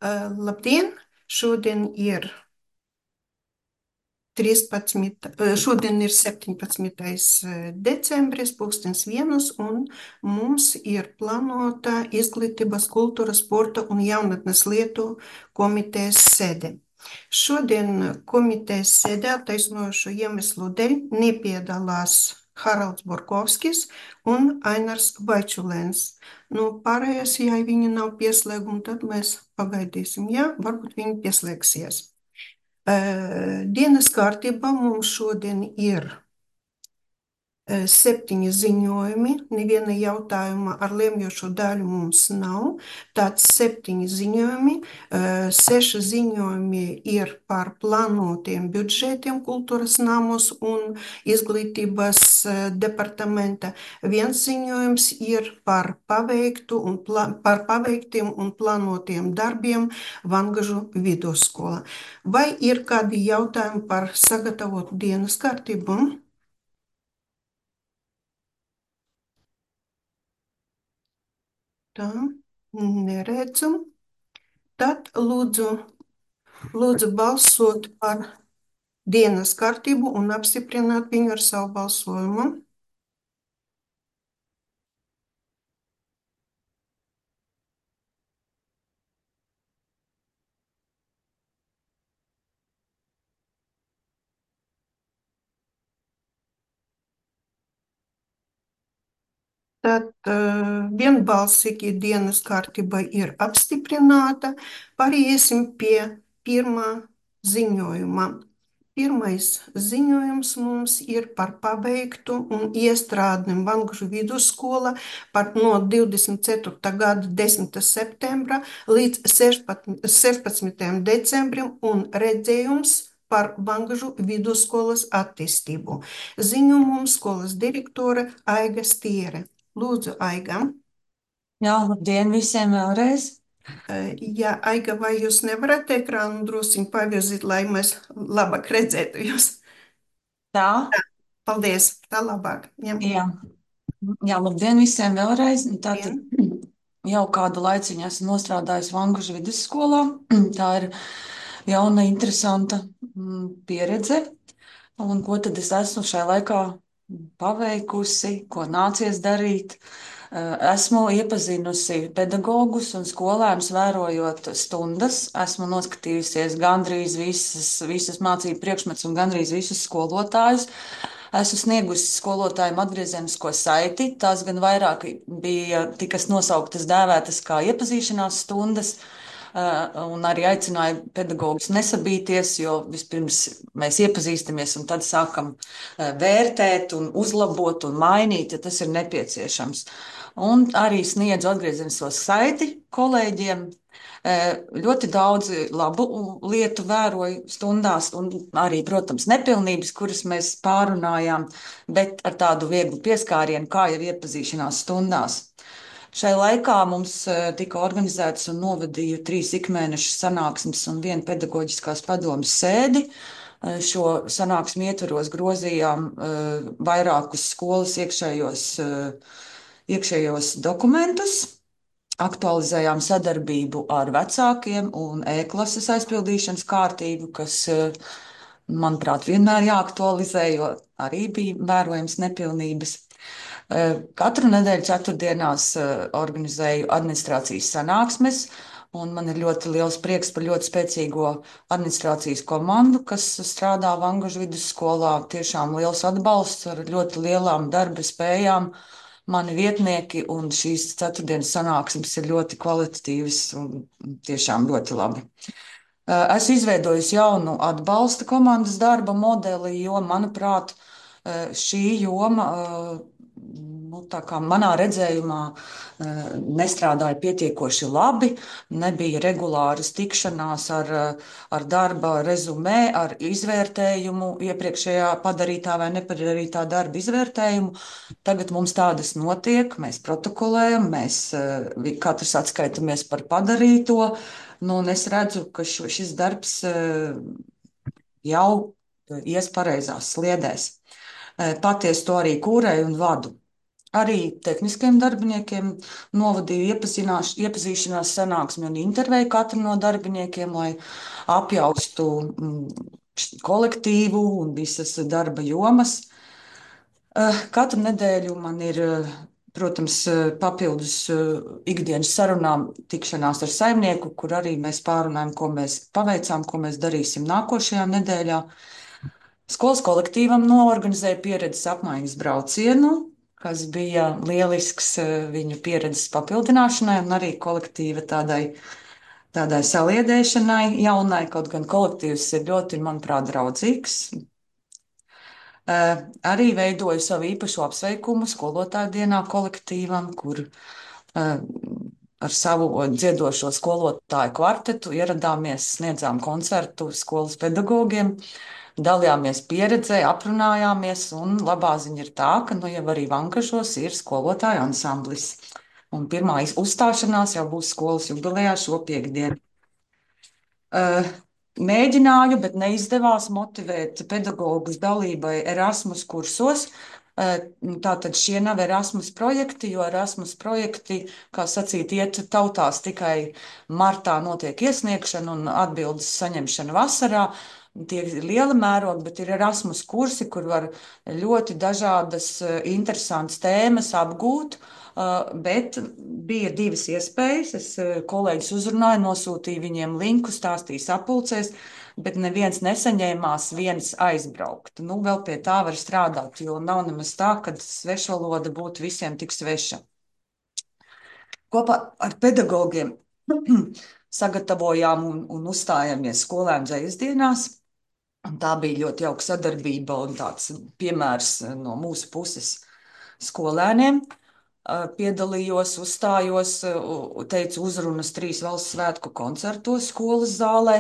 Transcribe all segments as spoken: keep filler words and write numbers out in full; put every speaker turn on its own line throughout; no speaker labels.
Uh, labdien! Šodien ir trīspadsmit, uh, šodien ir septiņpadsmitais decembris, pulkstens vienus, un mums ir plānota Izglītības, kultūras, sporta un jaunatnes lietu komitejas sēde. Šodien komitejas sēdē attaisnojošu iemeslu dēļ nepiedalās Haralds Borkovskis un Ainars Vaičulēns. Nu, pārējais, ja viņi nav pieslēgumi, tad mēs pagaidīsim. Jā, varbūt viņi pieslēgsies. Dienas kārtībā mums šodien ir septiņi ziņojumi, neviena jautājuma ar lemjošo daļu mums nav. Tāds septiņi ziņojumi, seši ziņojumi ir par plānotiem budžetiem kultūras namos un izglītības departamenta. Viens ziņojums ir par paveiktu un plā, par paveiktiem un plānotiem darbiem Vangažu vidusskola. Vai ir kādi jautājumi par sagatavotu dienas kārtību? Tā, neredzu. Tad lūdzu, lūdzu balsot par dienas kārtību un apstiprināt viņu ar savu balsojumu. Tad uh, vienbalsīgi dienas kārtība ir apstiprināta. Pāriesim pie pirmā ziņojuma. Pirmais ziņojums mums ir par pabeigtu un iestrādniem Vangažu vidusskola par no divdesmit ceturtā gada desmitā septembra līdz sešpadsmitajam decembrim un redzējums par Vangažu vidusskolas attīstību. Ziņo mums skolas direktore Aiga Stiere. Lūdzu, Aiga.
Jā, labdien visiem vēlreiz.
Jā, Aiga, vai jūs nevarat ekrānu drusciņ pavirzīt, lai mēs labāk redzētu jūs?
Tā,
Paldies, tā labāk. Jā,
jā, jā, labdien visiem vēlreiz. Tātad
vien.
jau kādu laiciņu esmu nostrādājis Vangužu vidusskolā. Tā ir jauna, interesanta mm, pieredze. Un ko tad es esmu šajā laikā paveikusi, ko nācies darīt? Eh, Esmu iepazinusi pedagogus un skolēnus, vērojot stundas. Esmu noskatījusies gandrīz visas, visas mācību priekšmetus un gandrīz visus skolotājus. Esmu sniegusi skolotājiem atgriezenisko saiti. Tās gan vairāk bija tikas nosauktas, dēvētas kā iepazīšanās stundas. Uh, un arī aicināju pedagogus nesabīties, jo vispirms mēs iepazīstamies un tad sākam uh, vērtēt un uzlabot un mainīt, ja tas ir nepieciešams. Un arī sniedzu atgriezenisko saiti kolēģiem. Uh, Ļoti daudz labu lietu vēroju stundās, un arī, protams, nepilnības, kuras mēs pārunājām, bet ar tādu vieglu pieskārienu, kā jau iepazīšanās stundās. Šai laikā mums eh, tika organizētas un novadīju trīs ikmēneša sanāksmes un vienu pedagoģiskās padomas sēdi. Eh, Šo sanāksmu ietvaros grozījām eh, vairākus skolas iekšējos, eh, iekšējos dokumentus, aktualizējām sadarbību ar vecākiem un e-klases aizpildīšanas kārtību, kas, eh, manuprāt, vienmēr jāaktualizē, jo arī bija vērojams nepilnības. Eh, Katru nedēļu ceturtdienās eh, organizēju administrācijas sanāksmes, un man ir ļoti liels prieks par ļoti spēcīgo administrācijas komandu, kas strādā Vangažu vidusskolā. Tiešām liels atbalsts ar ļoti lielām darba spējām. Mani vietnieki un šīs ceturtdienas sanāksmes ir ļoti kvalitatīvas un tiešām ļoti labi. Eh, Esmu izveidojusi jaunu atbalsta komandas darba modeli, jo, manuprāt, eh, šī joma, eh, nu, tā kā manā redzējumā, eh, nestrādāja pietiekoši labi. Nebija regulāras tikšanās ar, eh, ar darba rezumē, ar izvērtējumu, iepriekšējā padarītā vai nepadarītā darba izvērtējumu. Tagad mums tādas notiek, mēs protokolējam, mēs eh, vi- katrs atskaitamies par padarīto. Nu, un es redzu, ka šo, šis darbs eh, jau ies pareizās sliedēs. Eh, Patiesi to arī kūrēju un vadu. Arī tehniskiem darbiniekiem novadīju iepazinās, iepazīšanās sanāksmi un intervēju katru no darbiniekiem, lai apjaustu mm, kolektīvu un visas darba jomas. Eh, Katru nedēļu man ir, eh, protams, eh, papildus eh, ikdienas sarunām tikšanās ar saimnieku, kur arī mēs pārunājam, ko mēs paveicām, ko mēs darīsim nākošajā nedēļā. Skolas kolektīvam noorganizēja pieredzes apmaiņas braucienu, kas bija lielisks eh, viņu pieredzes papildināšanai un arī kolektīva tādai, tādai saliedēšanai jaunai, kaut gan kolektīvs ir ļoti, manuprāt, draudzīgs. Eh, Arī veidoju savu īpašo apsveikumu skolotāju dienā kolektīvam, kur eh, ar savu dziedošo skolotāju kvartetu ieradāmies, sniedzām koncertu skolas pedagogiem, dalījāmies pieredzē, aprunājāmies, un labā ziņa ir tā, ka nu jau arī Vangažos ir skolotāju ansamblis. Un pirmā iz- uzstāšanās jau būs skolas jubilejā šo piekdienu. Uh, Mēģināju, bet neizdevās motivēt pedagogus dalībai Erasmus kursos. Uh, Tātad šie nav Erasmus projekti, jo Erasmus projekti, kā sacīt, iet tautās tikai martā notiek iesniegšana un atbildes saņemšana vasarā. Tie ir liela mēroga, bet ir Erasmus kursi, kur var ļoti dažādas uh, interesantas tēmas apgūt. Uh, bet bija divas iespējas. Es uh, kolēģis uzrunāju, nosūtīju viņiem linku, stāstīju sapulcēs, bet neviens nesaņēmās viens aizbraukt. Nu, vēl pie tā var strādāt, jo nav nemaz tā, ka svešvaloda būtu visiem tik sveša. Kopā ar pedagogiem sagatavojām un, un uzstājāmies skolēnu dzejas dienās. Un tā bija ļoti jauka sadarbība un tāds piemērs no mūsu puses skolēniem. Uh, Piedalījos, uzstājos, uh, teicu uzrunas trīs valsts svētku koncertos skolas zālē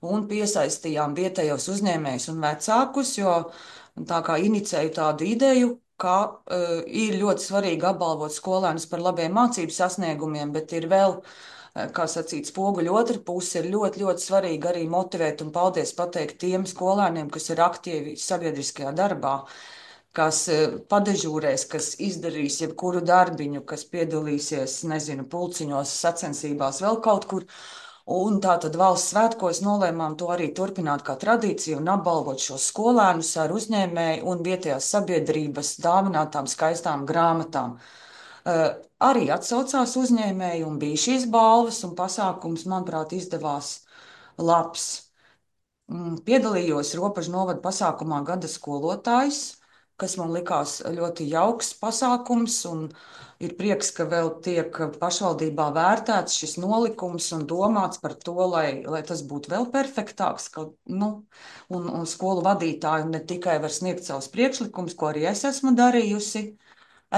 un piesaistījām vietējos uzņēmējus un vecākus, jo tā kā inicēju tādu ideju, ka uh, ir ļoti svarīgi apbalvot skolēnus par labiem mācību sasniegumiem, bet ir vēl, uh, kā sacīt, spoguļu otra puse, ir ļoti, ļoti svarīgi arī motivēt un paldies pateikt tiem skolēniem, kas ir aktīvi sabiedriskajā darbā, kas eh, padežūrēs, kas izdarīs jebkuru darbiņu, kas piedalīsies, nezinu, pulciņos, sacensībās, vēl kaut kur. Un tā tad valsts svētkos nolēmām to arī turpināt kā tradīciju un apbalvot šos skolēnus ar uzņēmēju un vietējās sabiedrības dāvinātām skaistām grāmatām. Uh, arī atsaucās uzņēmēji un bija šīs balvas un pasākums, manuprāt, izdevās labs. Mm, Piedalījos Ropažu novada pasākumā Gada skolotājs, kas man likās ļoti jauks pasākums, un ir prieks, ka vēl tiek pašvaldībā vērtēts šis nolikums un domāts par to, lai, lai tas būtu vēl perfektāks, ka, nu, un, un skolu vadītāji ne tikai var sniegt savus priekšlikumus, ko arī es esmu darījusi.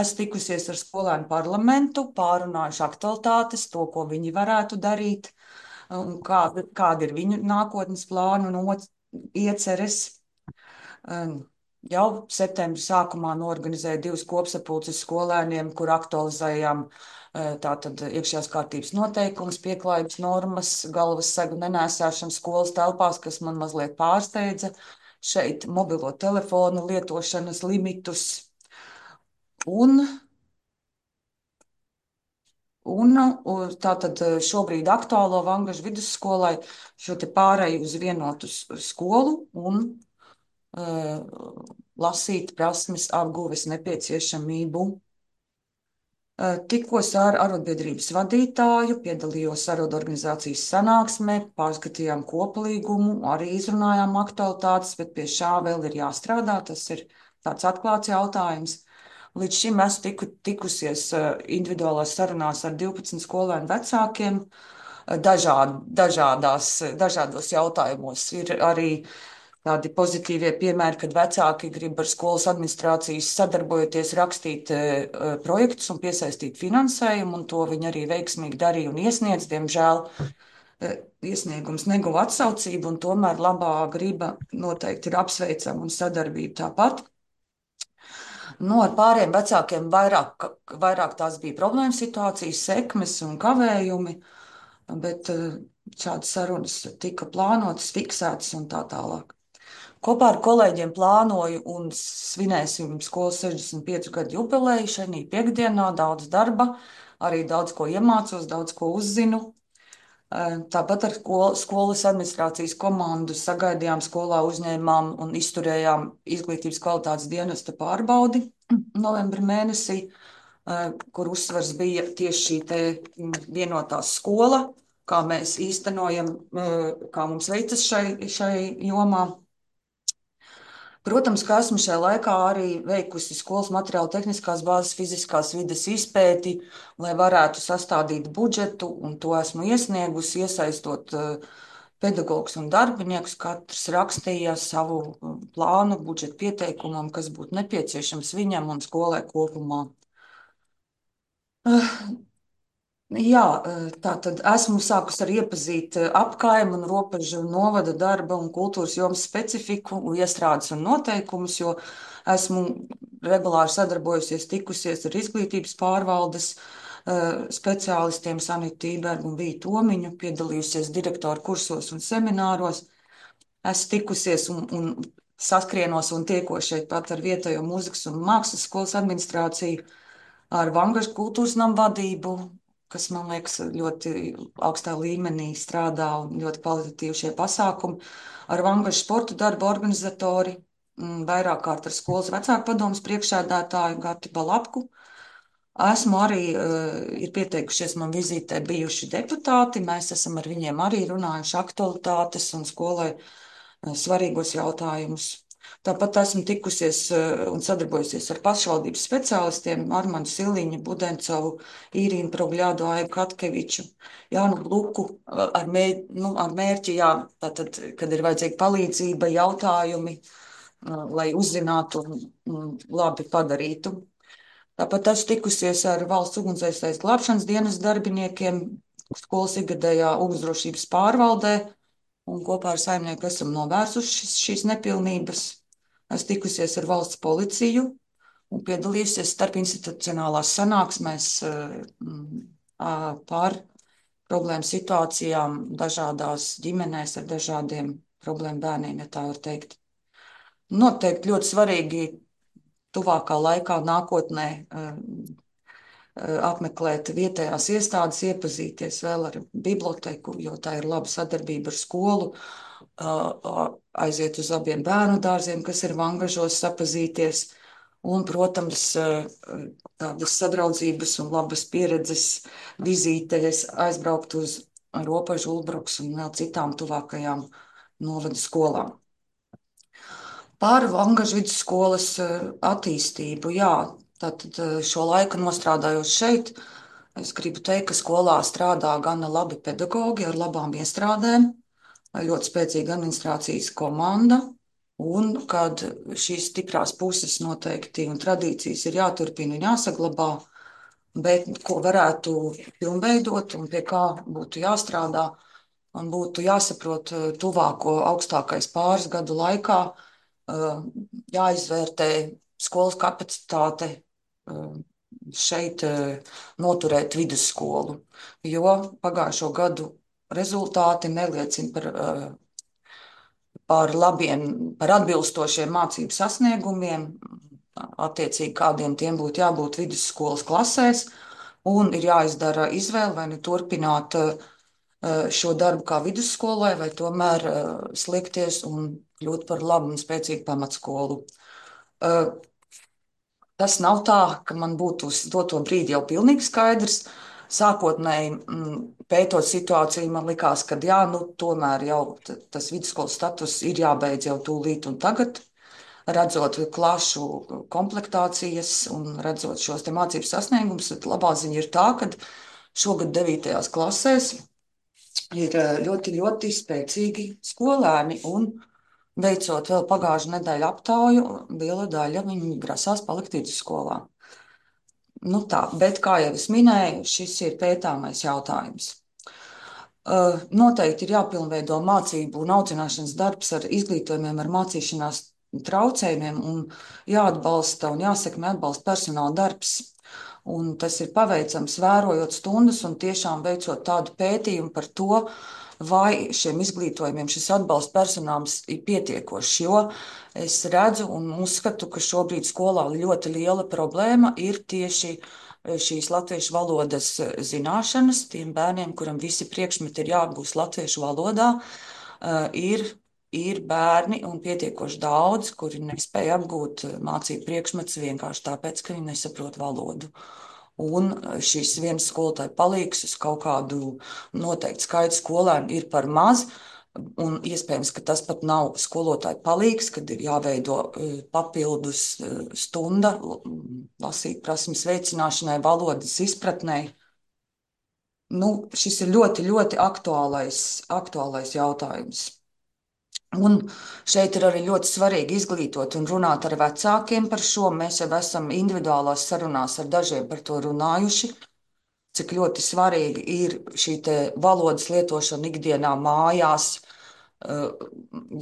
Esmu tikusies ar skolēnu parlamentu, pārunājuši aktualitātes, to, ko viņi varētu darīt, un kāda, kāda ir viņu nākotnes plānu un oc- ieceres. Um, Jau septembra sākumā norganizēju divas kopsapulces skolēniem, kur aktualizējām uh, tātad iekšējās kārtības noteikumus, pieklājības normas, galvas segu nenēsāšanu skolas telpās, kas man mazliet pārsteidza. Šeit mobilo telefonu lietošanas limitus. Un Un u- tātad eh, šobrīd aktuālo Vangažu vidusskolai šo te pārēju uz vienotu s- skolu un uh, lasīt prasmes apguves nepieciešamību. Uh, Tikos ar arotbiedrības vadītāju, piedalījos arotorganizācijas sanāksmē, pārskatījām kopalīgumu, arī izrunājām aktualitātes, bet pie šā vēl ir jāstrādā. Tas ir tāds atklāts jautājums. Līdz šim esmu tiku, tikusies uh, individuālās sarunās ar divpadsmit skolēnu vecākiem, uh, dažād, dažādās, dažādos jautājumos. Ir arī tādi pozitīvie piemēri, kad vecāki grib ar skolas administrācijas sadarbojoties rakstīt uh, projektus un piesaistīt finansējumu, un to viņi arī veiksmīgi darīja un iesniedz. Diemžēl uh, iesniegums neguva atsaucību, un tomēr labā griba noteikti ir apsveicama un sadarbība tāpat. Nu, ar pāriem vecākiem vairāk, vairāk tās bija problēma situācijas, sekmes un kavējumi, bet eh, šādas sarunas tika plānotas, fiksētas un tā tālāk. Kopā ar kolēģiem plānoju un svinēsim skolas sešdesmit piecu gadu jubileju šajā piekdienā. Daudz darba, arī daudz ko iemācos, daudz ko uzzinu. Eh, Tāpat ar skol- skolas administrācijas komandu sagaidījām skolā, uzņēmām un izturējām izglītības kvalitātes dienesta pārbaudi novembra mēnesī, eh, kur uzsvars bija tieši šī te mm, vienotā skola, kā mēs īstenojam, eh, kā mums veicas šai, šai jomā. Protams, ka esmu šajā laikā arī veikusi skolas materiālu tehniskās bāzes fiziskās vides izpēti, lai varētu sastādīt budžetu, un to esmu iesniegusi, iesaistot uh, pedagogus un darbiniekus. Katrs rakstīja savu uh, plānu budžeta pieteikumam, kas būtu nepieciešams viņam un skolai kopumā. Uh, Jā, tā tad esmu sākus ar iepazīt apkaimu un robežu novada darba un kultūras jomas specifiku, iestrādes un noteikumus, jo esmu regulāri sadarbojusies, tikusies ar izglītības pārvaldes speciālistiem Sanitu Tībergu un Vītu Tomiņu, piedalījusies direktoru kursos un semināros. Esmu tikusies un, un saskrienos un tiekos šeit pat ar vietējo mūzikas un mākslas skolas administrāciju, ar Vangažu kultūras namu vadību, kas, man liekas, ļoti augstā līmenī strādā un ļoti kvalitatīvi šie pasākumi. Ar Vangažu sporta darba organizatori, mm, vairāk kārt ar skolas vecāku padomus priekšsēdētāju Gati Balapku. Esmu arī, uh, ir pieteikušies man vizītē bijuši deputāti, mēs esam ar viņiem arī runājuši aktualitātes un skolai uh, svarīgos jautājumus. Tāpat esmu tikusies uh, un sadarbojusies ar pašvaldības speciālistiem Armanu Siliņu, Budencovu, Īrīnu Progļādu, Aigu Katkeviču, Jānu Bluku uh, ar, mēr, nu, ar mērķi, jā, tātad, kad ir vajadzīga palīdzība, jautājumi, uh, lai uzzinātu un, un labi padarītu. Tāpat esmu tikusies ar valsts ugunsdzēsējas glābšanas dienas darbiniekiem skolas ikgadējā ugunsdrošības pārvaldē, un kopā ar saimnieku esam novērsuši šis, šīs nepilnības. Esmu tikusies ar valsts policiju un piedalījusies starpinstitucionālās sanāksmēs par problēmu situācijām dažādās ģimenēs ar dažādiem problēmu bērniem, ja tā var teikt. Noteikti ļoti svarīgi tuvākā laikā, nākotnē apmeklēt vietējās iestādes, iepazīties vēl ar biblioteku, jo tā ir laba sadarbība ar skolu, aiziet uz abiem bērnu dārziem, kas ir Vangažos, sapazīties. Un, protams, tādas sadraudzības un labas pieredzes vizītēs aizbraukt uz Ropažu, Ulbruks un vēl citām tuvākajām novada skolām. Par Vangažu vidusskolas attīstību, jā, tātad šo laiku nostrādājot šeit, es gribu teikt, ka skolā strādā gana labi pedagogi ar labām iestrādēm, ļoti spēcīga administrācijas komanda, un kad šīs stiprās puses noteikti un tradīcijas ir jāturpina un jāsaglabā, bet ko varētu pilnveidot un pie kā būtu jāstrādā, un būtu jāsaprot tuvāko augstākais pāris gadu laikā, jāizvērtē skolas kapacitāte šeit noturēt vidusskolu, jo pagājušo gadu rezultāti neliecina par, par labiem, par atbilstošiem mācību sasniegumiem, attiecīgi kādiem tiem būtu jābūt vidusskolas klasēs, un ir jāizdara izvēle vai nu turpināt šo darbu kā vidusskolai, vai tomēr sliekties un kļūt par labu un spēcīgu pamatskolu. Tas nav tā, ka man būtu uz doto brīdi jau pilnīgi skaidrs. Sākotnēji pētot situāciju, man likās, ka jā, nu, tomēr jau tas vidusskolas status ir jābeidz jau tūlīt un tagad, redzot klašu komplektācijas un redzot šos te mācību sasniegumus. Labā ziņa ir tā, ka šogad devītajās klasēs ir ļoti, ļoti spēcīgi skolēni, un veicot vēl pagājušā nedēļa aptauju, liela daļa viņi grasās palikt vidusskolā. Nu tā, bet, kā jau es minēju, šis ir pētāmais jautājums. Noteikti ir jāpilnveido mācību un audzināšanas darbs ar izglītojumiem, ar mācīšanās traucējumiem, un jāatbalsta un jāsekmē atbalsta personāla darbs. Un tas ir paveicams, vērojot stundas un tiešām veicot tādu pētījumu par to, vai šiem izglītojumiem šis atbalsta personāls ir pietiekošs. Jo es redzu un uzskatu, ka šobrīd skolā ļoti liela problēma ir tieši šīs latviešu valodas zināšanas. Tiem bērniem, kuram visi priekšmeti ir jāapgūst latviešu valodā, ir ir bērni un pietiekoši daudz, kuri nespēja apgūt mācību priekšmetus vienkārši tāpēc, ka viņi nesaprot valodu. Un šis viens skolotāja palīgs uz kaut kādu noteiktu skaitu skolēnu ir par maz. Un iespējams, ka tas pat nav skolotāja palīgs, kad ir jāveido papildus stunda lasīt prasmes veicināšanai, valodas izpratnei. Nu, šis ir ļoti, ļoti aktuālais, aktuālais jautājums. Un šeit ir arī ļoti svarīgi izglītot un runāt ar vecākiem par šo. Mēs jau esam individuālās sarunās ar dažiem par to runājuši, cik ļoti svarīgi ir šī valodas lietošana ikdienā mājās.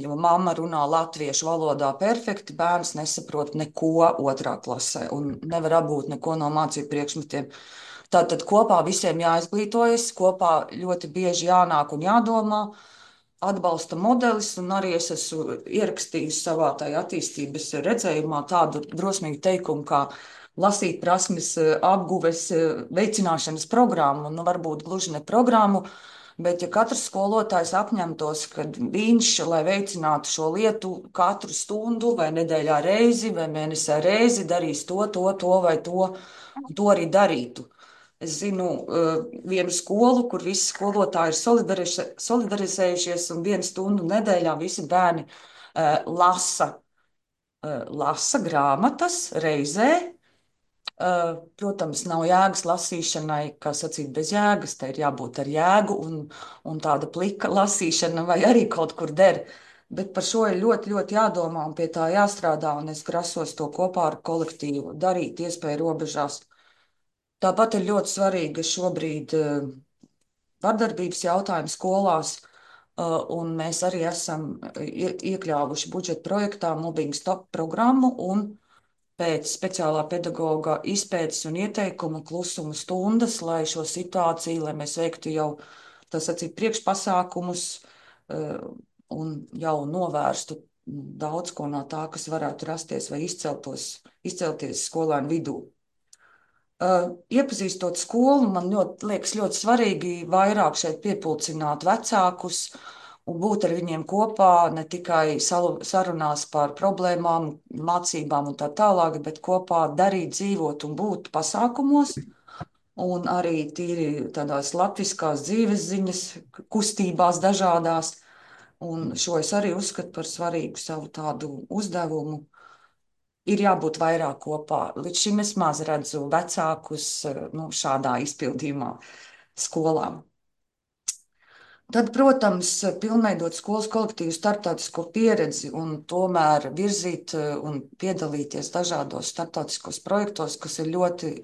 Jo mamma runā latviešu valodā perfekti, bērns nesaprot neko otrā klasē un nevar apgūt neko no mācību priekšmetiem. Tātad kopā visiem jāizglītojas, kopā ļoti bieži jānāk un jādomā. Atbalsta modelis, un arī es esmu ierakstījis savā tajā attīstības redzējumā tādu drosmīgu teikumu, kā lasīt prasmes apguves veicināšanas programmu, nu varbūt gluži ne programmu, bet ja katrs skolotājs apņemtos, ka viņš, lai veicinātu šo lietu, katru stundu vai nedēļā reizi vai mēnesē reizi darīs to, to, to vai to, un to arī darītu. Es zinu uh, vienu skolu, kur visi skolotāji ir solidarize, solidarizējušies, un vienu stundu nedēļā visi bērni uh, lasa, uh, lasa grāmatas reizē. Uh, protams, nav jēgas lasīšanai, kā sacīt, bez jēgas. Te ir jābūt ar jēgu, un, un tāda plika lasīšana vai arī kaut kur der. Bet par šo ir ļoti, ļoti jādomā un pie tā jāstrādā, un es grasos to kopā ar kolektīvu darīt iespēju robežās. Tāpat ir ļoti svarīgi, ka šobrīd uh, vardarbības jautājums skolās, uh, un mēs arī esam ie- iekļāvuši budžeta projektā Mobbing Stop programmu, un pēc speciālā pedagoga izpētes un ieteikuma klusuma stundas, lai šo situāciju, lai mēs veiktu jau tā sacīt priekšpasākumus uh, un jau novērstu daudz ko no tā, kas varētu rasties vai izceltos, izcelties skolēnu vidū. Uh, iepazīstot skolu, man ļoti, liekas ļoti svarīgi vairāk šeit piepulcināt vecākus un būt ar viņiem kopā, ne tikai salu, sarunās par problēmām, mācībām un tā tālāk, bet kopā darīt, dzīvot un būt pasākumos. Un arī tīri tādās latviskās dzīves ziņas, kustībās dažādās. Un šo es arī uzskatu par svarīgu savu tādu uzdevumu. Ir jābūt vairāk kopā. Līdz šim es maz redzu vecākus nu, šādā izpildījumā skolām. Tad, protams, pilnveidot skolas kolektīvu starptautisko pieredzi un tomēr virzīt un piedalīties dažādos starptautiskos projektos, kas ir ļoti,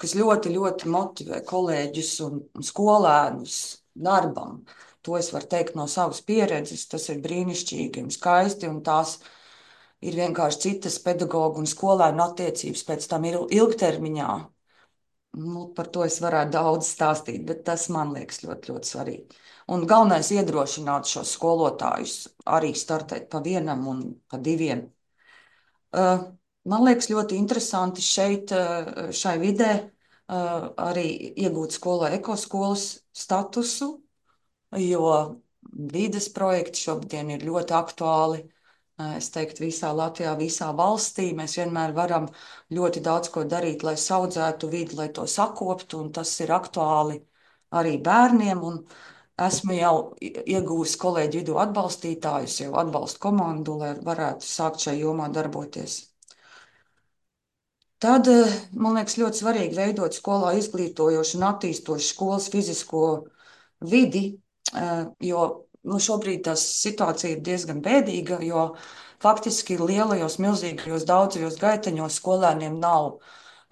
kas ļoti, ļoti motivē kolēģus un skolēnus darbam. To es varu teikt no savas pieredzes. Tas ir brīnišķīgi un skaisti, un tās ir vienkārši citas pedagoģu un skolēnu attiecības pēc tam ir ilgtermiņā. Nu, par to es varētu daudz stāstīt, bet tas man liekas ļoti, ļoti svarīgi. Un galvenais ir iedrošināt šos skolotājus arī startēt pa vienam un pa diviem. Uh, man liekas ļoti interesanti šeit, uh, šai vidē, uh, arī iegūt skolai ekoskolas statusu, jo vides projekti šobrīd ir ļoti aktuāli. Es teiktu, visā Latvijā, visā valstī mēs vienmēr varam ļoti daudz ko darīt, lai audzētu vidi, lai to sakoptu, un tas ir aktuāli arī bērniem. Un esmu jau iegūmis kolēģi vidū atbalstītājus, jau atbalstu komandu, lai varētu sākt šajā jomā darboties. Tad, man liekas, ļoti svarīgi veidot skolā izglītojošu un attīstošu skolas fizisko vidi, jo nu, šobrīd tā situācija ir diezgan bēdīga, jo faktiski lielajos, milzīgajos, daudzajos gaiteņos skolēniem nav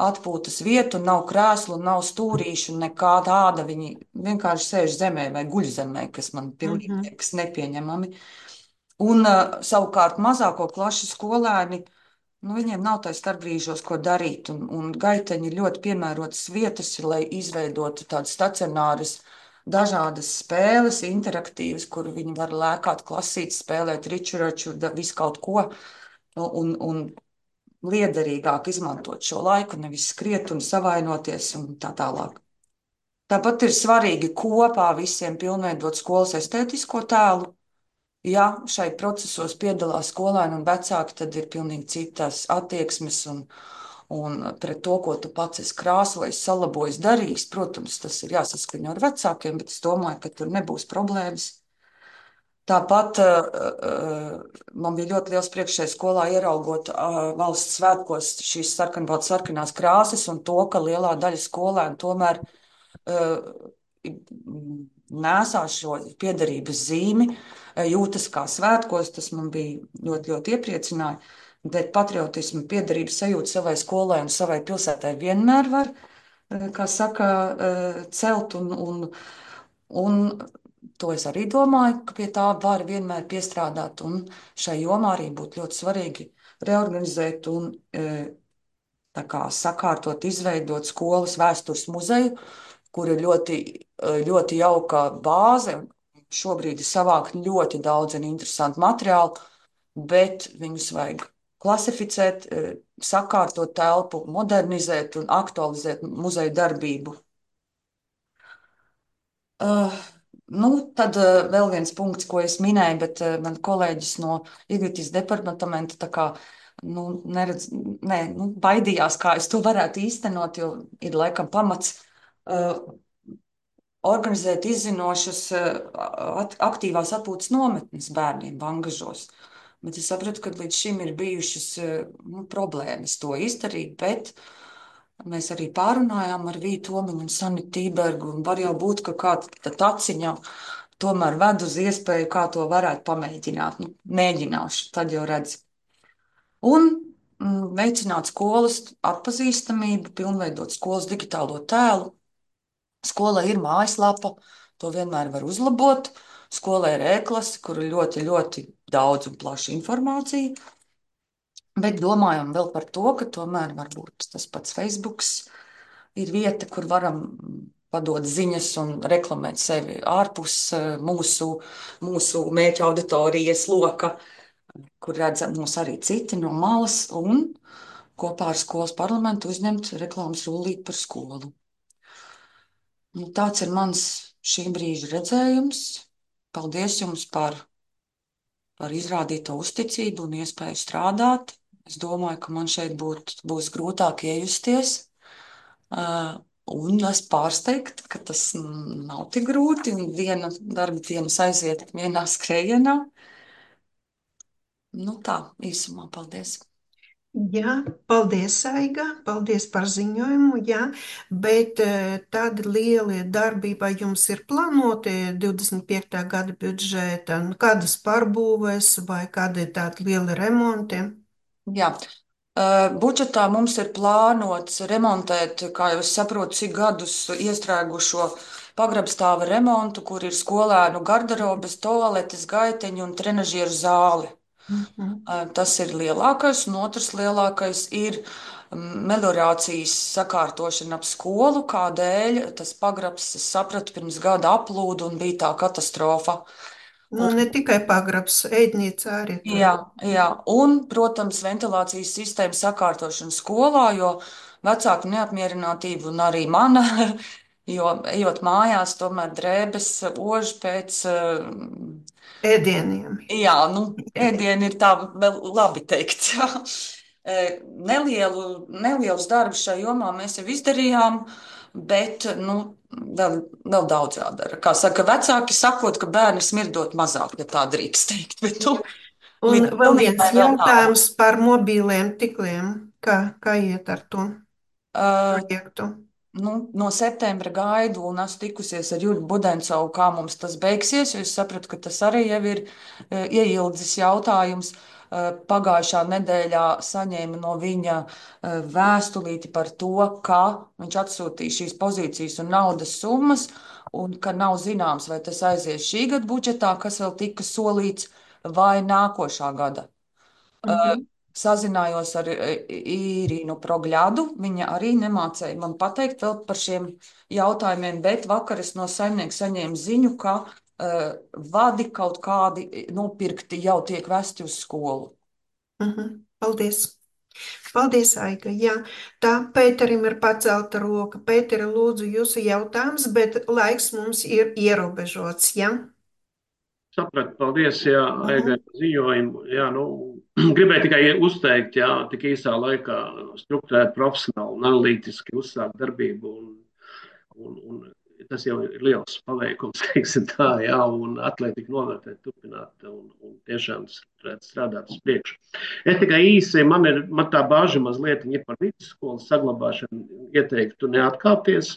atpūtas vietu, nav krēslu, nav stūrīšu, nekā tāda. Viņi vienkārši sēž zemē vai guļ zemē, kas man pilnīgi
Mhm.
liekas nepieņemami. Un uh, savukārt mazāko klašu skolēni nu, viņiem nav tā starpbrīžos, ko darīt. Un, un gaiteņi ir ļoti piemērotas vietas, lai izveidotu tādas stacionāras, dažādas spēles, interaktīvas, kur viņi var lēkāt, klasīt, spēlēt ričuraču, da- visu kaut ko. Un, un liederīgāk izmantot šo laiku, nevis skriet un savainoties un tā tālāk. Tāpat ir svarīgi kopā visiem pilnveidot skolas estētisko tēlu. Ja šai procesos piedalās skolēni un vecāki, tad ir pilnīgi citas attieksmes un, un pret to, ko tu pats esi krāsojis, salabojis, darījis. Protams, tas ir jāsaskaņo ar vecākiem, bet es domāju, ka tur nebūs problēmas. Tāpat uh, man bija ļoti liels prieks šajā skolā ieraugot uh, valsts svētkos šīs sarkanbaltas sarkanās krāsas un to, ka lielā daļa skolēnu tomēr uh, nesā šo piederības zīmi, uh, jūtas kā svētkos. Tas man bija ļoti, ļoti iepriecināja. Bet patriotismu, piederības sajūtu savai skolai un savai pilsētai vienmēr var, uh, kā saka, uh, celt un, un, un to es arī domāju, ka pie tā var vienmēr piestrādāt, un šai jomā arī būtu ļoti svarīgi reorganizēt un e, tā kā sakārtot, izveidot skolas vēstures muzeju, kur ir ļoti, e, ļoti jauka bāze. Šobrīd ir savākt ļoti daudz un interesantu materiālu, bet viņus vajag klasificēt, e, sakārtot telpu, modernizēt un aktualizēt muzeju darbību. Uh, nu, tad uh, vēl viens punkts, ko es minēju, bet uh, man kolēģis no Ignitis departamenta tā kā nu, neredz, ne, nu, baidījās, kā es to varētu īstenot, jo ir laikam pamats uh, organizēt izzinošas uh, at, aktīvās atpūtas nometnes bērniem Vangažos. Bet es sapratu, ka līdz šim ir bijušas uh, nu, problēmas to izdarīt, bet mēs arī pārunājām ar Vītu Omiņu un Sanitu Tībergu, un var jau būt, ka kāda taciņa tomēr ved uz iespēju, kā to varētu pamēģināt. Nu, mēģināšu, tad jau redz. Un mm, veicināt skolas atpazīstamību, pilnveidot skolas digitālo tēlu. Skolai ir mājaslapa, to vienmēr var uzlabot. Skolai ir e-klase, kur ir ļoti, ļoti daudz un plaša informācija. Bet domājam vēl par to, ka tomēr varbūt tas pats Facebook ir vieta, kur varam padot ziņas un reklamēt sevi ārpus eh, mūsu, mūsu mērķa auditorijas loka, kur redzam mūs arī citi no malas un kopā ar skolas parlamentu uzņemt reklāmas rullīti par skolu. Nu, tāds ir mans šī brīža redzējums. Paldies jums par, par izrādīto uzticību un iespēju strādāt. Es domāju, ka man šeit būt, būs grūtāk iejusties. Uh, un es pārsteigtu, ka tas nav tik grūti. Un viena darba dienas aiziet vienā skrējienā. Nu tā, īsumā, paldies.
Jā, paldies, Aiga, paldies par ziņojumu, jā, bet eh, tādi lielie darbība jums ir plānoti divdesmit piektā gada budžeta, nu, kādas pārbūves vai kādi tādi lieli remonti?
Jā. Uh, budžetā mums ir plānots remontēt, kā jau es saprotu, cik gadus iestrēgušo pagrabstāva remontu, kur ir skolēnu garderobes, toaletes, gaiteņi un trenažieru zāli.
Mhm.
Uh, Tas ir lielākais, un otrs lielākais ir mm, meliorācijas sakārtošana ap skolu, kādēļ tas pagrabs, es sapratu, pirms gada aplūda un bija tā katastrofa.
Nu, ne tikai pagrabs, ēdnīca arī tur.
Jā, jā, un, protams, ventilācijas sistēmas sakārtošana skolā, jo vecāku neapmierinātība un arī mana, jo ejot mājās, tomēr drēbes ož pēc, eh,
Ēdieniem.
jā, nu, ēdieni ir tā vēl labi teikt. Eh, Nelielu, nelielus darbus šajā jomā mēs jau izdarījām, bet, nu, vēl, vēl daudz jādara. Kā saka, vecāki sakot, ka bērni smirdot mazāk, ja tā drīkst teikt, bet, nu,
Un
līdz
vēl viens
pilnībai vēl tālu.
jautājums par mobīliem tikliem. Kā, kā iet ar to
Uh,
projektu?
nu, no septembra gaidu un esmu tikusies ar Jurgu Budencovu, kā mums tas beigsies, jo es sapratu, ka tas arī jau ir uh, ieildzis jautājums. Uh, pagājušā nedēļā saņēma no viņa uh, vēstulīti par to, ka viņš atsūtīja šīs pozīcijas un naudas summas, un ka nav zināms, vai tas aizies šī gada budžetā, kas vēl tika solīts, vai nākošā gada.
Mhm.
sazinājos ar Īrinu Progļādu. Viņa arī nemācēja man pateikt vēl par šiem jautājumiem, bet vakar es no saimnieka saņēmu ziņu, ka uh, vadi kaut kādi nopirkti jau tiek vesti uz skolu.
Mhm. Paldies! Paldies, Aiga. Jā, tā Pēterim ir pacelta roka. Pēteri, lūdzu, jūsu jautājums, bet laiks mums ir ierobežots, jā?
Sapratu, paldies, jā, Aigai
Mhm.
par ziņojumu. Jā, nu, gribēju tikai uzteikt, jā, tik īsā laikā strukturēt profesionāli un analītiski uzsākt darbību. Un, un, un tas jau ir liels paveikums, teiksim tā, jā, un atliek tik novērtēt, turpināt un, un tiešām strukturēt strādāt uz priekšu. Es tikai īsi, man ir, man tā bāža mazliet ir par vidusskolas saglabāšanu, ieteiktu neatkāpties,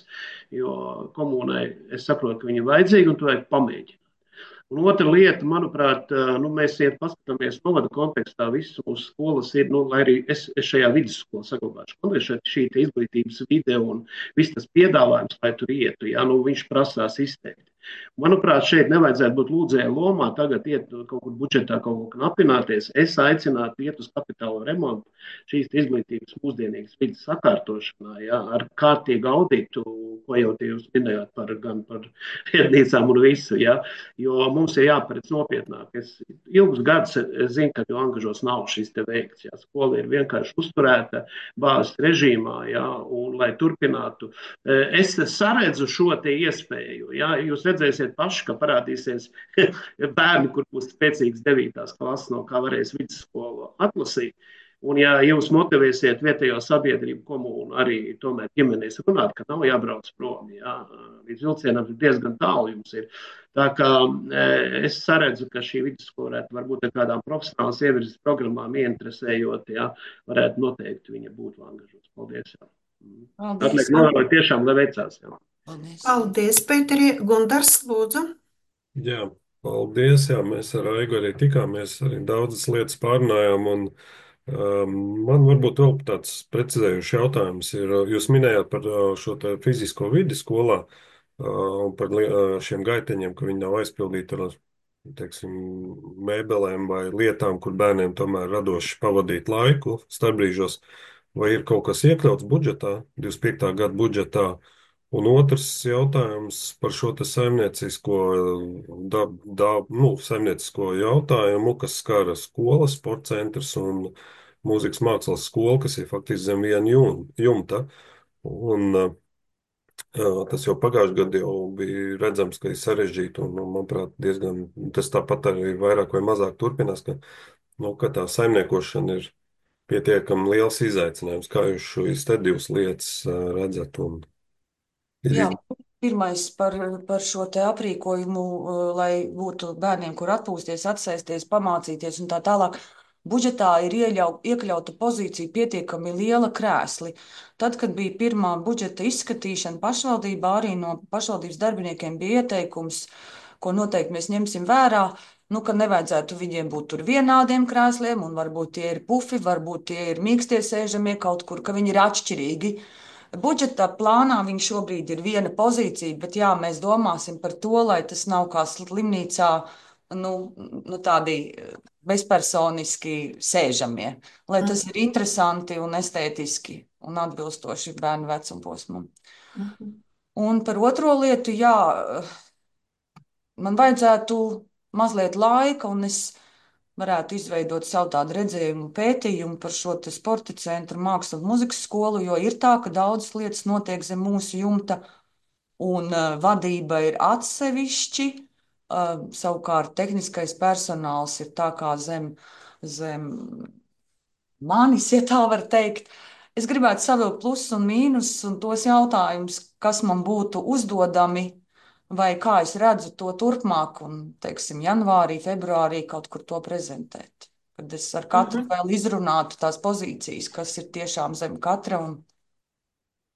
jo komunai es saprotu, ka viņi ir vajadzīgi un to vajag pamēģināt. Un otra lieta, manuprāt, nu, mēs iet paskatāmies novada kontekstā, visas mūsu skolas ir, nu, lai arī es, es šajā vidusskolā saglabāšu. Man ir šī izglītības vide un viss tas piedāvājums, lai tur ietu, ja, nu, viņš prasās izteikti. Manuprāt, šeit nevajadzētu būt lūdzēja lomā, tagad iet kaut kur budžetā kaut ko knapināties. Es aicinātu iet uz kapitālo remontu šīs izglītības mūsdienīgas vidas sakārtošanā, ja, ar kārtīgu auditu, ko jau tie jūs minējāt par, gan par vietnīcām un visu, ja, jo mums ir jāparedz nopietnāk. Es ilgus gadus es zinu, ka jau angažos nav šis te veikts, ja, skola ir vienkārši uzturēta bāzes režīmā, ja, un lai turpinātu. Es saredzu šo te iespēju, ja, jūs redzēsiet paši, ka parādīsies bērni, kur būs spēcīgs devītās klases, no kā varēs vidusskolu atlasīt. Un, ja jūs motivēsiet vietējo sabiedrību, komunu, arī tomēr ģimenēs runāt, ka nav jābrauc prom, jā, līdz vilcienam diezgan tālu jums ir. Tā kā es saredzu, ka šī vidusskola varētu varbūt ar kādām profesionālas ievirzes programmām ieinteresējot, jā, varētu noteikti viņa būtu angažots. Paldies, jā. Atliek novēlēt tiešām, lai veicās, jā.
Paldies.
Paldies, Pēteri. Gundars, lūdzu.
Jā, paldies. Jā, mēs ar Aigu arī tikāmies, arī daudzas lietas pārunājām. Un, um, man varbūt vēl tāds precizējuši jautājums ir, jūs minējāt par uh, šo te fizisko vidi skolā uh, un par li- uh, šiem gaiteņiem, ka viņi nav aizpildīti ar, teiksim, mēbelēm vai lietām, kur bērniem tomēr radoši pavadīt laiku starpbrīžos. Vai ir kaut kas iekļauts budžetā, divdesmit piektā gada budžetā? Un otrs jautājums par šo te saimniecisko, da, da, nu, saimniecisko jautājumu, kas skara skolas, sporta centrs un mūzikas mākslas skolu, kas ir faktiski zem viena jum- jumta. Un uh, tas jau pagājušajā gadā jau bija redzams, ka ir sarežģīti un, un, manuprāt, diezgan, tas tāpat arī vairāk vai mazāk turpinās, ka, nu, ka tā saimniekošana ir pietiekami liels izaicinājums. Kā jūs šīs te divas lietas uh, redzat? Un,
Jā, pirmais par, par šo te aprīkojumu, uh, lai būtu bērniem, kur atpūsties, atsēsties, pamācīties un tā tālāk. Budžetā ir ieļau, iekļauta pozīcija pietiekami liela krēsli. Tad, kad bija pirmā budžeta izskatīšana pašvaldībā, arī no pašvaldības darbiniekiem bija ieteikums, ko noteikti mēs ņemsim vērā, nu, ka nevajadzētu viņiem būt tur vienādiem krēsliem, un varbūt tie ir pufi, varbūt tie ir mīkstie sēžamie kaut kur, ka viņi ir atšķirīgi. Budžeta plānā viņš šobrīd ir viena pozīcija, bet jā, mēs domāsim par to, lai tas nav kā slimnīcā, nu, nu tādi bezpersoniski sēžamie, lai tas ir interesanti un estētiski un atbilstoši bērnu vecumposmam.
Mhm.
Un par otro lietu, jā, man vajadzētu mazliet laika, un es varētu izveidot savu tādu redzējumu pētījumu par šo te sporta centru, mākslu un muzikas skolu, jo ir tā, ka daudzas lietas notiek zem mūsu jumta, un uh, vadība ir atsevišķi, uh, savukārt tehniskais personāls ir tā kā zem, zem manis, ja tā var teikt. Es gribētu savilkt plusus un mīnus un tos jautājumus, kas man būtu uzdodami, vai kā es redzu to turpmāk, un, teiksim, janvārī, februārī kaut kur to prezentēt. Kad es ar katru
Mhm.
vēl izrunātu tās pozīcijas, kas ir tiešām zem katra un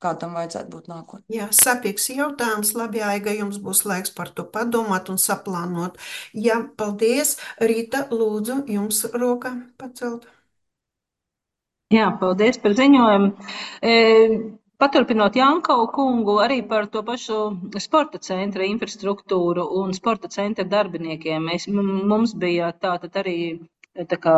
kā tam vajadzētu būt nākotnē.
Jā, sapīgs jautājums. Labi, Aiga, jums būs laiks par to padomāt un saplānot. Jā, paldies. Rīta, lūdzu, jums roka pacelt.
Jā, paldies par ziņojumu. E, paturpinot Jankau kungu arī par to pašu sporta centra infrastruktūru un sporta centra darbiniekiem. Mēs, mums bija tātad arī tā kā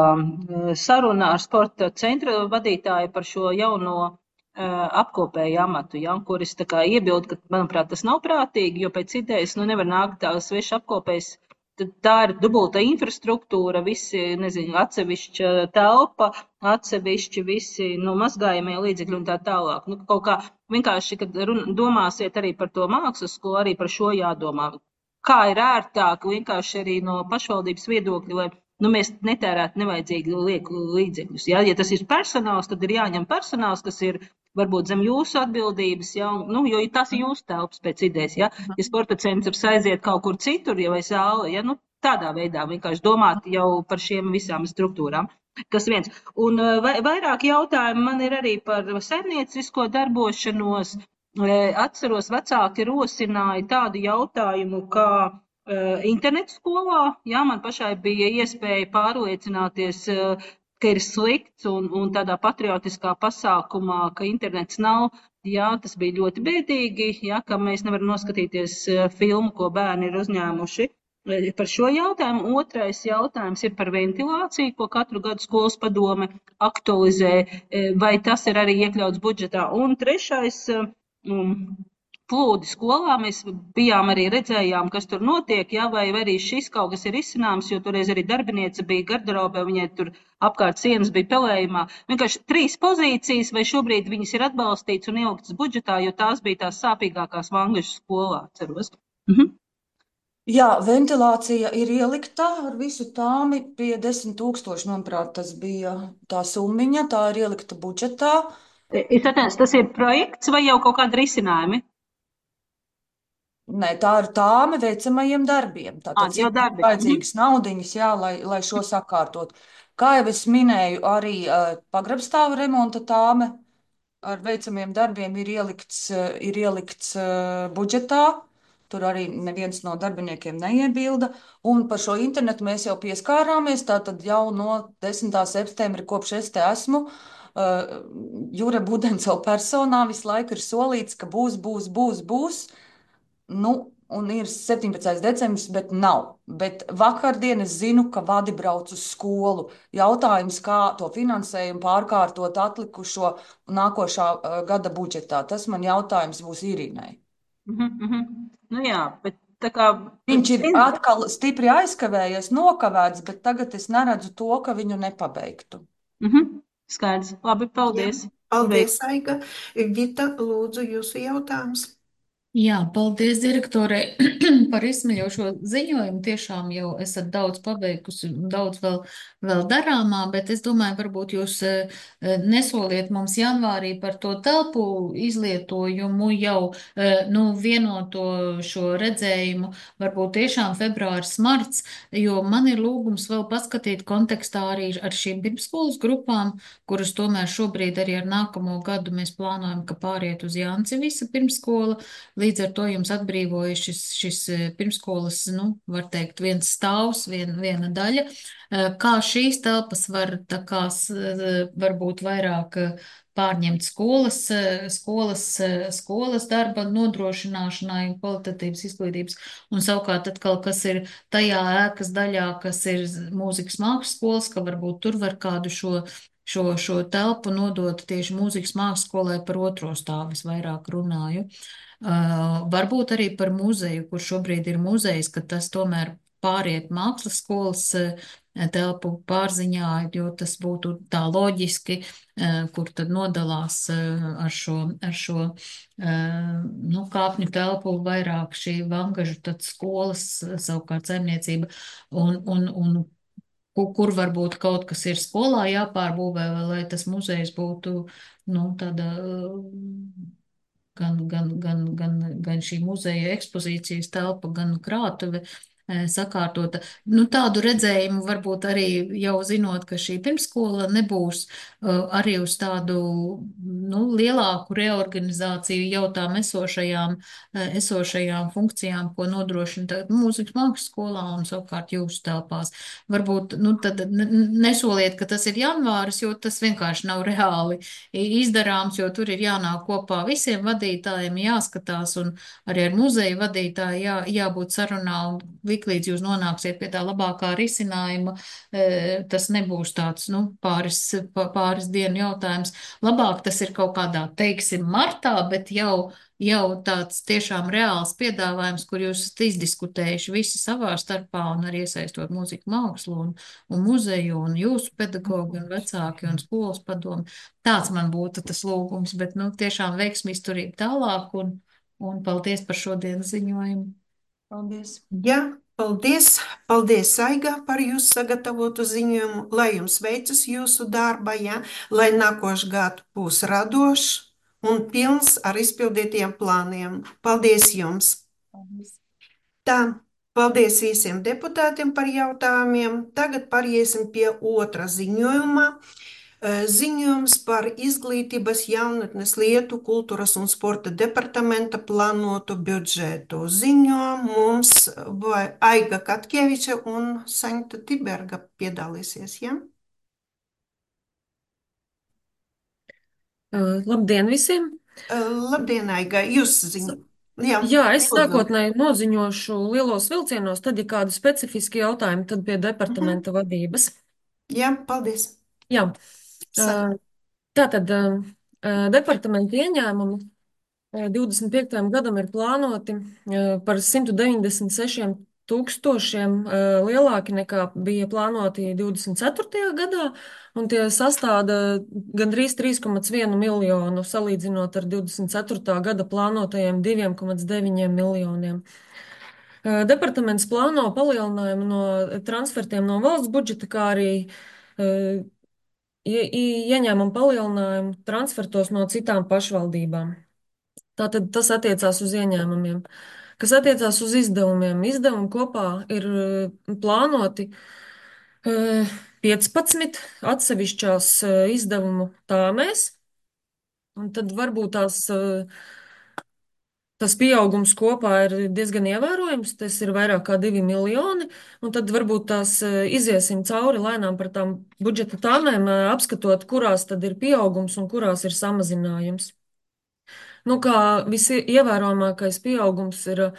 saruna ar sporta centra vadītāju par šo jauno apkopēju amatu, ja, kuris tā kā iebild, ka, manuprāt, tas nav prātīgi, jo pēc idejas, nu, nevar nākt tā sveša apkopējs, tad tā ir dubulta infrastruktūra, visi, nezinu, atsevišķa telpa, atsevišķi visi, nu, mazgājamie līdzekļi un tā tālāk. Nu, kaut kā vienkārši, kad run, domāsiet arī par to mākslas skolu, arī par šo jādomā. Kā ir ērtāk vienkārši arī no pašvaldības viedokļa, lai nu, mēs netērētu nevajadzīgi lieku līdzekļus. Ja? Ja tas ir personāls, tad ir jāņem personāls, kas ir varbūt zem jūsu atbildības, ja? Nu, jo tas ir jūsu telpas pēc idejas. Ja, ja sporta centrs aiziet kaut kur citur, ja vai zāle, ja? Nu, tādā veidā vienkārši domāt jau par šiem visām struktūrām. Tas viens. Un vairāk jautājumu man ir arī par saimniecisko darbošanos. Atceros, vecāki rosināja tādu jautājumu, kā uh, internetu skolā. Jā, man pašai bija iespēja pārliecināties, uh, ka ir slikts un, un tādā patriotiskā pasākumā, ka internets nav. Jā, tas bija ļoti bēdīgi, jā, ka mēs nevaram noskatīties uh, filmu, ko bērni ir uzņēmuši. Par šo jautājumu. Otrais jautājums ir par ventilāciju, ko katru gadu skolas padome aktualizē, vai tas ir arī iekļauts budžetā. Un trešais, plūdi skolā, mēs bijām arī redzējām, kas tur notiek, ja, vai arī šis kaut kas ir izcināms, jo toreiz arī darbiniece bija garderobē, viņai tur apkārt sienas bija pelējumā. Vienkārši trīs pozīcijas, vai šobrīd viņas ir atbalstīts un ieliktas budžetā, jo tās bija tās sāpīgākās Vangažu skolā, ceros. Mhm.
Jā, ventilācija ir ielikta ar visu tāmi pie desmit tūkstoši, manuprāt, tas bija tā summiņa, tā ir ielikta budžetā.
Es atceros, tas ir projekts vai jau kaut kādi risinājumi?
Nē, tā ir tāme veicamajiem darbiem. Tātad ir vajadzīgas naudiņas, jā, lai, lai šo sakārtot. Kā jau es minēju, arī uh, pagrabstāva remonta tāme ar veicamiem darbiem ir ielikts, uh, ir ielikts uh, budžetā. Tur arī neviens no darbiniekiem neiebilda. Un par šo internetu mēs jau pieskārāmies. Tātad jau no desmitā septembra, kopš es te esmu, uh, Jure Budensela personā visu laiku ir solīts, ka būs, būs, būs, būs. Nu, un ir septiņpadsmitais decembris, bet nav. Bet vakardien es zinu, ka vadi brauc uz skolu. Jautājums, kā to finansējumu pārkārtot atlikušo nākošā uh, gada budžetā. Tas man jautājums būs Irinai.
Mhm, mhm. Nu jā, bet tā kā...
Viņš ir atkal stipri aizkavējies, nokavēts, bet tagad es neredzu to, ka viņu nepabeigtu.
Mhm. Skaidrs. Labi, paldies.
Jā, paldies, Aiga. Gita, lūdzu, jūsu jautājums.
Jā, paldies direktorei par izsmeļošo ziņojumu. Tiešām jau esat daudz paveikusi un daudz vēl, vēl darāmā, bet es domāju, varbūt jūs nesoliet mums janvārī par to telpu izlietojumu jau, nu, vienoto šo redzējumu, varbūt tiešām februāris, marts, jo man ir lūgums vēl paskatīt kontekstā arī ar šīm pirmskolas grupām, kuras tomēr šobrīd arī ar nākamo gadu mēs plānojam, ka pāriet uz Jānci visa pirmskola. Līdz ar to jums atbrīvoja šis, šis pirmskolas, nu, var teikt, viens stāvs, vien, viena daļa. Kā šīs telpas var tā kā varbūt vairāk pārņemt skolas, skolas, skolas darba nodrošināšanai un kvalitatīvas izglītības, un savukārt atkal, kas ir tajā ēkas daļā, kas ir mūzikas mākslas skolas, ka varbūt tur var kādu šo Šo, šo telpu nodot tieši mūzikas mākslas skolai par otro stāvu, es vairāk runāju. Uh, varbūt arī par muzeju, kur šobrīd ir muzejs, ka tas tomēr pāriet mākslas skolas uh, telpu pārziņā, jo tas būtu tā loģiski, uh, kur tad nodalās uh, ar šo, ar šo uh, nu, kāpņu telpu vairāk šī Vangažu tad skolas, savukārt saimniecība un, un, un kur varbūt kaut kas ir skolā jāpārbūvē, lai tas muzejs būtu, nu, tāda gan, gan, gan, gan, gan šī muzeja ekspozīcijas telpa, gan krātuve sakārtota. Nu, tādu redzējumu varbūt arī jau zinot, ka šī pirmskola nebūs uh, arī uz tādu, nu, lielāku reorganizāciju jau tām esošajām, uh, esošajām funkcijām, ko nodrošina tagad mūzikas mākslas skolā un savukārt jūsu telpās. Varbūt, nu, tad nesoliet, ka tas ir janvāris, jo tas vienkārši nav reāli izdarāms, jo tur ir jānāk kopā visiem vadītājiem, jāskatās un arī ar muzeju vadītāju jā, jābūt sarunā un tiklīdz jūs nonāksiet pie tā labākā risinājuma, tas nebūs tāds, nu, pāris, pāris dienu jautājums. Labāk tas ir kaut kādā, teiksim, martā, bet jau jau tāds tiešām reāls piedāvājums, kur jūs esat izdiskutējuši visi savā starpā un arī iesaistot mūziku mākslu un, un muzeju un jūsu pedagogi un vecāki un skolas padomu. Tāds man būtu tas lūgums, bet, nu, tiešām veiksmi izturību tālāk un, un paldies par šodienas ziņojumu.
Paldies!
Jā, paldies! Paldies, Aiga, par jūsu sagatavotu ziņojumu, lai jums veicas jūsu darba, ja? Lai nākošais gads būs radošs un pilns ar izpildītiem plāniem. Paldies jums!
Paldies!
Tā, paldies visiem deputātiem par jautājumiem. Tagad pāriesim pie otra ziņojuma. Ziņojums par izglītības, jaunatnes lietu, kultūras un sporta departamenta plānotu budžetu. Ziņo mums Aiga Katkeviča un Saņta Tiberga piedalīsies, ja?
Uh, labdien visiem!
Uh, labdien, Aiga, jūs ziņo. Jā,
Jā, es
lūdzu.
sākotnēji noziņošu lielos vilcienos, tad, ja kādi specifiski jautājumi, tad pie departamenta
Mhm.
vadības.
Jā, paldies.
Jā,
Sa-
uh, tātad uh, uh, departamenta ieņēmumi uh, divdesmit piektajam gadam ir plānoti uh, par simt deviņdesmit sešiem tūkstošiem uh, lielāki nekā bija plānoti divdesmit ceturtajā gadā, un tie sastāda gandrīz trīs komā vienu miljonu, salīdzinot ar divdesmit ceturtā gada plānotajiem diviem komā deviņiem miljoniem. Uh, Departaments plāno palielinājumu no transfertiem no valsts budžeta, kā arī uh, ie- ie- ieņēmumu palielinājumu transfertos no citām pašvaldībām. Tātad tas attiecās uz ieņēmumiem. Kas attiecās uz izdevumiem, izdevumi kopā ir eh, plānoti eh, piecpadsmit atsevišķās eh, izdevumu tāmēs, un tad varbūt tās, eh, tas pieaugums kopā ir diezgan ievērojams, tas ir vairāk kā divi miljoni, un tad varbūt tās eh, iziesim cauri lēnām par tām budžeta tāmēm, eh, apskatot, kurās tad ir pieaugums un kurās ir samazinājums. Nu, kā visievērojamākais pieaugums ir uh,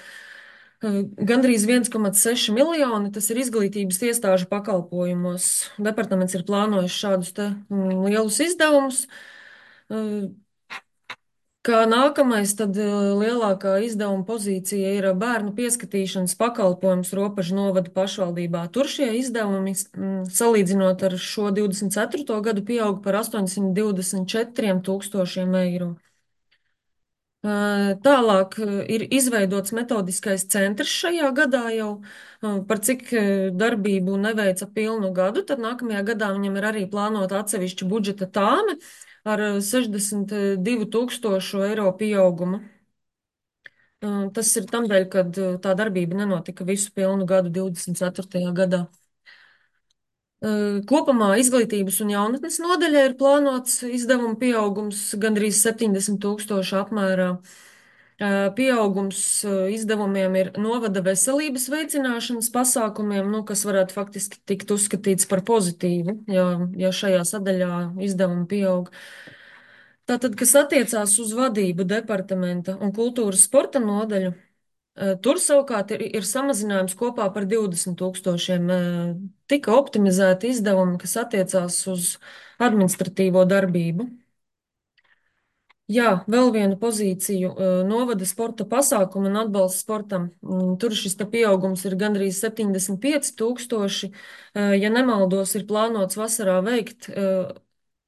gandrīz viens komā seši miljoni, tas ir izglītības iestāžu pakalpojumos. Departaments ir plānojis šādus te mm, lielus izdevumus. Uh, Kā nākamais, tad uh, lielākā izdevuma pozīcija ir bērnu pieskatīšanas pakalpojums Ropažu novada pašvaldībā. Tur šie izdevumi, mm, salīdzinot ar šo divdesmit ceturto gadu, pieaug par astoņsimt divdesmit četriem tūkstošiem eiro. Tālāk ir izveidots metodiskais centrs šajā gadā jau, par cik darbību neveica pilnu gadu, tad nākamajā gadā viņam ir arī plānota atsevišķa budžeta tāme ar sešdesmit divu tūkstošu eiro pieaugumu. Tas ir tamdēļ, kad tā darbība nenotika visu pilnu gadu divdesmit ceturtajā gadā. Kopumā izglītības un jaunatnes nodaļā ir plānots izdevuma pieaugums gandrīz septiņdesmit tūkstošu apmērā. Pieaugums izdevumiem ir novada veselības veicināšanas pasākumiem, nu, kas varētu faktiski tikt uzskatīts par pozitīvu, ja, ja šajā sadaļā izdevumi pieaug. Tātad, kas attiecās uz vadību departamenta un kultūras sporta nodaļu, tur savukārt ir, ir samazinājums kopā par divdesmit tūkstošiem. Tika optimizēti izdevumi, kas attiecās uz administratīvo darbību. Jā, vēl vienu pozīciju - novada sporta pasākumu un atbalsts sportam. Tur šis te pieaugums ir gandrīz septiņdesmit pieci tūkstoši. Ja nemaldos, ir plānots vasarā veikt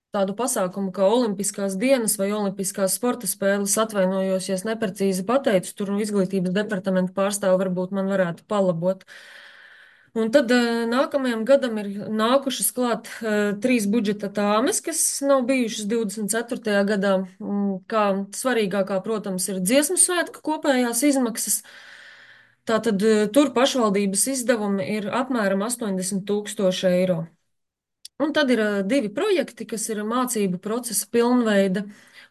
tādu pasākumu kā Olimpiskās dienas vai Olimpiskās sporta spēles. Atvainojos, ja es neprecīzi pateicu, tur izglītības departamenta pārstāvi varbūt man varētu palabot. Un tad nākamajam gadam ir nākušas klāt uh, trīs budžeta tāmes, kas nav bijušas divdesmit ceturtajā gadā. Kā svarīgākā, protams, ir dziesmu svētku kopējās izmaksas. Tātad uh, tur pašvaldības izdevumi ir apmēram astoņdesmit tūkstoši eiro. Un tad ir uh, divi projekti, kas ir mācību procesa pilnveida.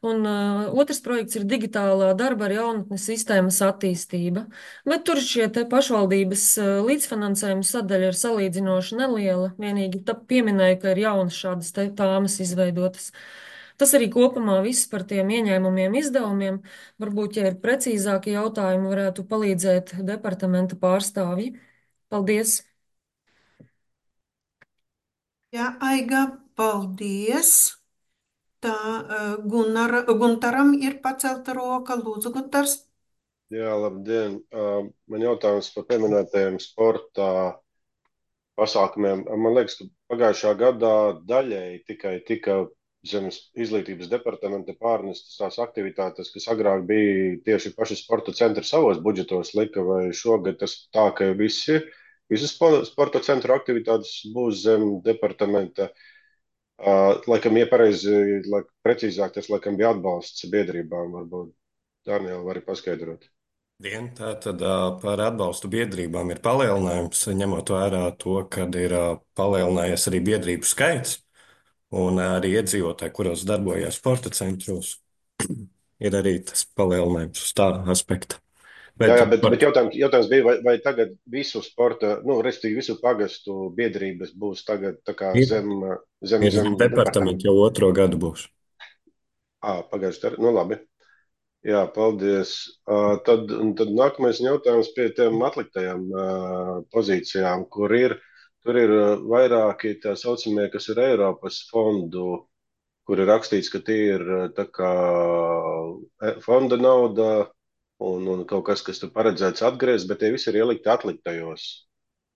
Un uh, otrs projekts ir digitālā darba ar jaunatnes sistēmas attīstība. Bet tur šie te pašvaldības uh, līdzfinansējuma sadaļa ir salīdzinoši neliela. Vienīgi tā pieminēju, ka ir jaunas šādas te tāmas izveidotas. Tas arī kopumā viss par tiem ieņēmumiem, izdevumiem. Varbūt, ja ir precīzāki jautājumi, varētu palīdzēt departamenta pārstāvji. Paldies!
Jā, Aiga, paldies. Tā, Gunara, Guntaram ir pacelta roka. Lūdzu, Guntars.
Jā, labdien. Man jautājums par pieminētajiem sporta pasākumiem. Man liekas, ka pagājušā gadā daļēji tikai tika zemes izglītības departamenta pārnestas tās aktivitātes, kas agrāk bija tieši paši sporta centri savos budžetos lika, vai šogad tas tā, ka visi, visas sporta centru aktivitātes būs zem departamenta. Uh, laikam, ja pareizi, laik, precīzāk, tas laikam bija atbalsts biedrībām, varbūt Daniela vari paskaidrot.
Vien tā tad par atbalstu biedrībām ir palielinājums, ņemot vērā to, ka ir palielinājies arī biedrību skaits un arī iedzīvotāji, kuros darbojas sporta centros, ir arī tas palielinājums uz tā aspekta.
Bet, jā, jā, bet, par... bet jautājums, jautājums bija, vai, vai tagad visu sporta, nu, respektīvi visu pagastu biedrības būs tagad tā kā
ir,
zem, zem,
ir
zem
departamentu jau otro gadu būs.
Ā, pagājuši, nu labi. Jā, paldies. Uh, tad, tad nākamais jautājums pie tiem atliktajām uh, pozīcijām, kur ir, tur ir vairāki tā saucamie, kas ir Eiropas fondu, kur ir rakstīts, ka tie ir tā kā fonda nauda, Un, un kaut kas, kas tur paredzēts atgriezt, bet tie visi ir ielikti atliktajos.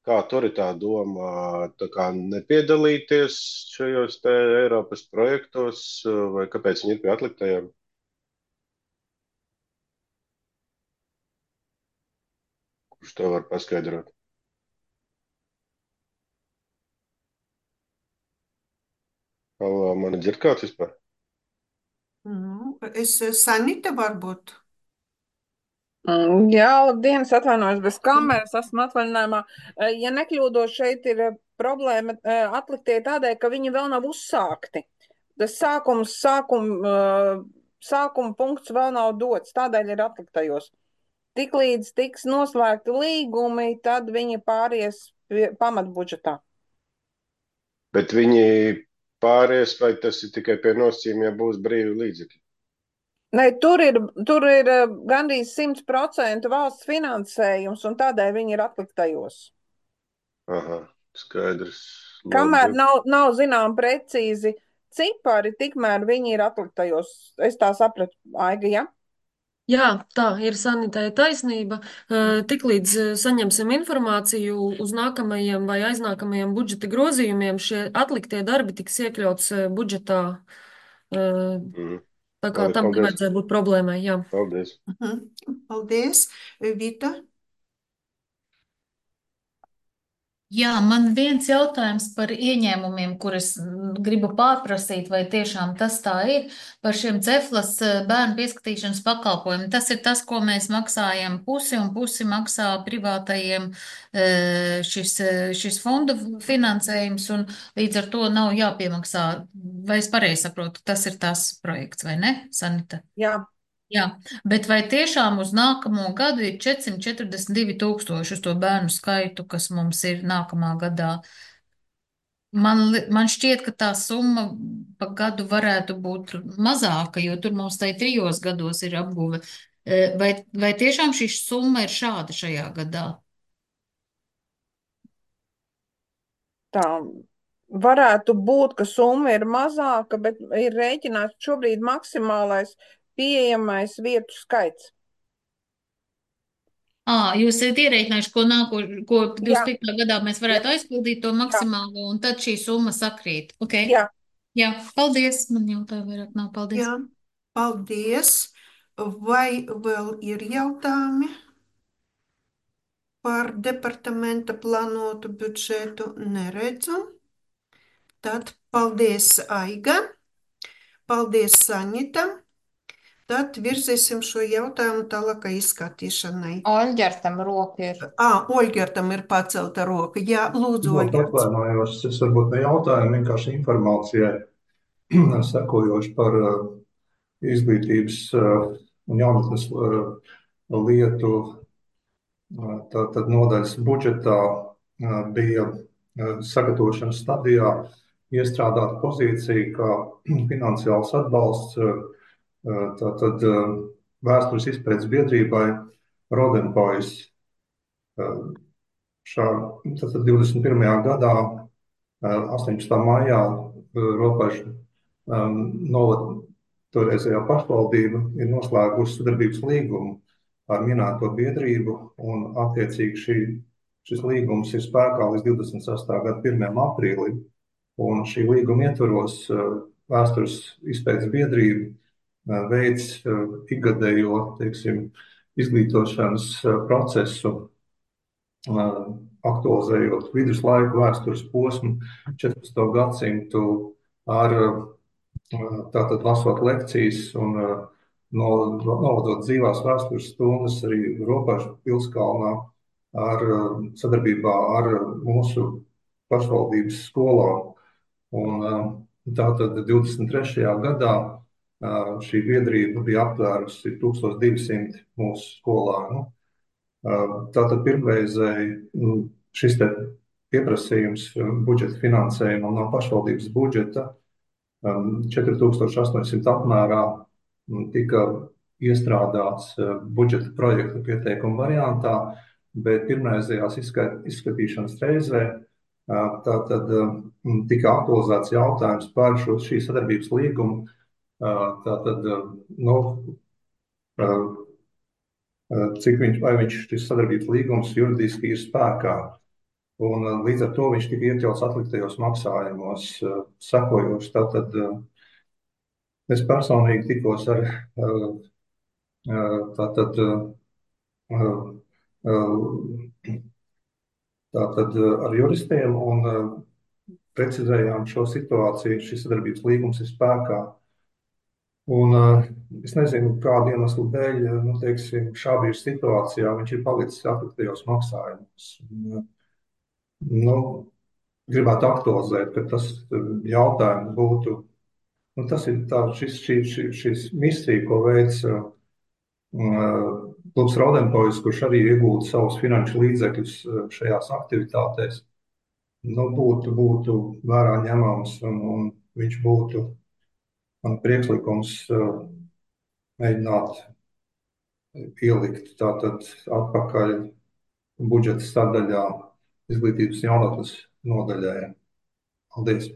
Kā tur ir tā doma, tā kā nepiedalīties šajos te Eiropas projektos, vai kāpēc viņi ir pie atliktajiem? Kurš to var paskaidrot? Halo, mani dzird kāds vispār?
Nu, es Sanita varbūt.
Jā, labdien, es atvainojos bez kameras, esmu atvaļinājumā. Ja nekļūdos, šeit ir problēma atliktie tādēļ, ka viņi vēl nav uzsākti. Tas sākums, sākum, sākuma punkts vēl nav dots, tādēļ ir atliktajos. Tiklīdz tiks noslēgti līgumi, tad viņi pāries pamatbudžetā.
Bet viņi pāries, vai tas ir tikai pie nosacījuma, ja būs brīvi līdzekļi?
Ne, tur ir, tur ir gandrīz simt procentu valsts finansējums, un tādēļ viņi ir atliktajos.
Aha, skaidrs.
Kamēr nav, nav zinām precīzi cipari, tikmēr viņi ir atliktajos. Es tā sapratu, Aiga, ja?
Jā, tā ir Sanitai taisnība. Tiklīdz saņemsim informāciju uz nākamajiem vai aiznākamajiem budžeta grozījumiem, šie atliktie darbi tiks iekļauts budžetā. Mm. Tā kā
Labi,
tam
paldies.
nevajadzētu būt problēmai, jā.
Paldies.
Mhm. Paldies. Vita?
Jā, man viens jautājums par ieņēmumiem, kurus gribu pārprasīt, vai tiešām tas tā ir, par šiem Ceflas bērnu pieskatīšanas pakalpojumiem. Tas ir tas, ko mēs maksājam pusi, un pusi maksā privātajiem šis, šis fondu finansējums, un līdz ar to nav jāpiemaksā. Vai es pareizi saprotu, tas ir tas projekts, vai ne, Sanita?
Jā.
Jā, bet vai tiešām uz nākamo gadu ir četrsimt četrdesmit divi tūkstoši uz to bērnu skaitu, kas mums ir nākamā gadā? Man, man šķiet, ka tā summa pa gadu varētu būt mazāka, jo tur mums tai trijos gados ir apguve. Vai, vai tiešām šī summa ir šāda šajā gadā?
Tā varētu būt, ka summa ir mazāka, bet ir rēķināts šobrīd maksimālais pieejamais vietu skaits.
À, jūs esat ierēķinājuši, ko nāko, ko divdesmit piektajā gadā mēs varētu Jā. aizpildīt to maksimālo, un tad šī summa sakrīt. Okay.
Jā.
Jā, paldies. Man jautāja vairāk nav. Paldies.
Jā, paldies. Vai vēl ir jautājumi par departamenta plānotu budžetu? Neredzu. Tad paldies, Aiga. Paldies, Sanita. Tad virzīsim šo jautājumu tālākai izskatīšanai.
Oļģertam roka ir.
Ā, Oļģertam ir pacelta roka. Jā, lūdzu, Oļģerts.
Atvainojos, es varbūt ne jautājumu, vienkārši informācijai sekojoši par uh, izglītības uh, un jaunatnes uh, lietu. Uh, Tātad nodaļas budžetā uh, bija uh, sagatavošanas stadijā iestrādāt pozīciju kā finansiāls atbalsts uh, Tātad vēstures izpētes biedrībai Rodenpojas šā tātad divdesmit pirmajā gadā, astoņpadsmitā maijā, Ropažu novada toreizējā pašvaldība ir noslēgusi sadarbības līgumu ar minēto biedrību, un attiecīgi šī, šis līgums ir spēkā līdz divdesmit sestā gada pirmajam aprīlim, un šī līguma ietvaros vēstures izpētes biedrība veids ikgadējo, teiksim, izglītošanas procesu, aktualizējot viduslaiku vēstures posmu četrpadsmito gadsimtu ar tātad lasot lekcijas un novadot dzīvās vēstures stundas arī Ropažu pilskalnā ar sadarbībā ar mūsu pašvaldības skolām. Un tātad divdesmit trešajā gadā šī biedrība bija aptvērusi tūkstoš divsimt mūsu skolānu. Tātad pirmreizēji šis te pieprasījums budžeta finansējumam no pašvaldības budžeta četri tūkstoši astoņsimt apmērā tika iestrādāts budžeta projekta pieteikuma variantā, bet pirmreizējās izskatīšanas reizē tātad tika aktualizēts jautājums par šo šī sadarbības līgumu, tātad, nu, cik viņš, vai viņš šis sadarbības līgums juridiski ir spēkā. Un līdz ar to viņš tika iekļauts atliktajos maksājumos sekojoši. Tātad es personīgi tikos ar, tātad, tātad ar juristiem un precizējām šo situāciju. Šis sadarbības līgums ir spēkā. Un es nezinu, kādu iemeslu dēļ, nu, teiksim, šā brīža situācijā viņš ir palicis atliktajos maksājumos. Nu, gribētu aktualizēt, ka tas jautājums būtu, nu, tas ir tā, šis, šis, šis, šis misija, ko veic klubs Rodenpojas, kurš arī iegūda savus finanšu līdzekļus šajās aktivitātēs, nu, būtu, būtu vērā ņemams, un, un viņš būtu, man priekšlikums mēģināt ielikt tātad atpakaļ budžeta sadaļā izglītības jaunatnes nodaļai. Paldies.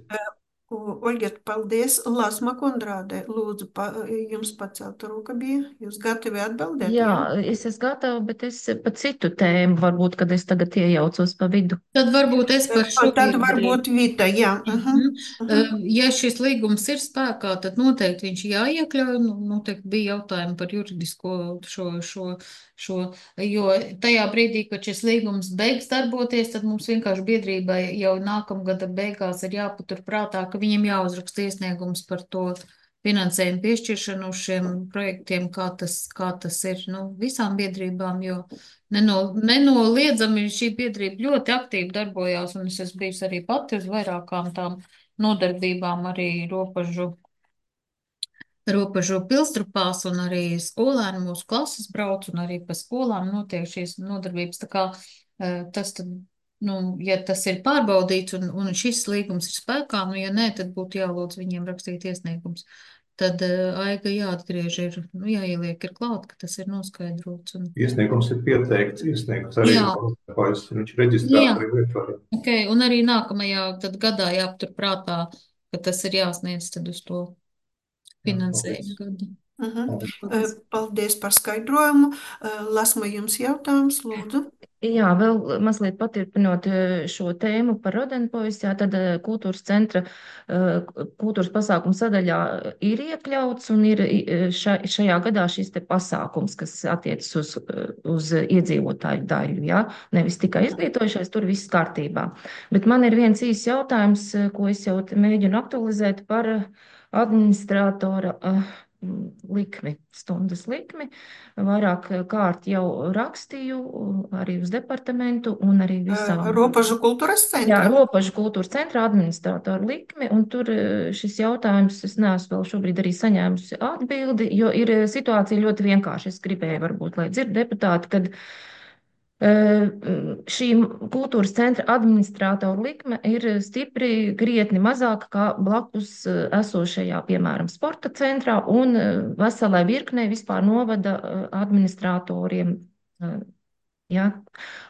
Olģet, paldies. Lāsma Kondrāde, lūdzu, pa, jums pacelt roku bija. Jūs gatavi atbildēt?
Jā, es esmu gatava, bet es pa citu tēmu, varbūt, kad es tagad iejaucos pa vidu.
Tad varbūt es par šo
Tad varbūt Vita, jā. Uh-huh.
Uh-huh. Ja šis līgums ir spēkā, tad noteikti viņš jāiekļauj. Nu, noteikti bija jautājumi par juridisko šo, šo, šo, jo tajā brīdī, kad šis līgums beigs darboties, tad mums vienkārši biedrībai jau nākamgada beigās ir jāpatur prātā, ka viņiem jāuzraksta iesniegums par to finansējumu piešķiršanu uz šiem projektiem, kā tas, kā tas ir, nu, visām biedrībām, jo neno, nenoliedzami šī biedrība ļoti aktīvi darbojās, un es esmu bijusi arī pati uz vairākām tām nodarbībām, arī ropažu, ropažu pilstrupās, un arī skolēni mūsu klases brauc, un arī pa skolām notiek šīs nodarbības, tā kā tas tad, nu, ja tas ir pārbaudīts, un, un šis līgums ir spēkā, nu, ja nē, tad būtu jālūdz viņiem rakstīt iesniegums. Tad uh, aiga jāatgriež ir, nu, jāieliek ir klāt, ka tas ir noskaidrots. Un...
Iesniegums ir pieteikts, iesniegts arī, viņš ir reģistrēts arī lietvarā.
Okay, un arī nākamajā tad gadā jāaptur prātā, ka tas ir jāsniedz tad uz to finansējumu gadu.
Uh-huh. Paldies. Paldies par skaidrojumu. Lasma, jums jautājums, lūdzu.
Jā, vēl mazliet paturpinot šo tēmu par Rodenpojas, jā, tad kultūras centra, kultūras pasākuma sadaļā ir iekļauts un ir ša, šajā gadā šis te pasākums, kas attiecas uz, uz iedzīvotāju daļu, jā, nevis tikai izglītojušais, tur viss kārtībā. Bet man ir viens īsts jautājums, ko es jau mēģinu aktualizēt par administratora likmi, stundas likmi. Vairāk kārt jau rakstīju arī uz departamentu un arī visām.
Ropažu kultūras centra?
Jā, Ropažu kultūras centra administratoru likmi, un tur šis jautājums, es neesmu vēl šobrīd arī saņēmusi atbildi, jo ir situācija ļoti vienkārši. Es gribēju varbūt, lai dzird deputāti, kad šī kultūras centra administrātora likme ir stipri krietni mazāka kā blakus esošajā, piemēram, sporta centrā un veselai virknei vispār novada administratoriem Ja?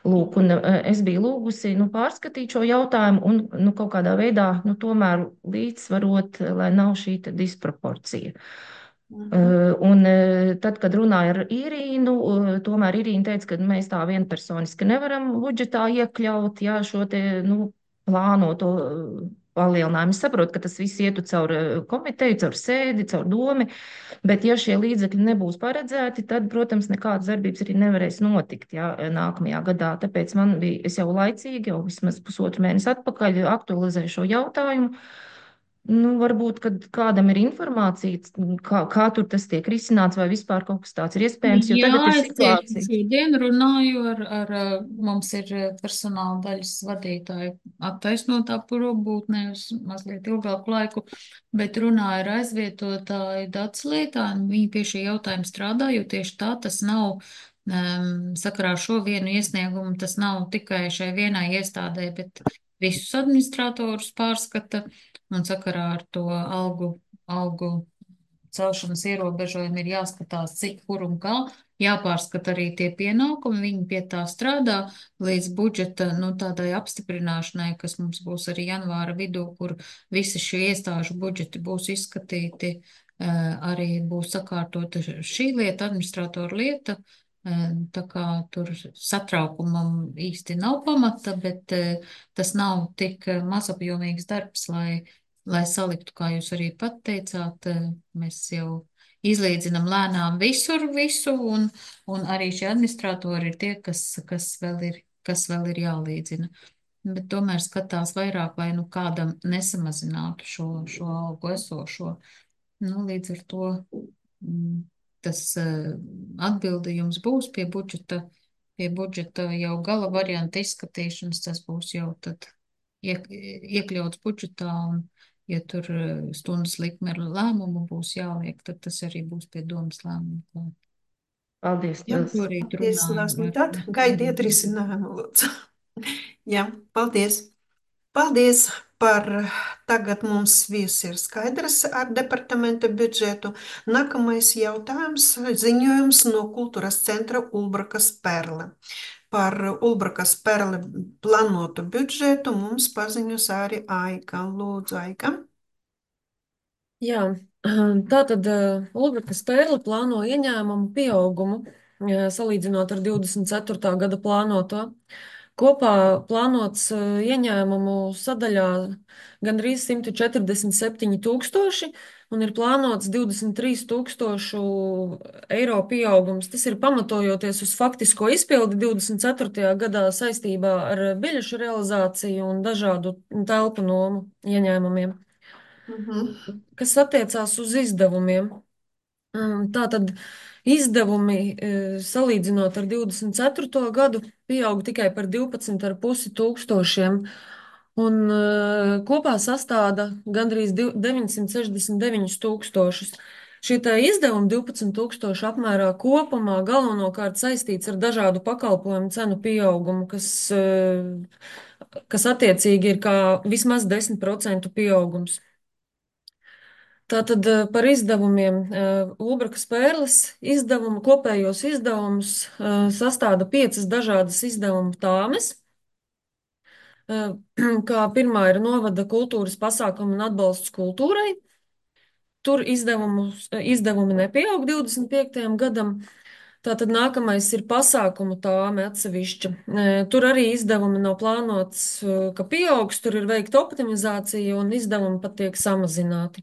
Lūk, un eh, es biju lūgusi nu, pārskatīt šo jautājumu un nu, kaut kādā veidā nu, tomēr līdzsvarot, eh, lai nav šī te disproporcija.
Mhm.
Uh, un uh, tad, kad runāju ar Irīnu, uh, tomēr Irīna teica, ka mēs tā vienpersoniski nevaram budžetā iekļaut, jā, šo te, nu, plānoto uh, palielinājumu. Es saprotu, ka tas viss ietu caur uh, komiteju, caur sēdi, caur domi, bet ja šie līdzekļi nebūs paredzēti, tad, protams, nekādas darbības arī nevarēs notikt, jā, nākamajā gadā. Tāpēc man bija, es jau laicīgi, jau vismaz pusotru mēnesi atpakaļ aktualizēju šo jautājumu. Nu, varbūt, kad kādam ir informācija, kā, kā tur tas tiek risināts, vai vispār kaut kas tāds ir iespējams, jo
Jā,
tagad ir
es tieši
situācija.
šodien runāju ar, ar, uh, mums ir uh, personāla daļas vadītāju attaisnotā probūtnē uz mazliet ilgāku laiku, bet runāju ar aizvietotāju dats lietā, un viņi pie šī jautājuma strādā, jo tieši tā tas nav, um, sakarā ar šo vienu iesniegumu, tas nav tikai šai vienai iestādē, bet visus administratorus pārskata, un sakarā ar to algu, algu celšanas ierobežojumi ir jāskatās, cik, kur un kā. Jāpārskata arī tie pienākumi, viņi pie tā strādā līdz budžeta, nu, tādai apstiprināšanai, kas mums būs arī janvāra vidū, kur visi šie iestāžu budžeti būs izskatīti, eh, arī būs sakārtota šī lieta, administratoru lieta. eh, Tā kā tur satraukumam īsti nav pamata, bet eh, tas nav tik eh, mazapjomīgs darbs, lai lai saliktu, kā jūs arī pat teicāt, eh, mēs jau izlīdzinam lēnām visur visu, un, un arī šie administratori ir tie, kas, kas vēl ir, kas vēl ir jālīdzina. Bet tomēr skatās vairāk, lai nu kādam nesamazinātu šo, šo algu esošo. Nu, līdz ar to mm, tas eh, atbildījums būs pie budžeta, pie budžeta jau gala varianta izskatīšanas, tas būs jau tad iek, iekļauts budžetā, un ja tur eh, stundas likme ar lēmumu būs jāliek, tad tas arī būs pie domas lēmuma klāt.
Paldies,
Jā,
tas
Šorīt
paldies,
runāju
Lāsmi.
ar.
Tad gaidiet risinājumu, lūdzu. Jā, paldies. Paldies par tagad mums viss ir skaidrs ar departamenta budžetu. Nākamais jautājums - ziņojums no kultūras centra Ulbrakas Perle. Par Ulbrakas Perle plānotu budžetu mums paziņos arī Aika. Lūdzu, Aika.
Jā, tātad Ulbrakas Perle plāno ieņēmumu pieaugumu, eh, salīdzinot ar divdesmit ceturtā gada plānoto. Kopā plānots eh, ieņēmumu sadaļā gandrīz simt četrdesmit septiņi tūkstoši un ir plānots divdesmit trīs tūkstošu eiro pieaugums. Tas ir pamatojoties uz faktisko izpildi divdesmit ceturtajā gadā saistībā ar biļešu realizāciju un dažādu telpu nomu ieņēmumiem.
Mhm.
Kas attiecās uz izdevumiem. Mm, Tātad izdevumi, e, salīdzinot ar divdesmit ceturto gadu, pieaug tikai par divpadsmit ar pusi tūkstošiem, un e, kopā sastāda gandrīz div- deviņsimt sešdesmit deviņus tūkstošus. Šie tā izdevumi divpadsmit tūkstoši apmērā kopumā galvenokārt saistīts ar dažādu pakalpojumu cenu pieaugumu, kas, e, kas attiecīgi ir kā vismaz desmit procentu pieaugums. Tātad eh, par izdevumiem. eh, Ulbrakas Pērles izdevumu, kopējos izdevumus eh, sastāda piecas dažādas izdevumu tāmes. Eh, Kā pirmā ir novada kultūras pasākumu un atbalsts kultūrai. Tur izdevumus, eh, izdevumi nepieaug divdesmit piektajam gadam. Tātad nākamais ir pasākumu tāme atsevišķa. Eh, Tur arī izdevumi nav plānots, eh, ka pieaugs, tur ir veikta optimizācija un izdevumi pat tiek samazināti.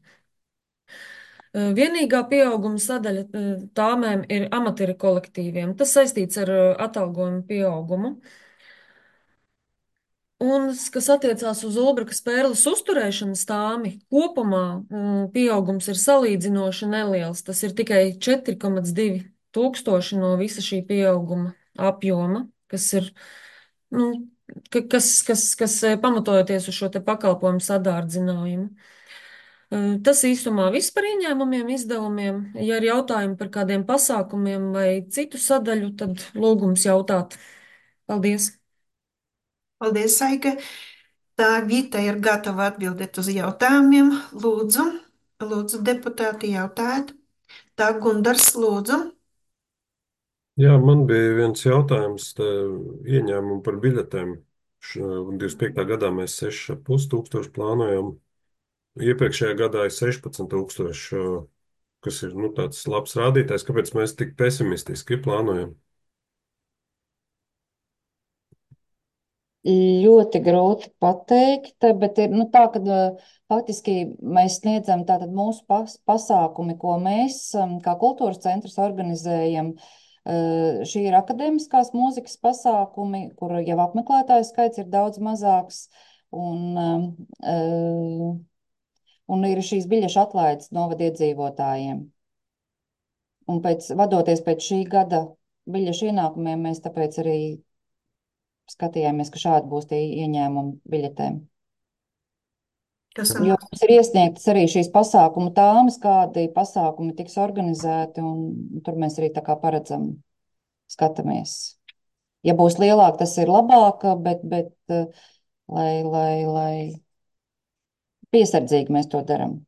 Eh, Vienīgā pieauguma sadaļa eh, tāmēm ir amatieru kolektīviem. Tas saistīts ar eh, atalgojumu pieaugumu. Un, s- kas attiecās uz Ulbrakas pērles uzturēšanas tāmi, kopumā mm, pieaugums ir salīdzinoši neliels. Tas ir tikai četri komats divi tūkstoši no visa šī pieauguma apjoma, kas ir, nu, ka- kas, kas, kas eh, pamatojoties uz šo te pakalpojumu sadārdzinājumu. Eh, Tas īsumā viss par ieņēmumiem, izdevumiem. Ja ir jautājumi par kādiem pasākumiem vai citu sadaļu, tad lūgums jautāt. Paldies!
Paldies, Aika. Tā Vita ir gatava atbildēt uz jautājumiem. Lūdzu, lūdzu, deputāti, jautājiet. Tā Gundars, lūdzu.
Jā, man bija viens jautājums, te, ieņēmumu par biļetēm. Š- divdesmit piektā gadā mēs seši ar pus tūkstoši plānojam. Iepriekšējā gadā ir sešpadsmit tūkstoši, kas ir nu, tāds labs rādītājs. Kāpēc mēs tik pesimistiski plānojam?
Ļoti grūti pateikt, bet ir nu, tā, ka uh, faktiski mēs sniedzam tātad mūsu pas, pasākumi, ko mēs um, kā kultūras centrs organizējam. Uh, šī ir akadēmiskās mūzikas pasākumi, kur jau apmeklētāju skaits ir daudz mazāks. Un, um, uh, un ir šīs biļešu atlaides novada iedzīvotājiem. Un pēc, vadoties pēc šī gada biļešu ienākumiem, mēs tāpēc arī skatījāmies, ka šādi būs tie ieņēmumi biļetēm.
Kas
Jo
sanāks?
mums ir iesniegtas arī šīs pasākumu tāmas, kādi pasākumi tiks organizēti, un tur mēs arī tā kā paredzam, skatāmies. Ja būs lielāk, tas ir labāk, bet, bet eh, lai, lai, lai piesardzīgi mēs to darām.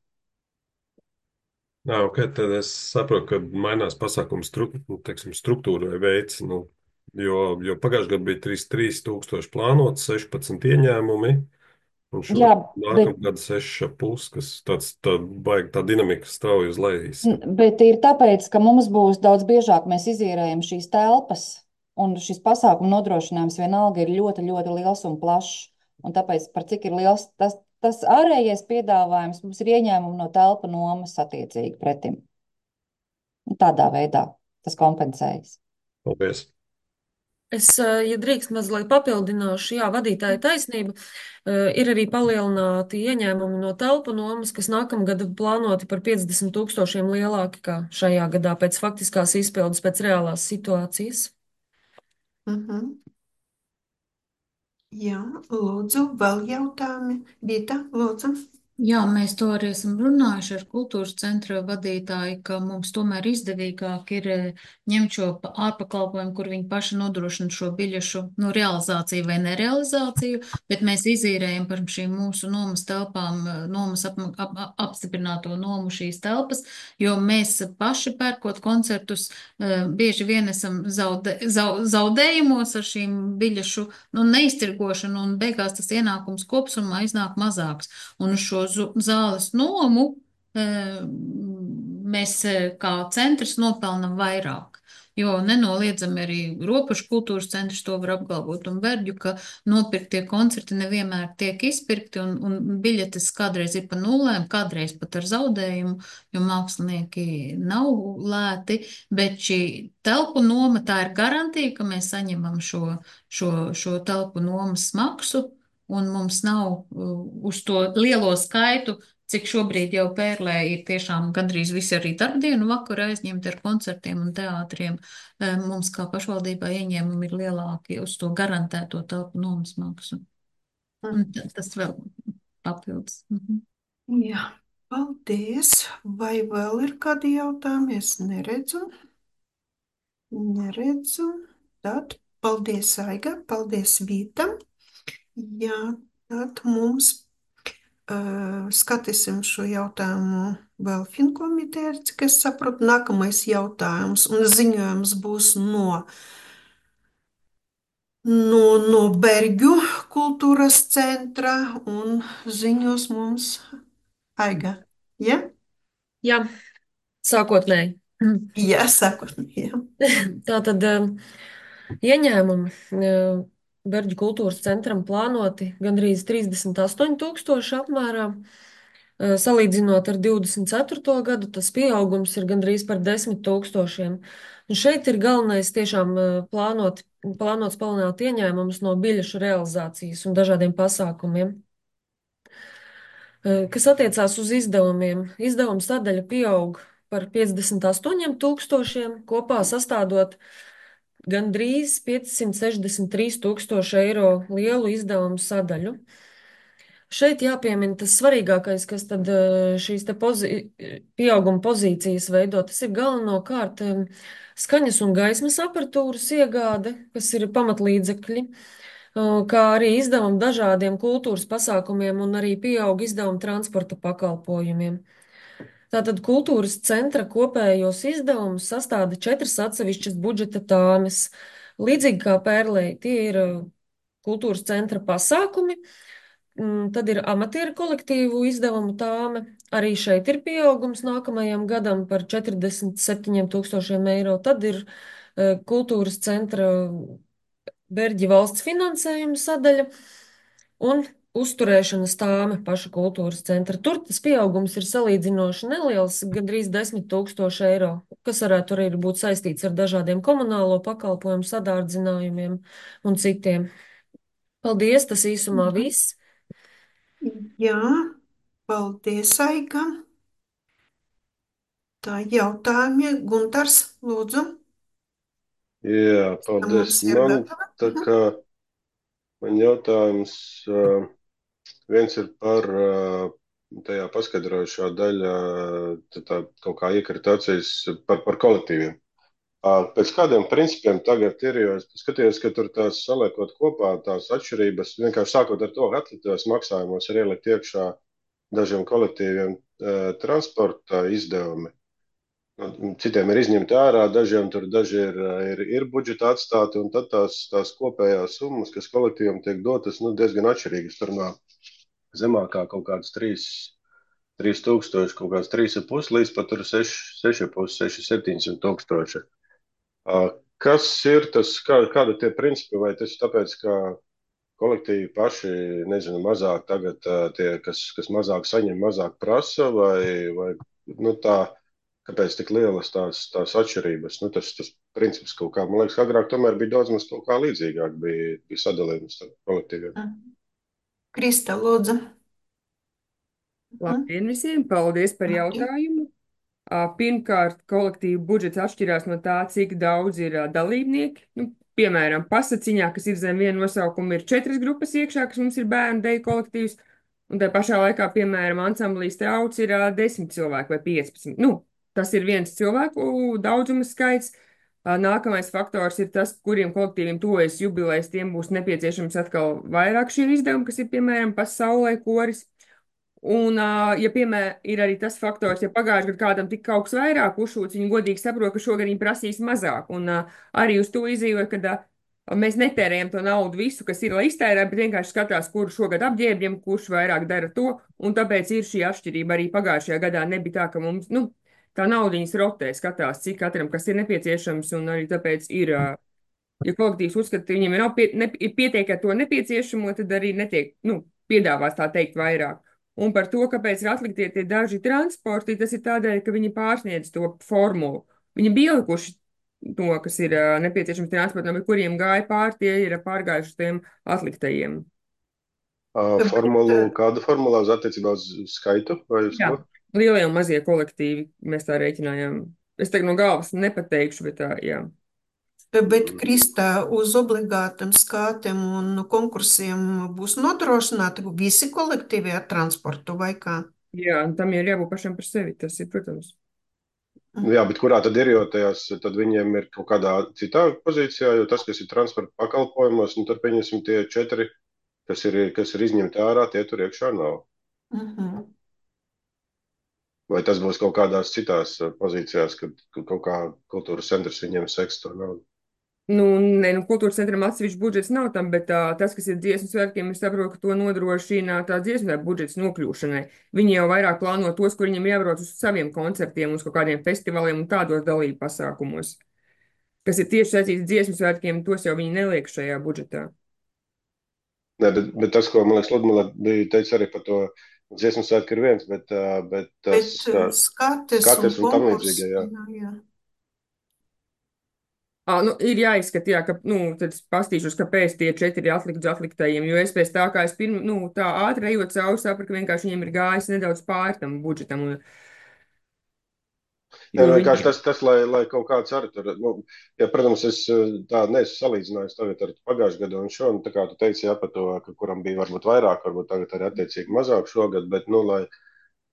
Jā, ok, tad es saprotu, ka mainās pasākumu stru, nu, teiksim, struktūra vai veids. Nu, jo, jo pagājušajā gadā bija trīsdesmit trīs tūkstoši plānots, sešpadsmit ieņēmumi, un
Jā,
šogad
bet,
nākamā gada seši ar pus, kas tāds tā, baigi, tā dinamika strauji uz leju izskatās.
bet ir tāpēc, ka mums būs daudz biežāk mēs izīrējam šīs telpas, un šis pasākumu nodrošinājums vienalga ir ļoti, ļoti liels un plašs. Un tāpēc, par cik ir liels tas, tas ārējais piedāvājums, mums ir ieņēmumi no telpa nomas attiecīgi pretim. Un tādā veidā tas kompensējas.
Paldies!
Es, eh, ja drīkst mazliet papildināšu, jā, vadītāja taisnība, eh, ir arī palielināti ieņēmumi no telpu nomas, kas nākamgad plānoti par piecdesmit tūkstošiem lielāki kā šajā gadā pēc faktiskās izpildes, pēc reālās situācijas.
Mhm. Jā, lūdzu, vēl jautājumi. Vita, lūdzu.
Jā, mēs to arī esam runājuši ar kultūras centra vadītāju, ka mums tomēr izdevīgāk ir eh, ņemt šo pa- ārpakalpojumu, kur viņi paši nodrošina šo biļešu nu, realizāciju vai nerealizāciju, bet mēs izīrējam par šīm mūsu nomas telpām, eh, nomas ap, ap, ap, apstiprināto nomu šīs telpas, jo mēs paši pērkot koncertus eh, bieži vien esam zaude, zau, zaudējumos ar šīm biļešu nu, neiztirgošanu, un beigās tas ienākums kopsumā iznāk mazāks. Un uz šo zu- zāles nomu eh, mēs eh, kā centrs nopelnam vairāk. Jo nenoliedzami arī Ropašu kultūras centrs to var apgalvot un Berģu, ka nopirktie koncerti nevienmēr tiek izpirkti un, un biļetes kādreiz ir pa nulēm, kādreiz pat ar zaudējumu, jo mākslinieki nav lēti, bet šī telpu noma tā ir garantija, ka mēs saņemam šo, šo, šo telpu nomas maksu. Un mums nav uh, uz to lielo skaitu, cik šobrīd jau Pērlē ir tiešām gandrīz visi arī darbdienu vakari aizņemti ar koncertiem un teātriem. Eh, Mums kā pašvaldībā ieņēmumi ir lielāki uz to garantēto telpu nomas maksu. Un
Mhm.
ta- tas vēl papildus. Mhm.
Jā, paldies. Vai vēl ir kādi jautājumi? Es neredzu. Neredzu. Tad paldies, Aiga. Paldies, Vīta. Jā, tad mums uh, skatīsim šo jautājumu vēl Finkomitē, cik es saprotu, nākamais jautājums un ziņojums būs no, no, no Berģu kultūras centra un ziņos mums Aiga. Ja?
Jā, sākotnēji.
Jā, sākotnēji.
Tā tad um, ieņēmumi uh, Berģu kultūras centram plānoti gandrīz trīsdesmit astoņi tūkstoši apmērā. Uh, Salīdzinot ar divdesmit ceturto gadu, tas pieaugums ir gandrīz par desmit tūkstošiem. Un šeit ir galvenais tiešām uh, plānot, plānots palielināt ieņēmumus no biļešu realizācijas un dažādiem pasākumiem. Uh, Kas attiecās uz izdevumiem, izdevuma sadaļa pieaug par piecdesmit astoņiem tūkstošiem, kopā sastādot gandrīz piecsimt sešdesmit trīs tūkstoši eiro lielu izdevumu sadaļu. Šeit jāpiemina tas svarīgākais, kas tad eh, šīs te pozi pieauguma pozīcijas veido. Tas ir galvenokārt em, skaņas un gaismas aparatūras iegāde, kas ir pamatlīdzekļi, o, kā arī izdevumi dažādiem kultūras pasākumiem un arī pieaug izdevumi transporta pakalpojumiem. Tātad kultūras centra kopējos izdevumus sastāda četras atsevišķas budžeta tāmes. Līdzīgi kā Pērlei, tie ir uh, kultūras centra pasākumi, mm, tad ir amatieru kolektīvu izdevumu tāme. Arī šeit ir pieaugums nākamajam gadam par četrdesmit septiņiem tūkstošiem eiro. Tad ir uh, kultūras centra Berģi valsts finansējuma sadaļa un uzturēšanas tāme paša kultūras centra. Tur tas pieaugums ir salīdzinoši neliels, gandrīz desmit tūkstoši eiro, kas varētu arī būt saistīts ar dažādiem komunālo pakalpojumu sadārdzinājumiem un citiem. Paldies, tas īsumā viss.
Jā, paldies, Aiga. Tā jautājumi. Guntars, lūdzu.
Jā, paldies. Man tā kā man jautājums, uh, viens ir par uh, tajā paskaidrojušā daļā, tā, tā kaut kā iekrita acīs par, par kolektīviem. Uh, pēc kādiem principiem tagad ir, jo es skatījos, ka tur tās saliekot kopā tās atšķirības, vienkārši sākot ar to, ka atliktajos maksājumos ir ielikt iekšā dažiem kolektīviem uh, transporta izdevumi. Citiem ir izņemti ārā, dažiem tur daži ir, ir, ir budžeta atstāti, un tad tās, tās kopējās summas, kas kolektīvam tiek dotas, nu, diezgan atšķirīgas. Tur no zemākā kaut kāds trīs tūkstoši, kaut kāds trīs un pus, līdz pat tur seši pus, seši septiņsimt tūkstoši. Kas ir tas, kā, kāda tie principi, vai tas tāpēc, ka kolektīvi paši, nezinu, mazāk tagad tie, kas, kas mazāk saņem, mazāk prasa, vai, vai nu, tā, kāpēc tik lielas tās, tās atšķirības? Nu, tas, tas princips kaut kā, man liekas, agrāk tomēr bija daudz maz kaut kā līdzīgāk, bija, bija sadalījums starp kolektīviem.
Krista, lūdzu.
Labdien visiem, paldies par jautājumu. Pirmkārt, kolektīvu budžets atšķirās no tā, cik daudz ir dalībnieki. Nu, piemēram, pasaciņā, kas ir zem viena nosaukuma, ir četras grupas iekšā, kas mums ir bērnu deju kolektīvs, un tā pašā laikā, piemēram, ansamblīs te auts ir desmit cilvēki vai piecpadsmit. Nu, tas ir viens cilvēku daudzuma skaits. Nākamais faktors ir tas, kuriem kolektīviem tuvojas jubilejas, tiem būs nepieciešams atkal vairāk šie izdevumi, kas ir, piemēram, pasaulē koris. Un, ja, piemēram, ir arī tas faktors, ja pagājušajā gadā kādam tika kaut kas vairāk uzšūts, viņi godīgi saprot, ka šogad viņi prasīs mazāk. Un arī uz to izīvoja, ka mēs netērējam to naudu visu, kas ir, lai iztērē, bet vienkārši skatās, kuru šogad apģērbjam, kurš vairāk dara to. Un tāpēc ir šī atšķirība. Arī pagājušajā gadā nebija tā, ka mums, nu, tā naudiņas rotē, skatās, cik katram kas ir nepieciešams, un arī tāpēc ir, ja kolektīvs uzskata, ka viņiem ir, pie, ne, ir pietiek ar to nepieciešamo, tad arī netiek, nu, piedāvās tā teikt vairāk. Un par to, kāpēc ir atliktie tie daži transporti, tas ir tādēļ, ka viņi pārsniedz to formulu. Viņi bija ielikuši to, kas ir uh, nepieciešams transportam, bet kuriem gāja pār, tie ir pārgājuši tiem atliktajiem.
Uh, formulu, kādu formulā uz attiecībā uz skaitu? Vai uz
Jā,
ko?
lielie un mazie kolektīvi, mēs tā rēķinājām. Es tagad no galvas nepateikšu, bet tā, jā.
Bet, Krista, uz obligātiem skātiem un konkursiem būs nodrošināti visi kolektīvi ar transportu vai kā?
Jā, un tam ir jābūt pašam par sevi, tas ir, protams.
Jā, bet kurā tad ir, jo tajās, tad viņiem ir kaut kādā citā pozīcijā, jo tas, kas ir transporta pakalpojumos, nu tad pieņemsim tie četri, kas ir, kas ir izņemti ārā, tie tur iekšā nav.
Uh-huh.
Vai tas būs kaut kādās citās pozīcijās, kad kaut kā kultūras centrs viņiem seks to naudu?
Nu, ne, nu, kultūras centram atsevišķi budžets nav tam, bet tā, tas, kas ir dziesmu svētkiem, es saprotu, ka to nodrošina tā dziesmu svētku budžets nokļūšanai. Viņi jau vairāk plāno tos, kur viņiem jābrauc uz saviem koncertiem, uz kaut kādiem festivāliem un tādos dalību pasākumos. Kas ir tieši saistīts dziesmu svētkiem, tos jau viņi neliek šajā budžetā.
Nē, bet, bet tas, ko, man liekas, Ludmila bija teica arī par to dziesmu svētku ir viens, bet, bet tas
bet, skates,
skates un, un tam
konkurs,
līdzīgi, jā.
jā, jā.
À, nu, ir jāizskata, jā, ka, nu, tad es pastīšos, kāpēc tie četri ir atlikti uz atliktajiem, jo es pēc tā, kā es pirm, nu, tā ātri ejot cauri, sapratu, ka vienkārši viņiem ir gājis nedaudz pāri tam budžetam. Un,
Nē, nu, vienkārši tas, tas lai, lai kaut kāds arī tur, nu, ja, protams, es tā neesmu salīdzinājis tagad ar pagājušajā gadu un šo, un tā kā tu teici, jā, par to, ka kuram bija varbūt vairāk, varbūt tagad arī attiecīgi mazāk šogad, bet, nu, lai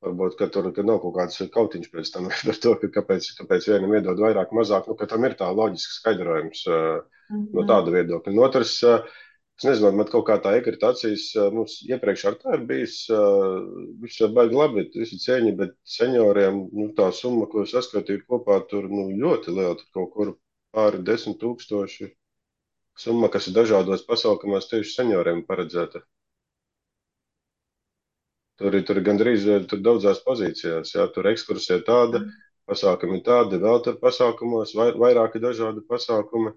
varbūt, ka tur ka nav kaut kāds kautiņš pēc tam par to, ka kāpēc, kāpēc vienam iedod vairāk, mazāk, nu, ka tam ir tā loģiska skaidrojums mm-hmm. no tāda viedokļa. Un otrs, Es nezinu, man kaut kā tā iekrita acīs, mums iepriekš ar tā ir bijis, viņš jau baigi labi, visi cieņi, bet senioriem, nu, tā summa, ko saskatīju kopā, tur, nu, ļoti liela, tur kaut kur pāri desmit tūkstoši summa, kas ir dažādos pasaukumos tieši senioriem paredzēta. Tur ir, tur ir gandrīz, tur daudzās pozīcijās, jā, tur ekskursija tāda, pasākumi tādi, vēl tur pasākumos, vai, vairāki dažādi pasākumi.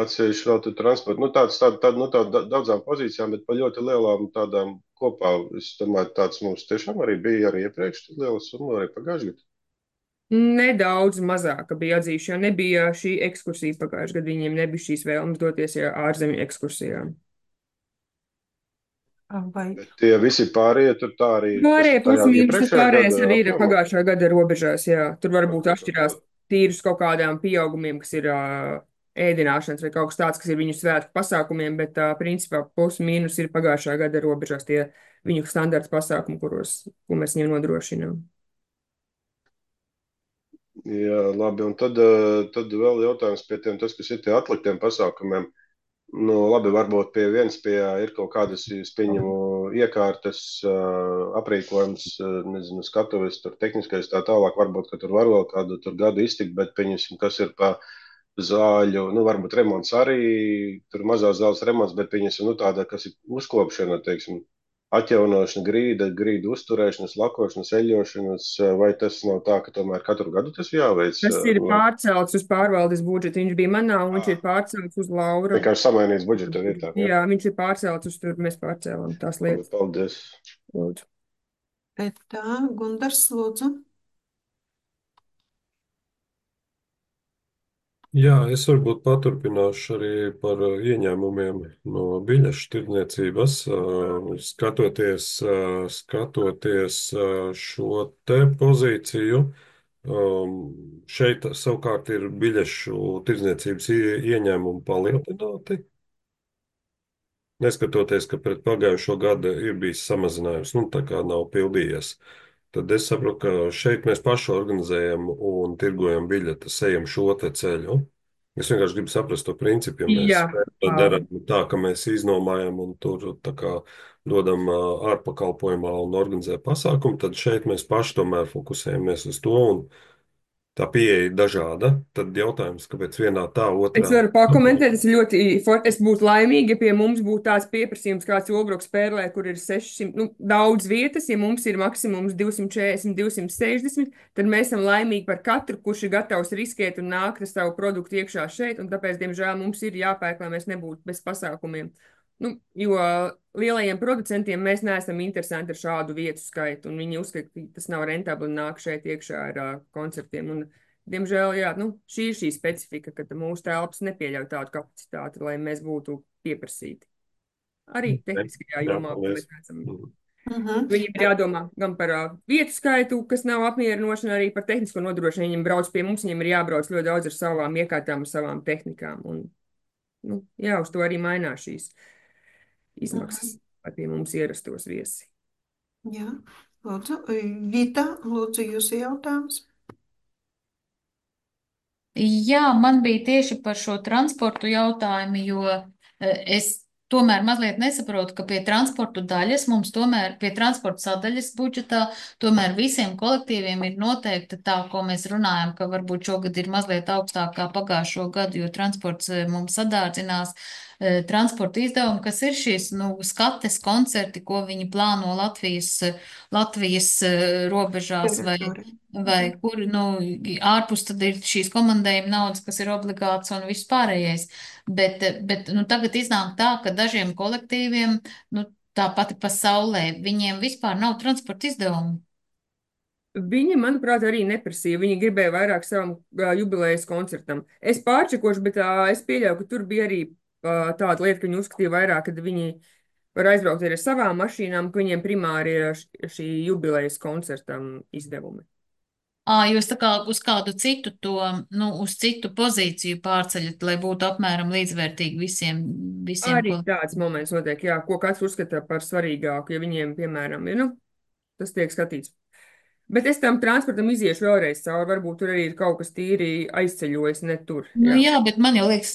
Atsevišķi vēl tur transporta, nu tāds, tād, tād, nu tād daudzām pozīcijām, bet pa ļoti lielām tādām kopā, es domāju, tāds mums tiešām arī bija arī iepriekš, tad liela summa arī pagājušajā gadā.
Nedaudz mazāka bija atzīšana, jo nebija šī ekskursija pagājušajā gadā, viņiem nebija šīs vēlmes doties ja ārzemju ekskursijām.
Vai
Bet tie visi pārējie tur tā arī, kas
Pārējie plus
tajā
mīnus,
iepriekšējā
pārējais
gada
arī ir
apjomā.
pagājušā gada robežās, jā. Tur varbūt
Ok,
atšķirās
ok.
tīrus kaut kādām pieaugumiem, kas ir ā, ēdināšanas vai kaut kas tāds, kas ir viņu svētku pasākumiem, bet ā, principā plus mīnus ir pagājušā gada robežās tie viņu standarta pasākumi, kuros, ko mēs viņiem nodrošinām.
Jā, labi, un tad, eh, tad vēl jautājums pie tiem, tas, kas ir tie atliktiem pasākumiem. Nu, labi, varbūt pie viens pie ir kaut kādas, es pieņemu, iekārtas, eh, aprīkojums, eh, nezinu, skatuves, tur tehniskais tā tālāk, varbūt, ka tur var vēl kādu tur gadu iztikt, bet pieņemsim, kas ir pa zāļu, nu, varbūt remonts arī, tur mazās zāles remonts, bet pieņemsim, nu, tāda, kas ir uzkopšana, teiksim, atjaunošana, grīda, grīda uzturēšanas, lakošanas, eļošanas, vai tas nav tā, ka tomēr katru gadu tas jāveic?
Tas ir
Vai
pārcelts uz pārvaldes budžetu. Viņš bija manā, un viņš ir pārcelts uz Laura.
vienkārši samainīts budžeta vietā? Jā,
Jā, viņš ir pārcelts uz tur, mēs pārcēlām tās
labi,
lietas.
paldies.
Lūdzu.
tā, Gundars, lūdzu?
Jā, es varbūt paturpināšu arī par uh, ieņēmumiem no biļešu tirdzniecības. Uh, Skatoties, uh, skatoties uh, šo te pozīciju, um, šeit savukārt ir biļešu tirdzniecības ie- ieņēmumi palielināti. Neskatoties, ka pret pagājušo gadu ir bijis samazinājums, nu tā kā nav pildījies. Tad es saprotu, ka šeit mēs paši organizējam un tirgojam biļetes, ejam šo te ceļu. Es vienkārši gribu saprast to principu, ja mēs
Jā, ā,
darām tā, ka mēs iznomājam un tur tā kā dodam ā, ārpakalpojumā un organizē pasākumu, tad šeit mēs paši tomēr fokusējamies uz to un tā pieeja ir dažāda. Tad jautājums, kāpēc vienā tā,
Es
otrā?
varu pakomentēt, es ļoti, for- es būtu laimīga, ja pie mums būtu tāds pieprasījums, kāds Olbruks pērlē, kur ir sešsimt, nu, daudz vietas, ja mums ir maksimums divsimt četrdesmit, divsimt sešdesmit, tad mēs esam laimīgi par katru, kurš ir gatavs riskēt un nākt ar savu produktu iekšā šeit, un tāpēc, diemžēl, mums ir jāpērk, lai mēs nebūtu bez pasākumiem. Nu, jo lielajiem producentiem mēs neesam interesanti ar šādu vietu skaitu, un viņi uzskata, ka tas nav rentabli nāk šeit iekšā ar uh, koncertiem. Un, diemžēl, jā, nu, šī ir šī specifika, ka mūsu telpas nepieļauj tādu kapacitāti, lai mēs būtu pieprasīti. Arī tehniskajā
Jā,
jomā, ko
paldies.
mēs redzam.
Mhm.
Mhm.
Viņiem ir jādomā gan par uh, vietu skaitu, kas nav apmierinoši, arī par tehnisko nodrošinājumu. Viņiem brauc pie mums, viņiem ir jābrauc ļoti daudz ar savām iekārtām, ar savām tehnikām. Un, nu, jā, uz to arī mainās šīs izmaksas, lai pie mums ierastos viesi.
Jā, lūdzu. Vita, lūdzu, jūsu jautājums.
Jā, man bija tieši par šo transportu jautājumu, jo eh, es tomēr mazliet nesaprotu, ka pie transportu daļas mums tomēr, pie transporta sadaļas budžetā, tomēr visiem kolektīviem ir noteikta tā, ko mēs runājam, ka varbūt šogad ir mazliet augstāk kā pagājušo gadu, jo transports eh, mums sadārdzinās eh, transporta izdevumi, kas ir šīs, nu, skates koncerti, ko viņi plāno Latvijas, eh, Latvijas eh, robežās vai
Teritorija.
vai kur, nu, ārpus tad ir šīs komandējuma naudas, kas ir obligāts un viss pārējais. Bet, bet, nu, tagad iznāk tā, ka dažiem kolektīviem, nu, tā pati pasaulē, viņiem vispār nav transporta izdevumu.
Viņi, manuprāt, arī neprasīja. Viņi gribēja vairāk savam ā, jubilejas koncertam. Es pārčekošu, bet ā, es pieļauju, ka tur bija arī ā, tāda lieta, ka viņi uzskatīja vairāk, ka viņi var aizbraukt arī ar savām mašīnām, ka viņiem primāri ir š- šī jubilejas koncertam izdevumi.
Ā, jūs tā kā uz kādu citu to, nu, uz citu pozīciju pārceļat, lai būtu apmēram līdzvērtīgi visiem, visiem
Arī
kolektīviem.
tāds moments notiek, jā, ko kāds uzskata par svarīgāku, ja viņiem, piemēram, ir, nu, tas tiek skatīts. Bet es tam transportam iziešu vēlreiz cauri, varbūt tur arī ir kaut kas tīri aizceļojis, ne tur,
Nu
jā.
jā, bet man jau liekas,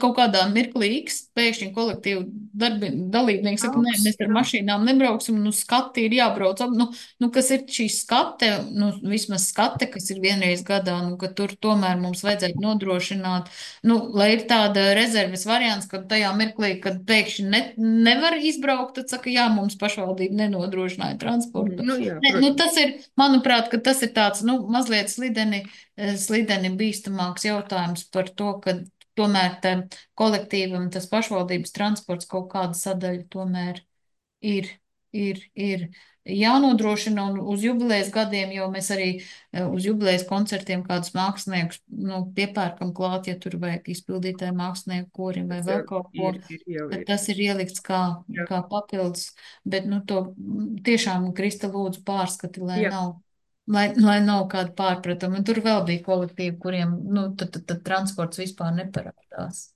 kaut kādā mirklī X pēkšņi kolektīvu darbi, dalībnieki saka, nē, mēs ar
Augsts,
mašīnām nebrauksim, nu skati ir jābrauc. ap- Nu, nu, kas ir šī skate, nu, vismaz skate, kas ir vienreiz gadā, nu, ka tur tomēr mums vajadzētu nodrošināt, nu, lai ir tāda rezerves variants, ka tajā mirklī, kad pēkšņi ne, nevar izbraukt, tad saka, jā, mums pašvaldība nenodrošināja transportu.
Nu, jā,
Ne, nu,
protams.
tas ir, manuprāt, ka tas ir tāds, nu, mazliet slideni, eh, slideni bīstamāks jautājums par to, ka tomēr tam kolektīvam tas pašvaldības transports kaut kāda sadaļa tomēr ir, ir, ir jānodrošina, un uz jubilejas gadiem jau mēs arī eh, uz jubilejas koncertiem kādus māksliniekus, nu, piepērkam klāt, ja tur vajag izpildītāju mākslinieku korim vai
Tas
vēl
jau
kaut ko,
ir, ir jau
bet
ir.
tas ir ielikts kā,
Jā,
kā papildus, bet, nu, to mm, tiešām Krista lūdzu pārskati, lai
jā.
nav. Lai, lai nav kāda pārpratuma. Un tur vēl bija kolektīvi, kuriem, nu, tad, tad, tad transports vispār neparādās.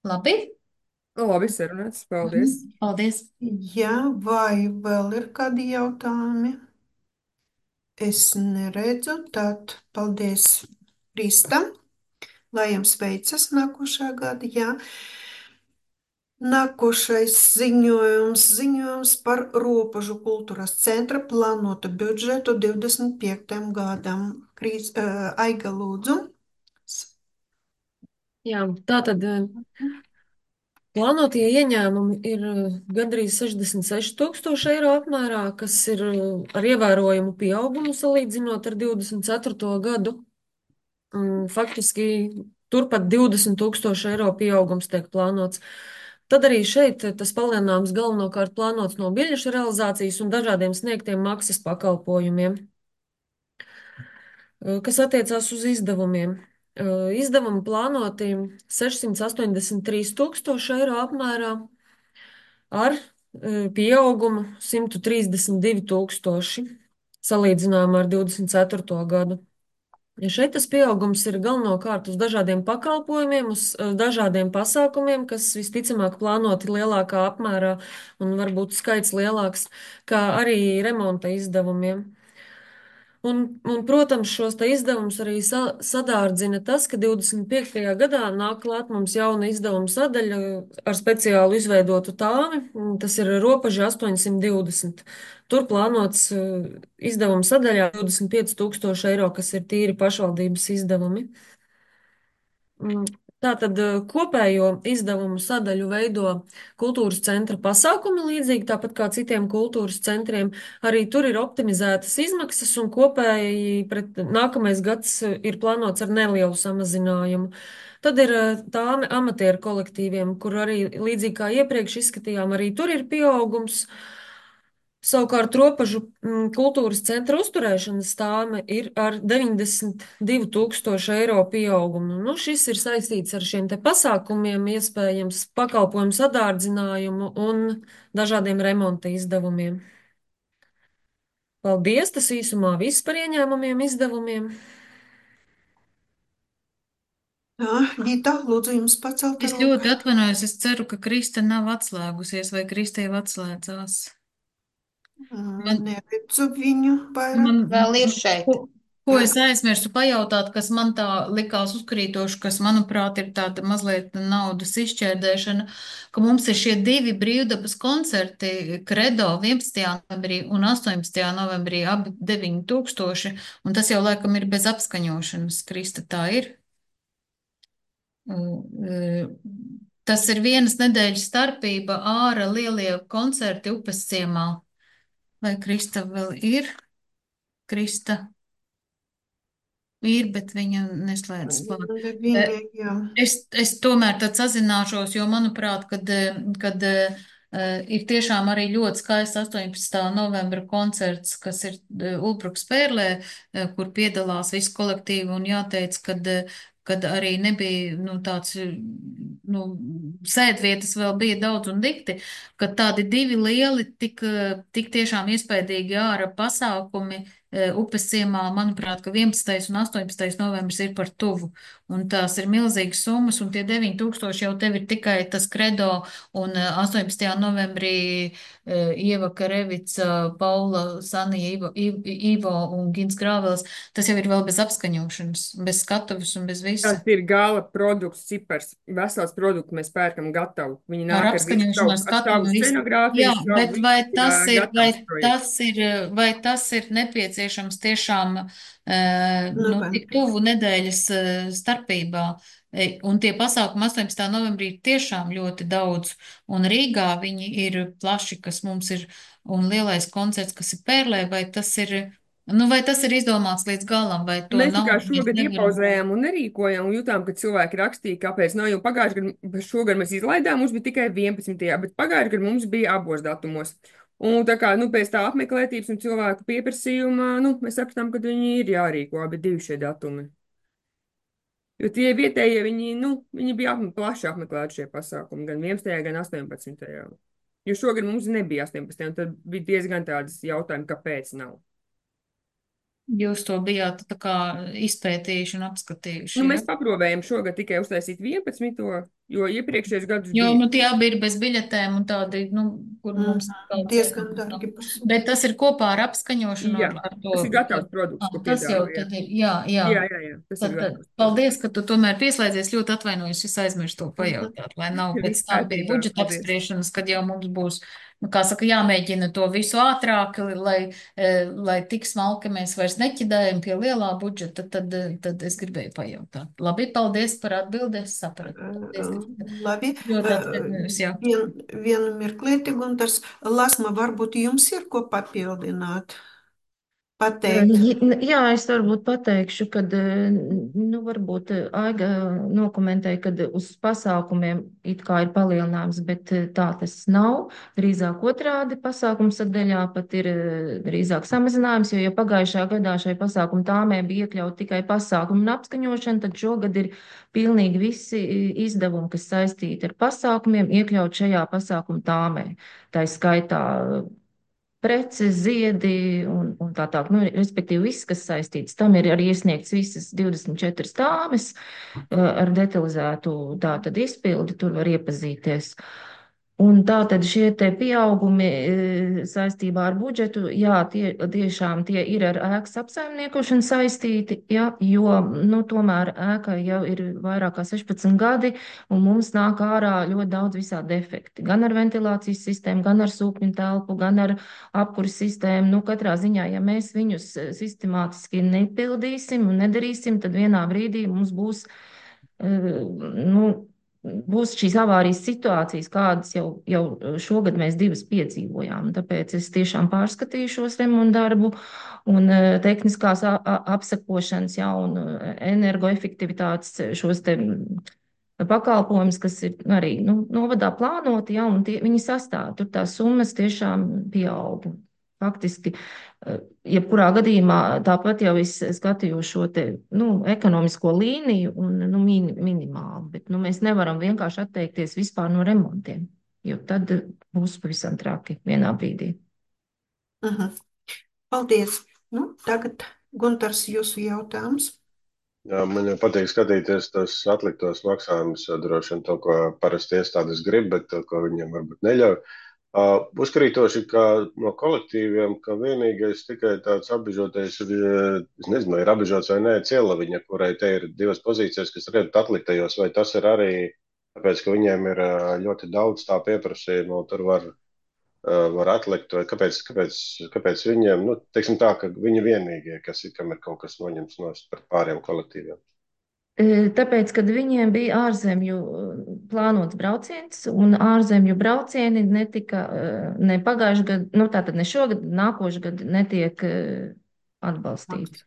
Labi?
Nu, labi, sarunāts. Paldies.
Mhm. Paldies.
jā, vai vēl ir kādi jautājumi? Es neredzu, tad paldies Kristam, lai jums veicas nākošā gada, jā. Nākošais ziņojums, ziņojums par Ropažu kultūras centra plānotu budžetu divdesmit piektajam gadam. Krīs, uh, Aiga lūdzu.
Jā, tā tad eh, plānotie ieņēmumi ir eh, gandrīz sešdesmit seši tūkstoši eiro apmērā, kas ir eh, ar ievērojumu pieaugumu salīdzinot ar divdesmit ceturto gadu. Un faktiski turpat divdesmit tūkstoši eiro pieaugums tiek plānots. Tad arī šeit tas palielinājums galvenokārt plānots no biļešu realizācijas un dažādiem sniegtiem maksas pakalpojumiem, kas attiecās uz izdevumiem. Izdevumi plānoti sešsimt astoņdesmit trīs tūkstoši eiro apmērā ar pieaugumu simt trīsdesmit divi tūkstoši salīdzinājumā ar divdesmit ceturto gadu. Ja šeit tas pieaugums ir galvenokārt uz dažādiem pakalpojumiem, uz eh, dažādiem pasākumiem, kas visticamāk plānoti lielākā apmērā un varbūt skaits lielāks, kā arī remonta izdevumiem. Un, un, protams, šos te izdevumus arī sa sadārdzina tas, ka divdesmit piektajā gadā nāk klāt mums jauna izdevuma sadaļa ar speciālu izveidotu tāmi. Tas ir Ropaža astoņsimt divdesmit. Tur plānots uh, izdevuma sadaļā divdesmit pieci tūkstoši eiro, kas ir tīri pašvaldības izdevumi. Mm, Tātad eh, kopējo izdevumu sadaļu veido kultūras centra pasākumi, līdzīgi tāpat kā citiem kultūras centriem. Arī tur ir optimizētas izmaksas, un kopēji pret nākamais gads eh, ir plānots ar nelielu samazinājumu. Tad ir eh, tāme amatieru kolektīviem, kur arī līdzīgi kā iepriekš izskatījām, arī tur ir pieaugums. Savukārt Ropažu mm, kultūras centra uzturēšanas tāme ir ar deviņdesmit divu tūkstošu eiro pieaugumu. Nu, šis ir saistīts ar šiem te pasākumiem, iespējams pakalpojumu sadārdzinājumu un dažādiem remonta izdevumiem. Paldies, tas īsumā viss par ieņēmumiem, izdevumiem.
Jā, Gita, lūdzu jums pacelt
Es
roku.
ļoti atvainojos, es ceru, ka Krista nav atslēgusies vai Krista jau atslēdzās. Man,
Neredzu viņu vairāk.
man,
Vēl ir šeit.
ko, ko es aizmirsu pajautāt, kas man tā likās uzkrītoši, kas, manuprāt, ir tāda mazliet naudas izšķērdēšana, ka mums ir šie divi brīvdabas koncerti Kredo vienpadsmitajā novembrī un astoņpadsmitajā novembrī, abi deviņi tūkstoši, un tas jau laikam ir bez apskaņošanas. Krista, tā ir? Tas ir vienas nedēļas starpība ārā lielie koncerti upes ciemā. Vai Krista vēl ir? Krista ir, bet viņa neslēdz klāt.
Viņa,
Eh,
jā.
Es, es tomēr tad sazināšos, jo manuprāt, kad, eh, kad eh, ir tiešām arī ļoti skaists astoņpadsmitā novembra koncerts, kas ir eh, Ulbruks Pērlē, eh, kur piedalās visi kolektīvi, un jāteic, kad, eh, kad arī nebija, nu, tāds, eh, nu, sēdvietas vēl bija daudz un dikti, ka tādi divi lieli, tik, eh, tik tiešām iespaidīgi ārā pasākumi upes ciemā, manuprāt, ka vienpadsmitais un astoņpadsmitais novembris ir par tuvu. Un tās ir milzīgas summas, un tie deviņi tūkstoši jau tev ir tikai tas kredo, un astoņpadsmitajā novembrī Ieva Karevica, Paula, Sanija, Ivo, Ivo un Gins Grāvels, tas jau ir vēl bez apskaņošanas, bez skatuves un bez visa.
Tas ir gala produkts, cipars, vesels produkts mēs pērkam gatavu. Viņi
Ar
nāk ar visu
apskaņošanu, ar
savu, ar savu
skatuvi, visu.
scenogrāfiju,
Jā,
savu
bet vai
visu,
tas
ā,
ir, vai
gatavs projekts.
tas ir, vai tas ir nepieciešams tiešām eh, nu, tik
Novembrī.
tuvu nedēļas eh, starpībā? E, Un tie pasākumi astoņpadsmitajā novembrī ir tiešām ļoti daudz, un Rīgā viņi ir plaši, kas mums ir, un lielais koncerts, kas ir Pērlē, vai tas ir, nu, vai tas ir izdomāts līdz galam, vai to
Mēs tā kā
naudu mēs
šogad
nevaram.
iepauzējām un nerīkojām, un jutām, ka cilvēki rakstīja, kāpēc nav, jo pagājušajā gadā, šogad mēs izlaidām, mums bija tikai vienpadsmitajā bet pagājušajā gadā mums bija abos datumos. Un tā kā, nu, pēc tā apmeklētības un cilvēku pieprasījuma, nu, mēs sapratām, ka viņi ir jārīko abi divi šie datumi. Jo tie vietējie, viņi, nu, viņi bija apme, plaši apmeklēti šie pasākumi, gan vienpadsmitajā gan astoņpadsmitajā Jo šogad mums nebija astoņpadsmitajā un tad bija diezgan tādas jautājumi, kāpēc nav.
Jūs to bijāt tā kā izpētījuši un apskatījuši,
Nu,
ja?
mēs paprovējam šogad tikai uztaisīt vienpadsmito jo iepriekšējos gadus
Jo,
bija.
nu, tie abi ir bez biļetēm un tādi, nu, kur mums
Mm,
kaut
diezgan
kas
dārgi
nav.
pasūta.
Bet tas ir kopā ar apskaņošanu,
Jā,
ar, ar to.
tas ir gatavs produkts,
Ah,
ko
tas jau
piedāvā.
tad ir, jā, jā.
Jā, jā, jā, tas
Tad,
ir
tad,
gatavs produkts.
paldies, ka tu tomēr pieslēdzies. Ļoti atvainojos, es aizmirstu to pajautāt, lai nav pēc
Viss
tam pie
kārtībā,
budžeta
paldies.
apspriešanas, kad jau mums būs, nu, kā saka, jāmēģina to visu ātrāk, lai, eh, lai tik smalki mēs vairs neķidējam pie lielā budžeta, tad, eh, tad es gribēju pajautāt. Labi, paldies par atbildi, es sapratu. Paldies, ka
Labi.
ļoti atvainojos, jā.
Vien, vienu mirklīti, Guntars. Lasma, varbūt jums ir ko papildināt? Pateikt.
J- Jā, es varbūt pateikšu, ka, nu, varbūt Aiga nokomentēja, ka uz pasākumiem it kā ir palielinājums, bet tā tas nav. Drīzāk otrādi pasākumu sadaļā pat ir drīzāk samazinājums, jo, ja pagājušā gadā šai pasākumu tāmē bija iekļaut tikai pasākumu un apskaņošana, tad šogad ir pilnīgi visi izdevumi, kas saistīti ar pasākumiem, iekļaut šajā pasākumu tāmē. Tā ir skaitā preces, ziedi un, un tā tālāk. Nu, respektīvi, viss, kas saistīts, tam ir arī iesniegts visas divdesmit četras tāmes ar detalizētu tātad izpildi, tur var iepazīties. Un tā tad šie te pieaugumi saistībā ar budžetu, jā, tie tiešām tie ir ar ēkas apsaimniekošanu saistīti, jā, jo, nu, tomēr ēka jau ir vairāk kā sešpadsmit gadi, un mums nāk ārā ļoti daudz visādi defekti. Gan ar ventilācijas sistēmu, gan ar sūkņu telpu, gan ar apkuras sistēmu. Nu, katrā ziņā, ja mēs viņus sistemātiski nepildīsim un nedarīsim, tad vienā brīdī mums būs, nu, būs šīs avārijas situācijas, kādas jau, jau šogad mēs divas piedzīvojām. Tāpēc es tiešām pārskatīju šos remontu darbu un tehniskās apsekošanas, ja, un energoefektivitātes šos te pakalpojumus, kas ir arī, nu, novadā plānoti, ja, un tie, viņi sastāv. Tur tās summas tiešām pieaug. Faktiski, jebkurā gadījumā tāpat jau es skatīju šo te, nu, ekonomisko līniju un, nu, min, minimāli, bet, nu, mēs nevaram vienkārši atteikties vispār no remontiem, jo tad būs pavisam traki vienā brīdī.
Aha. Paldies. Nu, tagad, Guntars, jūsu jautājums.
Jā, man jau patīk skatīties tos atliktos maksājumus, droši vien to, ko parasti iestādes grib, bet to, ko viņiem varbūt neļauj. Uh, uzkrītoši, ka no kolektīviem, ka vienīgais tikai tāds apbežotais ir, es nezinu, ir apbežots vai nē, Cielaviņa, kurai te ir divas pozīcijas, kas redz atliktajos, vai tas ir arī, tāpēc, ka viņiem ir ļoti daudz tā pieprasījumu, tur var, uh, var atlikt, vai kāpēc, kāpēc, kāpēc viņiem, nu, teiksim tā, ka viņi vienīgie, kas ir, kam ir kaut kas noņemts no pāriem kolektīviem.
Tāpēc, kad viņiem bija ārzemju plānots brauciens, un ārzemju braucieni netika ne pagājuši gadu, nu tātad ne šogad, nākošu gadu netiek atbalstīti.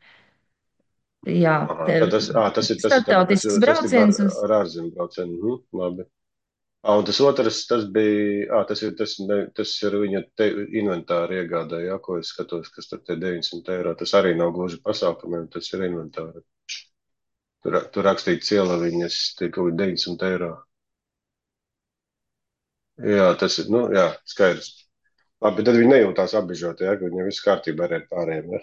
Jā,
Aha, tas, ā, tas ir tas,
starptautisks brauciens.
Tas ir ar, ar ārzemju braucienu. Mhm, labi. Ā, un tas otrs, tas bija, ā, tas ir, tas, ne, tas ir viņa te, inventāra iegādē, jā, ko es skatos, kas tur te deviņsimt eiro. Tas arī nav gluži pasākumiem, tas ir inventāra. Tur, tur rakstīts Cielaviņas, tie kaut deviņsimt eiro. Jā, tas ir, nu, jā, skaidrs. Labi, tad viņi nejūtās apbežoti, ja, ka viņiem viss kārtībā ar pārējiem. Ja?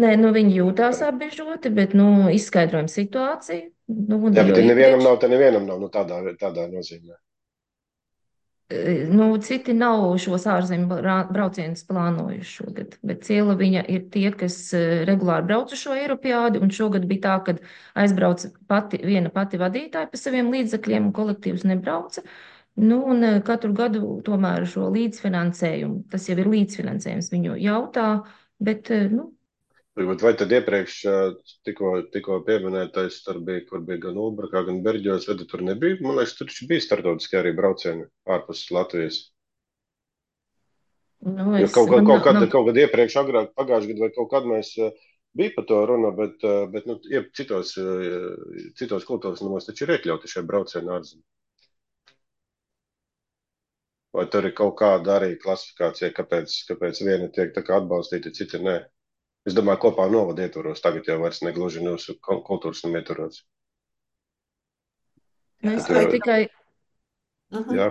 Nē, nu viņi jūtās apbežoti, bet, nu, izskaidrojam situāciju. Nu,
Jā, bet
jo
ja nevienam
iepriekš,
nav, tad nevienam nav, nu tādā, tādā nozīmē.
eh, nu, citi nav šos ārzemju brā- braucienus plānojuši šogad, bet Ciela viņa ir tie, kas eh, regulāri brauc uz šo Eiropiādi, un šogad bija tā, ka aizbrauca pati, viena pati vadītāja pa saviem līdzekļiem, un kolektīvs nebrauca. Nu, un eh, katru gadu tomēr šo līdzfinansējumu, tas jau ir līdzfinansējums, viņu jautā, bet, eh, nu,
Varbūt vai tad iepriekš ā, tikko, tikko pieminētais, tur bija, kur bija gan Ulbrakā, gan Berģos, vai tad tur nebija? Man liekas, tur taču bija starptautiskie arī braucieni ārpus Latvijas.
nu,
Jo
es,
kaut, kaut,
man,
kaut, kad,
man,
kaut kad iepriekš, agrāk, pagājušajā gadā vai kaut kad mēs ā, bija par to runa, bet, ā, bet nu, ie- citos, ā, citos kultūras namos taču ir iekļauti šie braucieni ārzemē. Vai tur ir kaut kāda arī klasifikācija, kāpēc, kāpēc viena tiek tā kā atbalstīta, cita nē? Es domāju, kopā novada ietvaros, tagad jau vairs negluži mūsu kul- kultūras nama ietvaros.
nu, es
Tur
varu
jau,
tikai,
Mhm.
jā,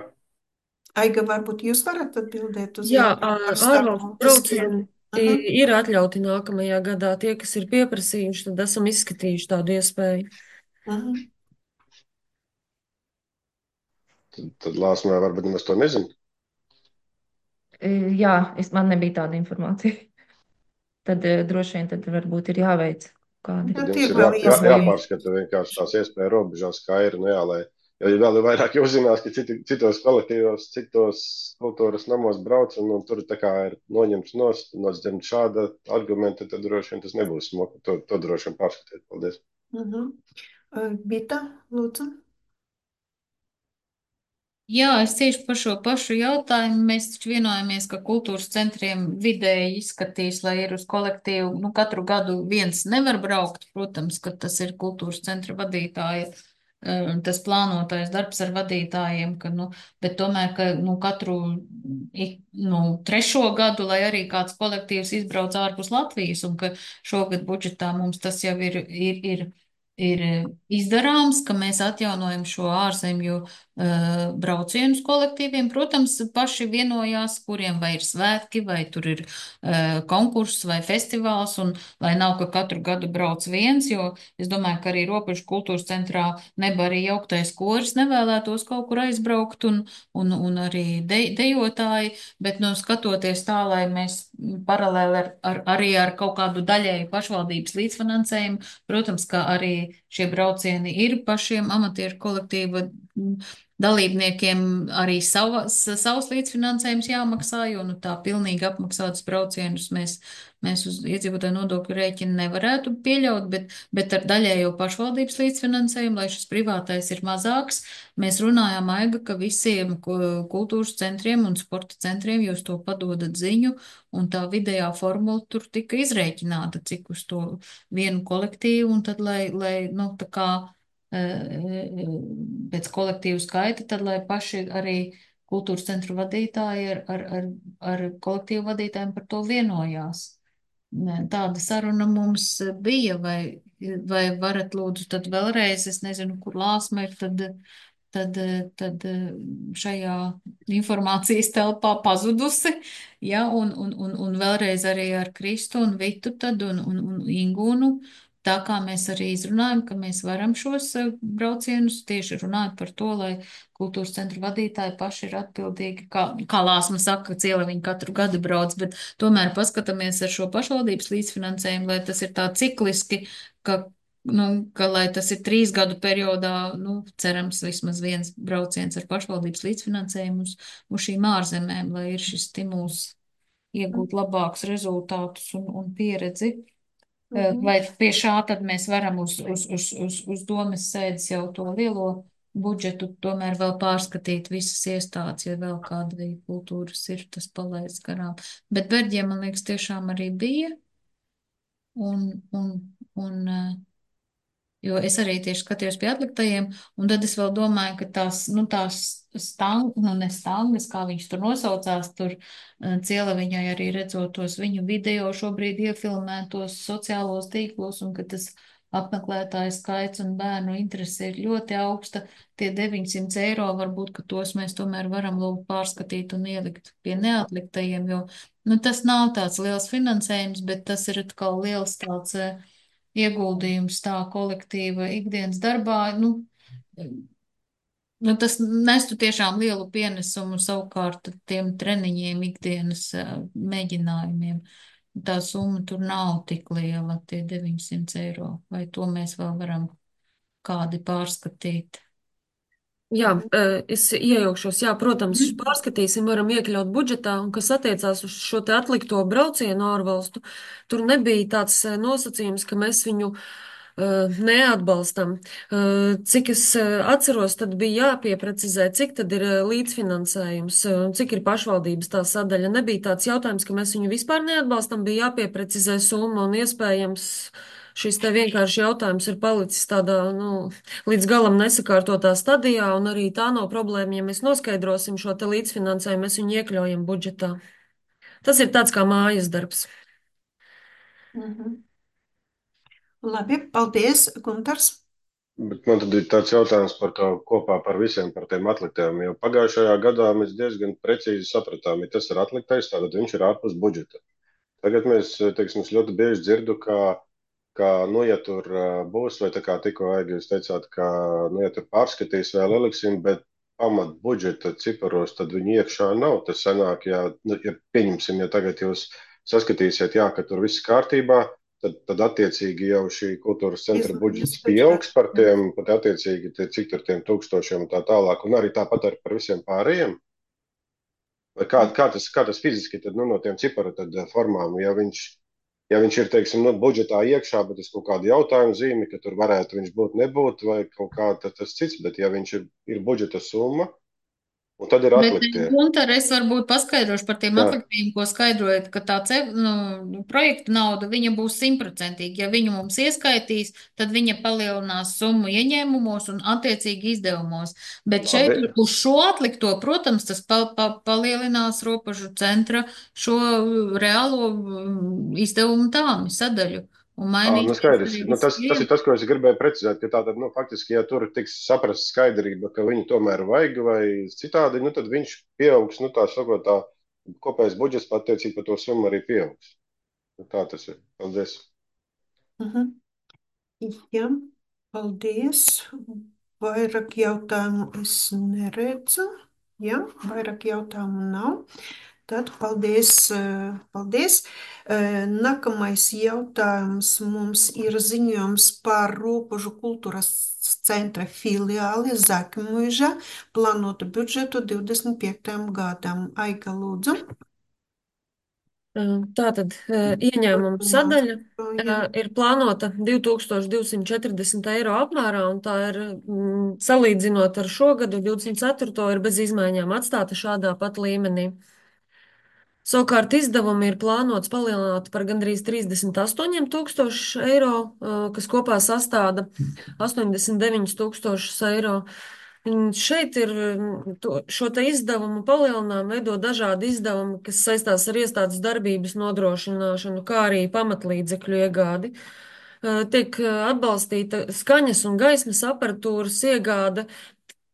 Aiga, varbūt jūs varat atbildēt uz
Jā,
jautājumu
ā,
par
ārvalstu
starptautiskiem?
braucieni
Mhm.
i- ir atļauti nākamajā gadā. Tie, kas ir pieprasījuši, tad esam izskatījuši tādu iespēju.
Mhm.
tad, tad Lāsmē varbūt nemaz to nezinu.
eh, jā, es, man nebija tāda informācija. Tad eh, droši vien tad varbūt ir jāveic kādi.
Tad
Bet
jums
ir
ir jā,
vēl
jā,
iespēja.
jāpārskata vienkārši tās iespēja robežās, kā ir, nu jā, lai, jo ja vēl ir vairāk jau zinās, ka citi, citos kolektīvos, citos kultūras namos brauc, un, un tur tā kā ir noņemts nost, noņemts šāda argumenta, tad droši vien tas nebūs smoka. To, to droši vien pārskatiet. Paldies.
Mhm. Uh, Bita, lūdzu.
Jā, es tieši par šo pašu jautājumu. Mēs taču vienojamies, ka kultūras centriem vidēji izskatīs, lai ir uz kolektīvu. Nu, katru gadu viens nevar braukt, protams, ka tas ir kultūras centra vadītāja, um, tas plānotais darbs ar vadītājiem, ka, nu, bet tomēr, ka, nu, katru, ik- nu, trešo gadu, lai arī kāds kolektīvs izbrauc ārpus Latvijas, un ka šogad budžetā mums tas jau ir, ir, ir, ir izdarāms, ka mēs atjaunojam šo ārzemju uh, braucienus kolektīviem. Protams, paši vienojās, kuriem vai ir svētki, vai tur ir uh, konkurss vai festivāls, un lai nav, ka katru gadu brauc viens, jo es domāju, ka arī Robežu kultūras centrā neba arī jauktais koris nevēlētos kaut kur aizbraukt, un, un, un arī de, dejotāji, bet, nu, skatoties tā, lai mēs paralēli ar, ar, arī ar kaut kādu daļēju pašvaldības līdzfinansējumu, protams, ka arī šie braucieni ir pašiem amatieru kolektīva dalībniekiem arī savas, savs līdzfinansējums jāmaksā, jo nu, tā pilnīgi apmaksātas braucienus mēs, mēs uz iedzīvotāju nodokļu rēķinu nevarētu pieļaut, bet, bet ar daļējo pašvaldības līdzfinansējumu, lai šis privātais ir mazāks, mēs runājām, Aiga, ka visiem ku- kultūras centriem un sporta centriem jūs to padodat ziņu, un tā vidējā formula tur tika izrēķināta, cik uz to vienu kolektīvu, un tad, lai, lai nu, tā kā pēc kolektīvu skaita, tad lai paši arī kultūras centru vadītāji ar, ar, ar, ar kolektīvu vadītājiem par to vienojās. Tāda saruna mums bija, vai, vai varat lūdzu tad vēlreiz, es nezinu, kur Lāsma ir, tad, tad, tad šajā informācijas telpā pazudusi, ja, un, un, un, un vēlreiz arī ar Kristu un Vitu tad un, un, un Ingūnu. Tā kā mēs arī izrunājam, ka mēs varam šos eh, braucienus tieši runāt par to, lai kultūras centru vadītāji paši ir atbildīgi, kā, kā Lāsma saka, Ciela viņi katru gadu brauc, bet tomēr paskatāmies ar šo pašvaldības līdzfinansējumu, lai tas ir tā cikliski, ka, nu, ka lai tas ir trīs gadu periodā, nu, cerams, vismaz viens brauciens ar pašvaldības līdzfinansējumu uz, uz šīm ārzemēm, lai ir šis stimuls iegūt labākus rezultātus un, un pieredzi.
Mhm.
Vai pie šā tad mēs varam uz, uz, uz, uz, uz domas sēdes jau to lielo budžetu tomēr vēl pārskatīt visas iestādes, ja vēl kāda veida kultūras ir tas palaists garām. Bet Berģiem, man liekas, tiešām arī bija. Un, un, un, jo es arī tieši skatījos pie atliktajiem, un tad es vēl domāju, ka tās, nu, tās stang, nu, ne stangas, kā viņš tur nosaucās, tur Ciela viņai arī redzot tos viņu video šobrīd iefilmētos sociālos tīklos, un ka tas apmeklētāju skaits un bērnu interese ir ļoti augsta. Tie deviņsimt eiro varbūt, ka tos mēs tomēr varam lūgt pārskatīt un ielikt pie neatliktajiem, jo, nu, tas nav tāds liels finansējums, bet tas ir atkal liels tāds eh, ieguldījums tā kolektīva ikdienas darbā. Nu, nu, tas nestu tiešām lielu pienesumu savukārt tiem treniņiem, ikdienas eh, mēģinājumiem. Tā summa tur nav tik liela, tie deviņsimt eiro. Vai to mēs vēl varam kādi pārskatīt?
Jā, eh, es iejaukšos. Jā, protams,
Mhm.
pārskatīsim, varam iekļaut budžetā, un kas attiecās uz šo te atlikto braucienu ārvalstu, tur nebija tāds eh, nosacījums, ka mēs viņu eh, neatbalstam. Eh, Cik es eh, atceros, tad bija jāpieprecizē, cik tad ir eh, līdzfinansējums, eh, cik ir pašvaldības tā sadaļa. Nebija tāds jautājums, ka mēs viņu vispār neatbalstam, bija jāpieprecizē summa un iespējams. Šis te vienkārši jautājums ir palicis tādā, nu, līdz galam nesakārtotā stadijā, un arī tā nav problēma. Ja mēs noskaidrosim šo te līdzfinansējumu, mēs viņu iekļaujam budžetā. Tas ir tāds kā mājas darbs.
Mhm. Labi, paldies, Guntars.
Bet man tad ir tāds jautājums par to kopā par visiem par tiem atliktiem. Jo pagājušajā gadā mēs diezgan precīzi sapratām, ja tas ir atliktais, tad viņš ir ārpus budžeta. Tagad mēs, teiksim, es ļoti bieži dzirdu, ka, ka nu, ja tur uh, būs, vai tā kā tikko Aigi jūs teicāt, ka, nu, ja tur pārskatīs vēl eliksim, bet pamat budžeta ciparos, tad viņi iekšā nav. Tas sanāk, ja, nu, ja pieņemsim, ja tagad jūs saskatīsiet, jā, ka tur viss kārtībā, tad, tad attiecīgi jau šī kultūras centra
Izmaiņas
budžets
pēc
pieaugs par
tam.
tiem, pat attiecīgi, tie, cik tur tiem tūkstošiem un tā tālāk, un arī tāpat arī par visiem pārējiem. Vai kā, kā, tas, kā tas fiziski tad, nu, no tiem ciparu tad, eh, formām, ja viņš, ja viņš ir, teiksim, nu, budžetā iekšā, bet es kaut kādu jautājumu zīmi, ka tur varētu viņš būt, nebūt, vai kaut kā tad tas cits, bet ja viņš ir, ir budžeta summa, un tad ir
Bet,
atliktie.
Gunter, es varbūt paskaidrošu par tiem
Jā,
atliktiem, ko skaidrojat, ka tā ce, nu, projekta nauda, viņa būs simtprocentīgi. Ja viņu mums ieskaitīs, tad viņa palielinās summu ieņēmumos un attiecīgi izdevumos. Bet šeit
labi.
uz šo atlikto, protams, tas pa, pa, palielinās robežu centra šo reālo mm, izdevumu tāmi sadaļu un
Ā, nu
mainīsies
skaidrs.
arī
Nu, tas,
visi
tas ir tas, ko es gribēju precizēt, ka tātad, nu, faktiski, ja tur tiks saprast skaidrība, ka viņu tomēr vajag vai citādi, nu, tad viņš pieaugs, nu, tā sakot, tā kopējais budžets patiecīgi par to summu arī pieaugs. Nu, tā tas ir. Paldies.
Mhm. Jā, paldies. Vairāk jautājumu es neredzu. Jā, vairāk jautājumu nav. Tad paldies, eh, paldies. Eh, Nākamais jautājums mums ir ziņojums par Robežu kultūras centra filiāli Zakmuiža plānotu budžetu divdesmit piektajam gadam. Aiga, lūdzu.
Tātad ieņēmuma sadaļa
Jā.
ir plānota divi tūkstoši divsimt četrdesmit eiro apmērā, un tā ir, mm, salīdzinot ar šo gadu, divdesmit ceturto ir bez izmaiņām atstāta šādā pat līmenī. Savukārt izdevumi ir plānots palielināt par gandrīz trīsdesmit astoņiem tūkstošiem eiro, kas kopā sastāda astoņdesmit deviņus tūkstošus eiro. Un šeit ir mm, to, šo te izdevumu palielinājumu veido dažādi izdevumi, kas saistās ar iestādes darbības nodrošināšanu, kā arī pamatlīdzekļu iegādi. Eh, Tiek eh, atbalstīta skaņas un gaismas aparatūras iegāde.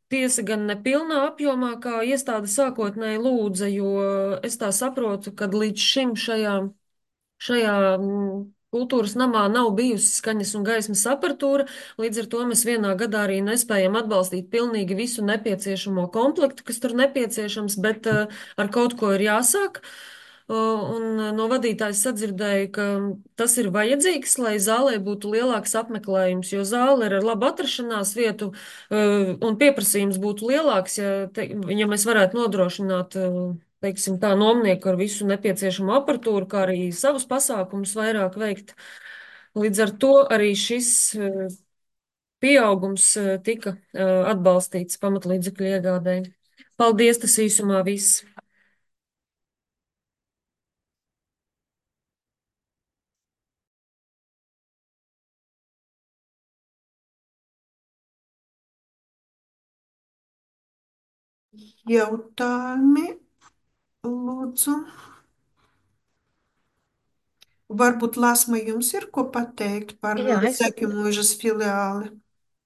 Tiesa gan nepilnā apjomā, kā iestāde sākotnēji lūdza, jo es tā saprotu, ka līdz šim šajā, šajā mm, kultūras namā nav bijusi skaņas un gaismas aparatūra, līdz ar to mēs vienā gadā arī nespējam atbalstīt pilnīgi visu nepieciešamo komplektu, kas tur nepieciešams, bet uh, ar kaut ko ir jāsāk. Uh, Un no vadītājas sadzirdēju, ka tas ir vajadzīgs, lai zālē būtu lielāks apmeklējums, jo zāle ir ar labu atrašanās vietu, uh, un pieprasījums būtu lielāks, ja, te, ja mēs varētu nodrošināt, uh, teiksim, tā nomnieku ar visu nepieciešamo aparatūru, kā arī savus pasākumus vairāk veikt. Līdz ar to arī šis uh, pieaugums uh, tika uh, atbalstīts pamatlīdzekļu iegādēji. Paldies, tas īsumā viss.
Jautājumi, lūdzu. Varbūt Lasma jums ir ko pateikt par
Jā, es,
Zaķumuižas filiāli?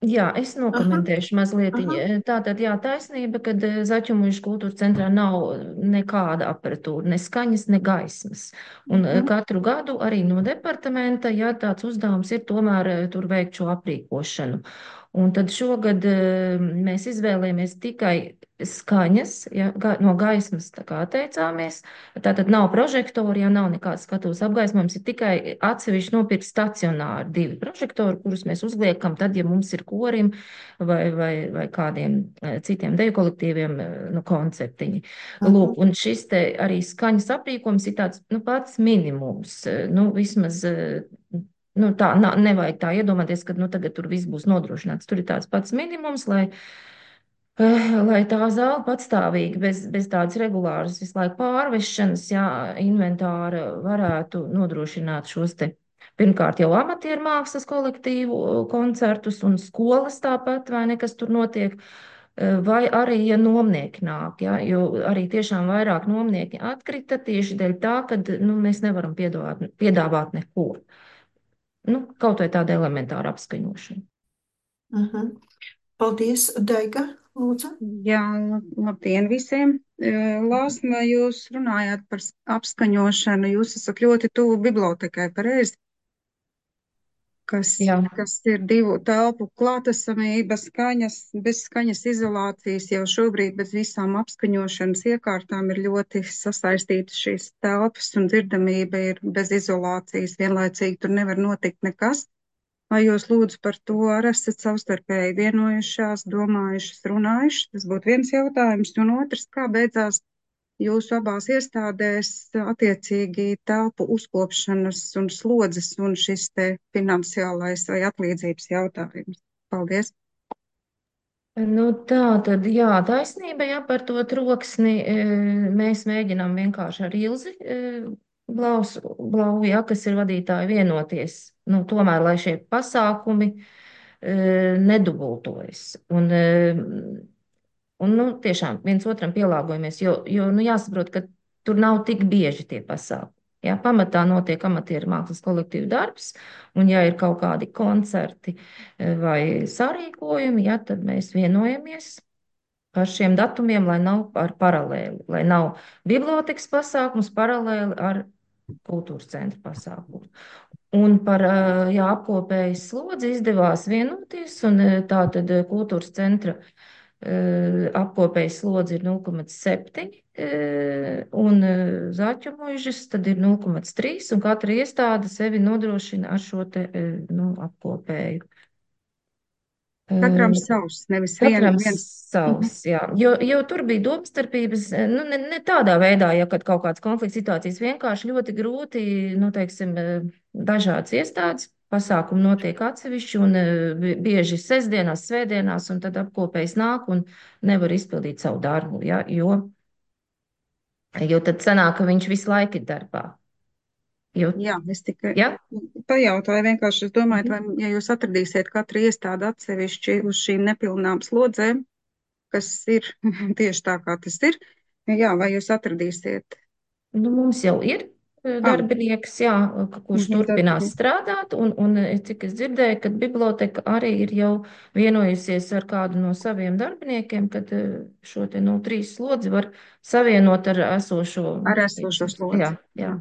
jā, es
Aha,
nokomentēšu mazliet.
aha.
Tātad, jā, taisnība, kad Zaķumuižas kultūras centrā nav nekāda aparatūra, ne skaņas, ne gaismas. Un
Mhm.
katru gadu arī no departamenta, jā, tāds uzdevums ir tomēr tur veikt šo aprīkošanu. Un tad šogad mēs izvēlējāmies tikai skaņas, ja, ga, no gaismas tā kā atteicāmies. Tātad nav prožektori, ja nav nekāds skatuves apgaismojums, ir tikai atsevišķi nopirkt stacionāri divi prožektori, kurus mēs uzliekam tad, ja mums ir korim vai, vai, vai kādiem citiem deju kolektīviem nu, koncertiņi. Lūk, un šis te arī skaņas aprīkojums ir tāds nu, pats minimums. Nu, vismaz nu, tā nā, nevajag tā iedomāties, ka nu, tagad tur viss būs nodrošināts. Tur ir tāds pats minimums, lai, lai tā zāle patstāvīgi, bez, bez tādas regulāras visu laiku pārvešanas, jā, inventāra varētu nodrošināt šos te. Pirmkārt, jau amatieru mākslas kolektīvu koncertus un skolas tāpat, vai nekas tur notiek. Vai arī, ja nomnieki nāk, ja, jo arī tiešām vairāk nomnieki atkrita tieši dēļ tā, ka nu, mēs nevaram piedāvāt, piedāvāt neko. Nu, kaut vai tāda elementāra apskaņošana.
Mhm. Paldies, Daiga, lūdzu.
Jā, labdien visiem. Lāsma, jūs runājāt par apskaņošanu, jūs esat ļoti tuvu bibliotekai, pareizi? Kas,
Jā.
kas ir divu telpu klātesamība, skaņas, bez skaņas izolācijas jau šobrīd bez visām apskaņošanas iekārtām ir ļoti sasaistītas šīs telpas un dzirdamība ir bez izolācijas, vienlaicīgi tur nevar notikt nekas. Vai jūs lūdzu par to arī esat savstarpēji vienojušās, domājušas, runājušas? Tas būtu viens jautājums, un otrs, kā beidzās jūsu abās iestādēs attiecīgi telpu uzkopšanas un slodzes un šis te finansiālais vai atlīdzības jautājums. Paldies!
Nu, tā tad, jā, taisnība, jā, par to troksni mēs mēģinām vienkārši ar Ilzi Blaus, Blau, jā, kas ir vadītāji vienoties. Nu, tomēr, lai šie pasākumi nedubultojas. Un, Un, nu, tiešām viens otram pielāgojamies, jo, jo nu, jāsaprot, ka tur nav tik bieži tie pasākumi. Jā, pamatā notiek amatieru mākslas kolektīvu darbs, un ja ir kaut kādi koncerti vai sarīkojumi, jā, tad mēs vienojamies par šiem datumiem, lai nav ar paralēli, lai nav bibliotekas pasākums paralēli ar kultūras centra pasākumu. Un par jā, apkopējas slodzi izdevās vienoties, un tā tad kultūras centra apkopējas slodzi ir nulle komats septiņi un Zaķumuižas tad ir nulle komats trīs un katra iestāde sevi nodrošina ar šo te nu, apkopēju.
Katram savs, nevis
Katram
vien, viens.
savs, jā. Jo, jo tur bija domstarpības, nu, ne, ne tādā veidā, ja kad kaut kāds konflikts situācijas vienkārši ļoti grūti, nu, teiksim, dažādas iestādes. Pasākumi notiek atsevišķi un bieži sestdienās, svētdienās, un tad apkopējs nāk un nevar izpildīt savu darbu, ja, jo, jo tad sanāk, ka viņš visu laiku ir darbā. Jo,
Jā, es tikai
ja?
pajautāju vienkārši, es domāju, vai, ja jūs atradīsiet katru iestādi atsevišķi uz šīm nepilnām slodzēm, kas ir tieši tā, kā tas ir, jā, vai jūs atradīsiet?
Nu, mums jau ir darbinieks, jā, kurš
Mhm,
turpinās
darbinieks.
strādāt, un, un cik es dzirdēju, ka biblioteka arī ir jau vienojusies ar kādu no saviem darbiniekiem, kad šo te no trīs slodzi var savienot ar esošo.
Ar esošo slodzi.
Jā, jā.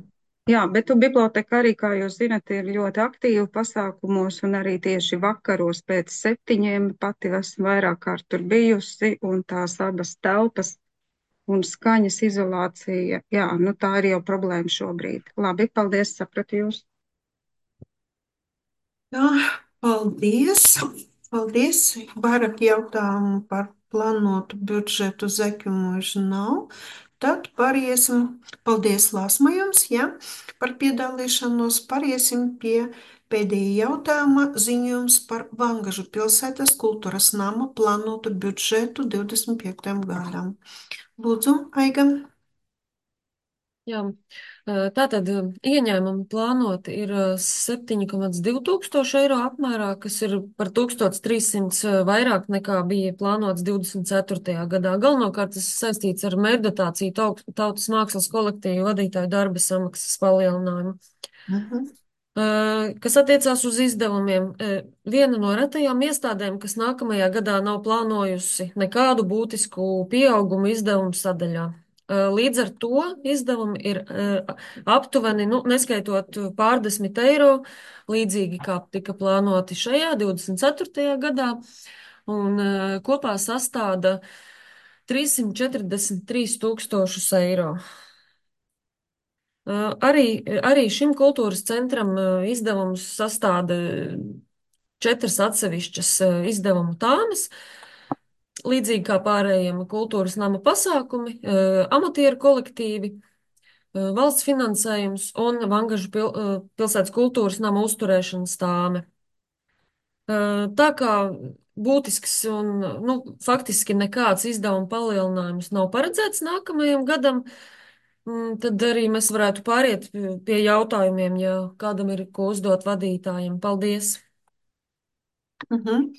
Jā, bet tu biblioteka arī, kā jūs zinat, ir ļoti aktīva pasākumos un arī tieši vakaros pēc septiņiem pati esmu vairāk kārt tur bijusi un tās abas telpas un skaņas izolācija, jā, nu tā ir jau problēma šobrīd. Labi, paldies, sapratu jūs.
Jā, paldies. Paldies. Vairāk jautājumu par plānotu budžetu Zaķumuižu nav. Tad pāriesim, paldies Lāsma jums, ja, par piedalīšanos, pāriesim pie pēdējā jautājuma ziņojums par Vangažu pilsētas kultūras nama plānotu budžetu divdesmit piektajam gadam. Lūdzu, Aiga.
Jā, Tātad ieņēmumi plānoti ir septiņi komats divi tūkstoši eiro apmērā, kas ir par tūkstoš trīssimts vairāk nekā bija plānots divdesmit ceturtajā gadā. Galvenokārt tas saistīts ar mērķdotāciju tautas mākslas kolektīvu vadītāju darba samaksas palielinājumu.
Mhm.
Kas attiecās uz izdevumiem, viena no retajām iestādēm, kas nākamajā gadā nav plānojusi nekādu būtisku pieaugumu izdevumu sadaļā. Līdz ar to izdevumi ir aptuveni, nu, neskaitot pārdesmit eiro, līdzīgi kā tika plānoti šajā divdesmit ceturtajā gadā, un kopā sastāda trīssimt četrdesmit trīs tūkstošus eiro. Arī, arī šim kultūras centram izdevums sastāda četras atsevišķas izdevumu tāmas, līdzīgi kā pārējiem kultūras nama pasākumi, amatieru kolektīvi, valsts finansējums un Vangažu pil, pilsētas kultūras nama uzturēšanas tāme. Tā kā būtisks un, nu, faktiski nekāds izdevuma palielinājums nav paredzēts nākamajam gadam, tad arī mēs varētu pāriet pie jautājumiem, ja kādam ir ko uzdot vadītājiem. Paldies!
Mhm.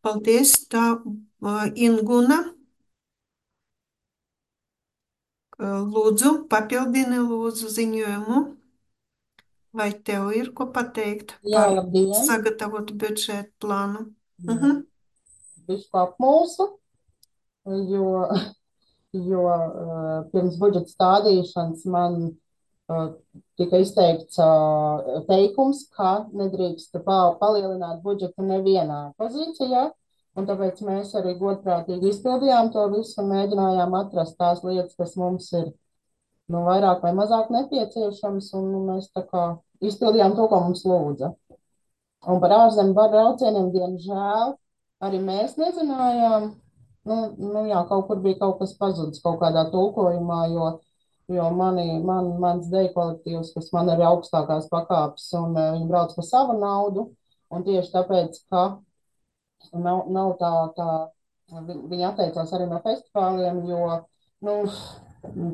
Paldies, tā Inguna. Lūdzu, papildini lūdzu ziņojumu. Vai tev ir ko pateikt
Jā,
par
labdien!
sagatavotu budžetu plānu?
Jā.
Mhm.
Bišķi apmulsu, jo, jo uh, pirms budžeta stādīšanas man uh, tika izteikts uh, teikums, ka nedrīkst pa, palielināt budžetu nevienā pozīcijā, un tāpēc mēs arī godprātīgi izpildījām to visu un mēģinājām atrast tās lietas, kas mums ir nu, vairāk vai mazāk nepieciešams, un nu, mēs tā kā izpildījām to, ko mums lūdza. Un par ārzemju braucieniem, diemžēl, arī mēs nezinājām, nu, nu jā, kaut kur bija kaut kas pazudis kaut kādā tulkojumā, jo, jo mani, man, mans deju kolektīvs, kas man ir augstākās pakāpes, un uh, viņi brauc par savu naudu, un tieši tāpēc, ka nav, nav tā, tā, vi- viņi atteicās arī no festivāliem, jo, nu,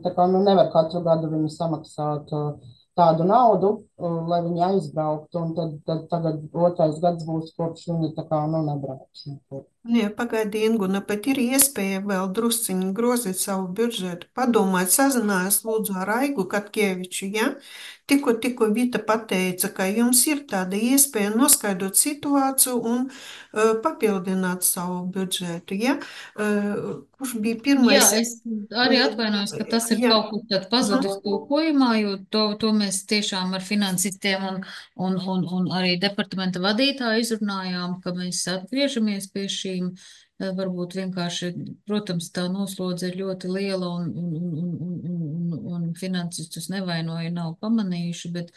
tā kā, nu, nevar katru gadu viņi samaksāt uh, tādu naudu, uh, lai viņi aizbrauktu, un tad, tad tagad otrais gads būs, kopš viņi tā kā, nu, nebrauks nekur.
Nē, pagaidi, Inguna, bet ir iespēja vēl drusciņi grozīt savu budžetu. Padomājiet, sazinājās lūdzu ar Aigu Katkeviču, ja? Tikko, tikko Vita pateica, ka jums ir tāda iespēja noskaidrot situāciju un uh, papildināt savu budžetu, ja? Uh, kurš bija
Jā,
pirmais?
es arī atvainojos, ka tas ir
Jā.
kaut kur tad pazudis tulkojumā, jo to, to mēs tiešām ar finansistiem un, un, un, un arī departamenta vadītāju izrunājām, ka mēs atgriežamies pie šīm, eh, varbūt vienkārši, protams, tā noslodze ir ļoti liela un, un, un, un, un, un, un finansistus nevainoja, nav pamanījuši, bet,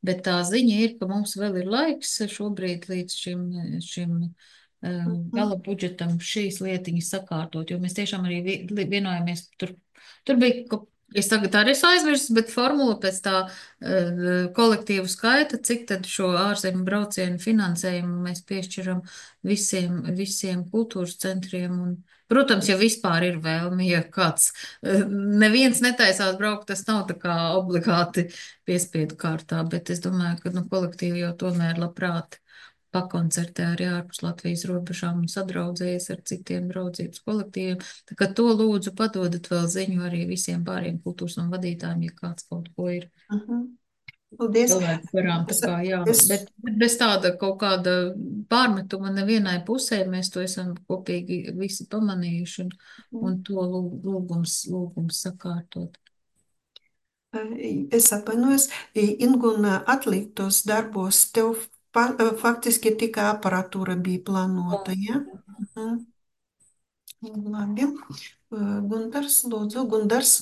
bet tā ziņa ir, ka mums vēl ir laiks šobrīd līdz šim, šim eh, gala budžetam šīs lietiņas sakārtot, jo mēs tiešām arī vi- vienojāmies, tur, tur bija, ko- es tagad arī esmu aizmirsis, bet formula pēc tā eh, kolektīvu skaita, cik tad šo ārzemju braucienu finansējumu mēs piešķiram visiem, visiem kultūras centriem un, protams, ja vispār ir vēlme, ja kāds, eh, neviens netaisās braukt, tas nav tā kā obligāti piespiedu kārtā, bet es domāju, ka, nu, kolektīvi jau tomēr labprāt pakoncertē arī ārpus Latvijas robežām un sadraudzējies ar citiem draudzības kolektīviem. Tā kā to lūdzu padodat vēl ziņu arī visiem pāriem kultūras un vadītājiem, ja kāds kaut ko ir
Mhm. Paldies.
cilvēku garām. Tā
Es,
kā jā,
es,
bet bet bez tāda kaut kāda pārmetuma nevienai pusē mēs to esam kopīgi visi pamanījuši un, un to lūg- lūgums, lūgums sakārtot.
es atvainojos, Inguna atliktos darbos, tev pa, faktiski tikai aparatūra bija plānota, ja? Mhm. Labi. Gundars, lūdzu, Gundars.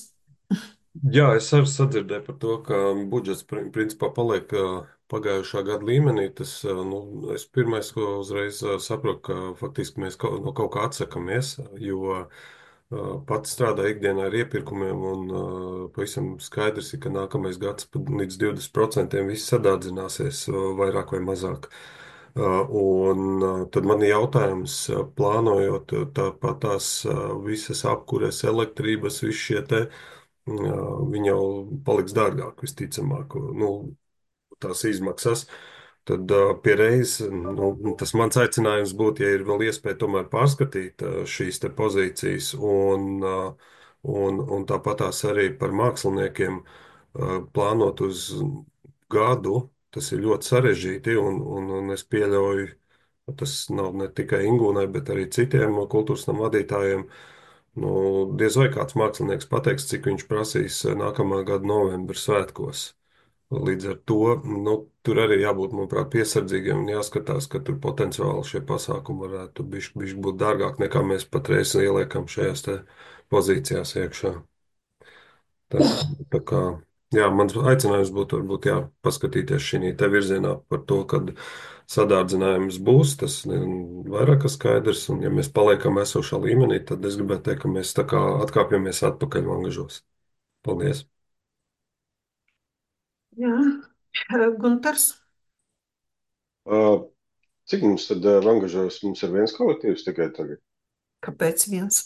Jā, es arī sadzirdēju par to, ka budžets pri- principā paliek ā, pagājušā gada līmenī. Tas, ā, nu, es pirmais, ko uzreiz ā, saprotu, ka faktiski mēs kaut, no kaut kā atsakamies, jo ā, pats strādāju ikdienā ar iepirkumiem, un ā, pavisam skaidrs ir, ka nākamais gads pat līdz divdesmit procentiem viss sadārdzināsies ā, vairāk vai mazāk. Ā, Un ā, tad man ir jautājums, ā, plānojot ā, tāpat tās ā, visas apkures, elektrības, visi šie te viņi jau paliks dārgāk visticamāk, nu, tās izmaksas. Tad pie reizes nu, tas mans aicinājums būtu, ja ir vēl iespēja tomēr pārskatīt šīs te pozīcijas un, un, un tāpatās arī par māksliniekiem plānot uz gadu. Tas ir ļoti sarežģīti un, un, un es pieļauju, tas nav ne tikai Ingūnai, bet arī citiem kultūras nama vadītājiem. Nu, diez vai kāds mākslinieks pateiks, cik viņš prasīs nākamā gada novembra svētkos. Līdz ar to nu, tur arī jābūt, manuprāt, piesardzīgiem un jāskatās, ka tur potenciāli šie pasākumi varētu bišķi, bišķi būt dārgāk nekā mēs patreiz ieliekam šajās te pozīcijās iekšā. Tā, tā kā, jā, mans aicinājums būtu varbūt jā, paskatīties šī te virzienā par to, kad sadārdzinājums būs, tas vairāk kā skaidrs, un ja mēs paliekam esošā līmenī, tad es gribētu teikt, ka mēs tā kā atkāpjamies atpakaļ vangažos. Paldies!
Jā, Guntars.
Uh, cik mums tad uh, vangažos mums ir viens kolektīvs tikai tagad?
Kāpēc viens?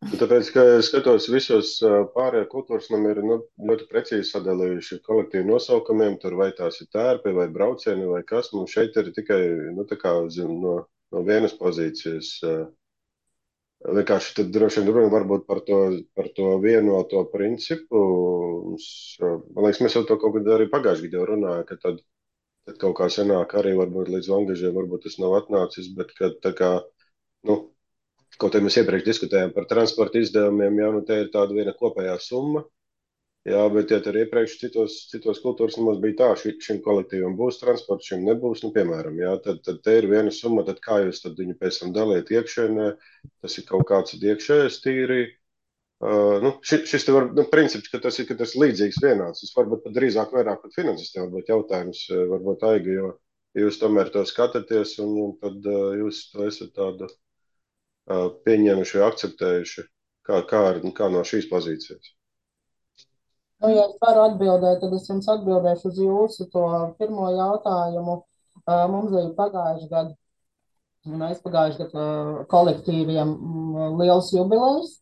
Tāpēc, ka es skatos, visos uh, pārējā kultūras nami ir nu, ļoti precīzi sadalījuši kolektīvu nosaukumiem, tur vai tās ir tērpi, vai braucieni, vai kas. Mums šeit ir tikai nu, tā kā zin, no, no vienas pozīcijas. Uh, vienkārši tad droši vien runa varbūt par to, par to vienoto principu. Mums, uh, man liekas, mēs jau to kaut kad arī pagājušajā gadā runājām, ka tad Tad kaut kā senāk arī varbūt līdz vangažiem varbūt tas nav atnācis, bet kad tā kā, nu, kaut arī mēs iepriekš diskutējām par transporta izdevumiem, jā, nu te ir tāda viena kopējā summa, jā, bet ja tur iepriekš citos, citos kultūras namos bija tā, ši, šim kolektīvam būs transports, šim nebūs, nu, piemēram, jā, tad, tad te ir viena summa, tad kā jūs tad viņu pēc tam daliet iekšēnē, tas ir kaut kāds iekšējais tīri. Uh, nu, šis, šis te var, nu, princips, ka tas ir, ka tas ir līdzīgs vienāds. Tas varbūt pat drīzāk vairāk pat finansistiem varbūt jautājums, varbūt Aiga, jo jūs tomēr to skatāties un, un tad uh, jūs to esat tādu uh, pieņēmuši vai akceptējuši, kā, kā, ar, kā no šīs pozīcijas.
Nu, ja es varu atbildēt, tad es jums atbildēšu uz jūsu to pirmo jautājumu. Uh, mums bija pagājuši gadu, un aizpagājuši gadu uh, kolektīviem mm, liels jubilejs.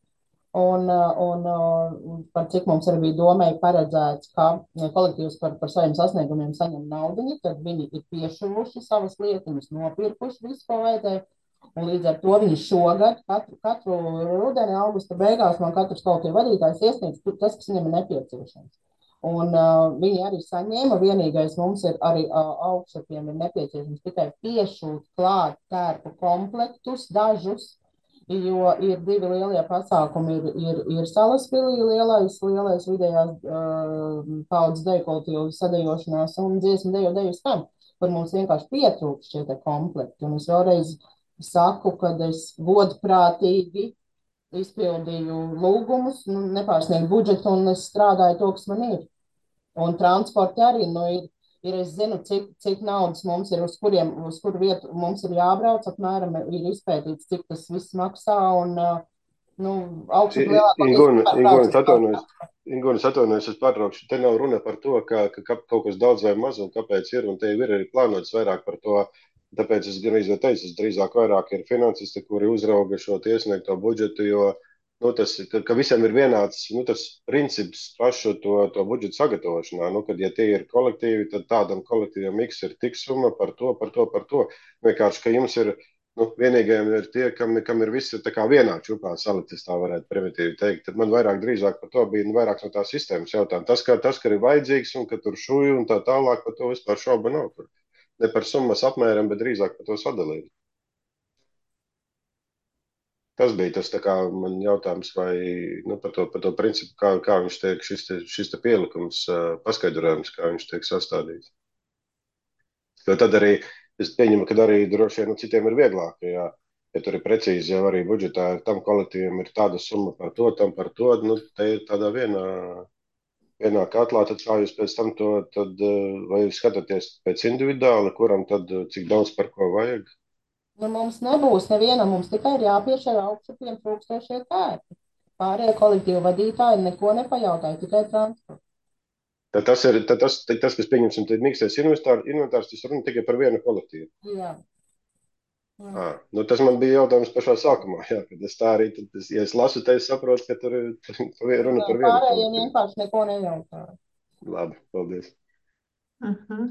Un, un, un par cik mums arī bija domēji paredzēts, ka kolektīvs par, par saviem sasniegumiem saņem naudiņu, tad viņi ir piešuvuši savas lietiņas, nopirkuši visu, ko vajadzēja. Un līdz ar to viņi šogad, katru, katru rudeni, augusta beigās, man katrs kolektīva vadītājs iesniedz tas, kas viņam ir nepieciešams. Un uh, viņi arī saņēma, vienīgais mums ir arī uh, augšupiem ir nepieciešams tikai piešūt klāt tērpu komplektus, dažus, jo ir divi lielie pasākumi, ir, ir, ir Salaspilī lielais, lielais vidējās uh, paudzes deju kolektīvu sadejošanās un dziesmu deju deju skan, kur mums vienkārši pietrūkst šie te komplekti. Un es vēlreiz saku, kad es godprātīgi izpildīju lūgumus, nu, nepārsniegu budžetu un es strādāju to, kas man ir. Un transporti arī, nu, ir, ir es zinu, cik, cik naudas mums ir, uz kuriem, uz kuru vietu mums ir jābrauc, apmēram ir izpētīts, cik tas viss maksā, un, nu, augšup lielākoties.
Ingūnas atvainojas, es pārtraukšu, te nav runa par to, ka, ka kaut kas daudz vai maz un kāpēc ir, un te ir arī plānots vairāk par to, tāpēc es gan izvēl teicu, es drīzāk vairāk ir finansisti, kuri uzrauga šo tiesniegto budžetu, jo Nu, tas, ka, ka visiem ir vienāds nu, tas princips pašu to, to budžetu sagatavošanā. Nu, kad, ja tie ir kolektīvi, tad tādam kolektīvam X ir tik summa par to, par to, par to. Vienkārši, ka jums ir, nu, vienīgajiem ir tie, kam, kam ir visi tā kā vienā čupā saliktis, tā varētu primitīvi teikt. Tad man vairāk drīzāk par to bija nu, vairāk no tās sistēmas jautājumi. Tas, ka, tas, ka ir vajadzīgs un ka tur šuju un tā tālāk, par to vispār šauba nav. Tur. Ne par summas apmēram, bet drīzāk par to sadalību. Tas bija tas tā kā man jautājums, vai nu, par, to, par to principu, kā, kā viņš tiek, šis, te, šis te pielikums, paskaidrojums, kā viņš tiek sastādīts. Jo tad arī, es pieņemu, ka arī droši vien nu, citiem ir vieglāk, ja, ja tur ir precīzi jau arī budžetā, tam kolektīvam ir tāda summa par to, tam par to, nu, te ir tādā vienā, vienā katlā, tad kā jūs pēc tam to, tad, vai jūs skatāties pēc individuāli, kuram tad cik daudz par ko vajag?
Nu, mums nebūs nevienam, mums tikai ir jāpiešķir augšupiem trūkstošie tērpi. Pārējie kolektīvu vadītāji neko nepajautāja, tikai transportu.
Tad tas ir tad tas, tas, kas pieņemsim, tad mīkstais inventārs, tas runa tikai par vienu kolektīvu.
Jā.
À, nu tas man bija jautājums pašā sākumā. Jā, kad es tā arī, tad, es, ja es lasu, tad es saprotu, ka tur ir runa par vienu
Pārējiem
kolektīvu.
vienkārši neko nejautāju.
Labi, paldies.
Mhm.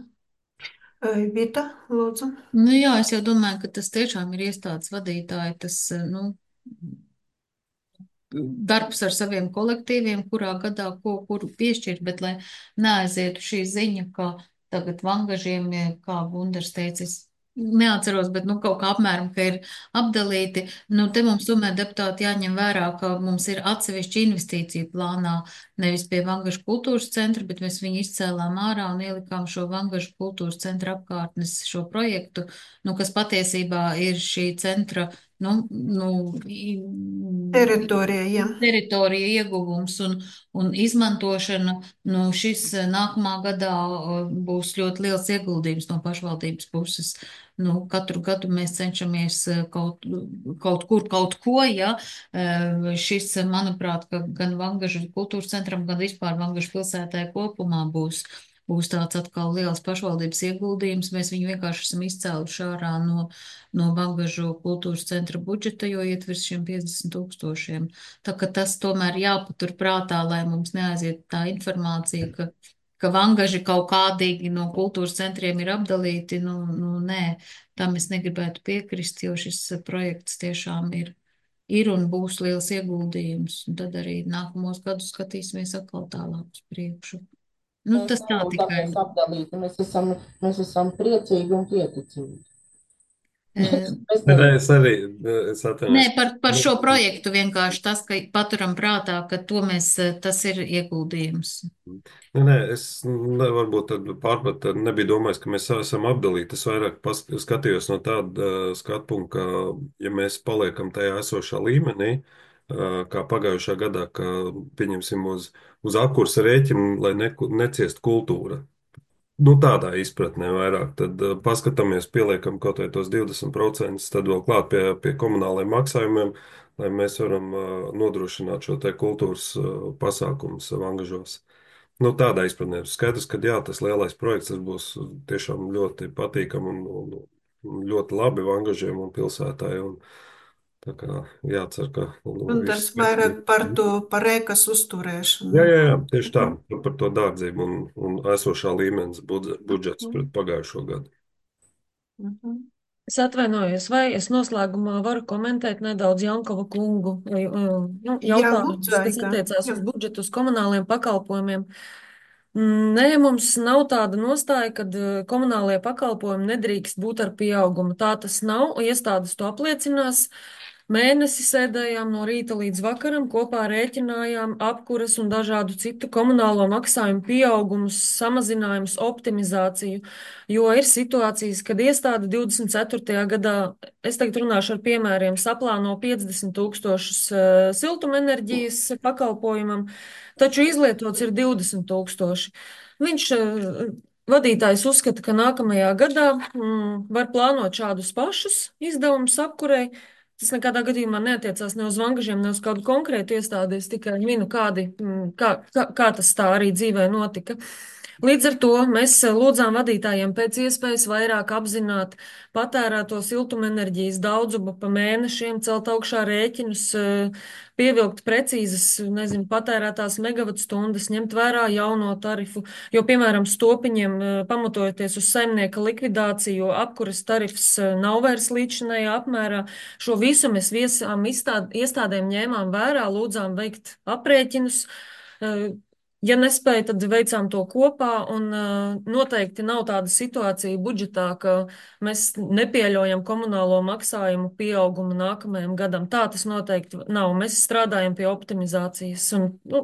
Vita, lūdzu.
Nu jā, es jau domāju, ka tas tiešām ir iestādes vadītāji, tas, nu, darbs ar saviem kolektīviem, kurā gadā ko, kuru piešķirt, bet lai neaizietu šī ziņa, ka tagad vangažiem, kā Gundars teicis, neatceros, bet nu kaut kā apmēram, ka ir apdalīti. Nu, te mums tomēr deputāti jāņem vērā, ka mums ir atsevišķi investīcija plānā, nevis pie Vangažu kultūras centra, bet mēs viņu izcēlām ārā un ielikām šo Vangažu kultūras centra apkārtnes šo projektu, nu, kas patiesībā ir šī centra, nu, nu,
Teritorija, jā.
teritorija ieguvums un, un izmantošana. Nu, šis nākamā gadā būs ļoti liels ieguldījums no pašvaldības puses. Nu, katru gadu mēs cenšamies kaut, kaut kur, kaut ko, ja. Šis, manuprāt, ka gan Vangažu kultūras centram, gan vispār Vangažu pilsētai kopumā būs būs tāds atkal liels pašvaldības ieguldījums. Mēs viņu vienkārši esam izcēluši ārā no, no Vangažu kultūras centra budžeta, jo iet virs šiem piecdesmit tūkstošiem. Tā ka tas tomēr jāpatur prātā, lai mums neaiziet tā informācija, ka, ka Vangaži kaut kādīgi no kultūras centriem ir apdalīti. Nu, nu nē, tam es negribētu piekrist, jo šis projekts tiešām ir, ir un būs liels ieguldījums. Un tad arī nākamos gadus skatīsimies atkal tālāk uz priekšu. Nu,
Mēs
tas tā
neesam
tikai.
tāpēc apdalīti, mēs esam, mēs esam priecīgi un pieticīgi.
E,
Nē, nē, es arī es
Nē,
atvainojos.
par, par šo projektu vienkārši tas, ka paturam prātā, ka to mēs, tas ir ieguldījums.
Nē, nē, es ne, varbūt tad pārprat, tad nebiju domājis, ka mēs esam apdalīti. Es vairāk pas, skatījos no tāda uh, skatu punkta, ka, ja mēs paliekam tajā esošā līmenī, uh, kā pagājušā gadā, ka pieņemsim uz, uz apkursa rēķinu, lai ne, neciest kultūra. Nu, tādā izpratnē vairāk. Tad uh, paskatāmies, pieliekam kaut vai tos divdesmit procentus, tad vēl klāt pie, pie komunālajiem maksājumiem, lai mēs varam uh, nodrošināt šo te kultūras uh, pasākumus Vangažos. Nu, tādā izpratnē. Skaidrs, ka jā, tas lielais projekts tas būs tiešām ļoti patīkam un, un, un ļoti labi Vangažiem un pilsētāji. Un, tā kā jācer, ka nu,
Un tas
viss.
vairāk par to, par ēkas uzturēšanu.
Jā, jā, jā, tieši tā, par to dārdzību un, un esošā līmenis budžets, budžets pret pagājušo gadu.
Mhm.
Es atvainojos, vai es noslēgumā varu komentēt nedaudz Jankova kungu vai, um, nu,
Jā,
jautājumus,
lūdzu,
kas
Aiga.
attiecās
Jā.
uz budžetu, uz komunāliem pakalpojumiem. Mm, Nē, mums nav tāda nostāja, ka komunālie pakalpojumi nedrīkst būt ar pieaugumu. Tā tas nav, iestādes to apliecinās. Mēnesi sēdējām no rīta līdz vakaram, kopā rēķinājām apkuras un dažādu citu komunālo maksājumu pieaugumus, samazinājumus, optimizāciju, jo ir situācijas, kad iestāde divdesmit ceturtajā gadā, es tagad runāšu ar piemēriem, saplāno piecdesmit tūkstošus uh, siltumenerģijas pakalpojumam, taču izlietots ir divdesmit tūkstoši. Viņš uh, Vadītājs uzskata, ka nākamajā gadā mm, var plānot šādus pašus izdevumus apkurei. Tas nekādā gadījumā neatiecās ne uz Vangažiem, ne uz kādu konkrētu iestādi. Es tikai minu, kādi, mm, kā, kā, kā tas tā arī dzīvē notika. Līdz ar to mēs lūdzām vadītājiem pēc iespējas vairāk apzināt patērēto siltumenerģijas daudzumu pa mēnešiem, celt augšā rēķinus, pievilkt precīzas, nezinu, patērētās megavatstundas, ņemt vērā jauno tarifu, jo, piemēram, stopiņiem, pamatojoties uz saimnieka likvidāciju, apkuras tarifs nav vairs līdzinājā apmērā. Šo visu mēs viesām izstād, iestādēm ņēmām vērā, lūdzām veikt aprēķinus. Ja nespēja, tad veicām to kopā, un uh, noteikti nav tāda situācija budžetā, ka mēs nepieļaujam komunālo maksājumu pieaugumu nākamajam gadam. Tā tas noteikti nav. Mēs strādājam pie optimizācijas. Un, nu,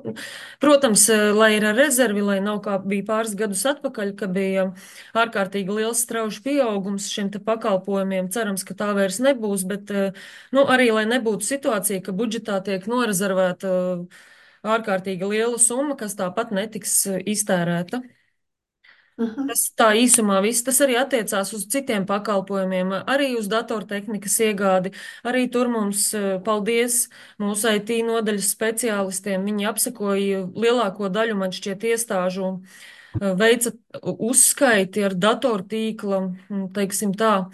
protams, lai ir rezervi, lai nav kā bija pāris gadus atpakaļ, ka bija ārkārtīgi liels strauji pieaugums šiem te pakalpojumiem. Cerams, ka tā vairs nebūs, bet uh, nu, arī, lai nebūtu situācija, ka budžetā tiek norezervēta uh, ārkārtīgi liela summa, kas tāpat netiks iztērēta.
Mhm.
Tas tā īsumā viss. Tas arī attiecās uz citiem pakalpojumiem, arī uz datortehnikas iegādi. Arī tur mums, paldies mūsu I T nodaļas speciālistiem. Viņi apsekoja lielāko daļu, man šķiet, iestāžu, veica uzskaiti ar datortīkla, teiksim tā,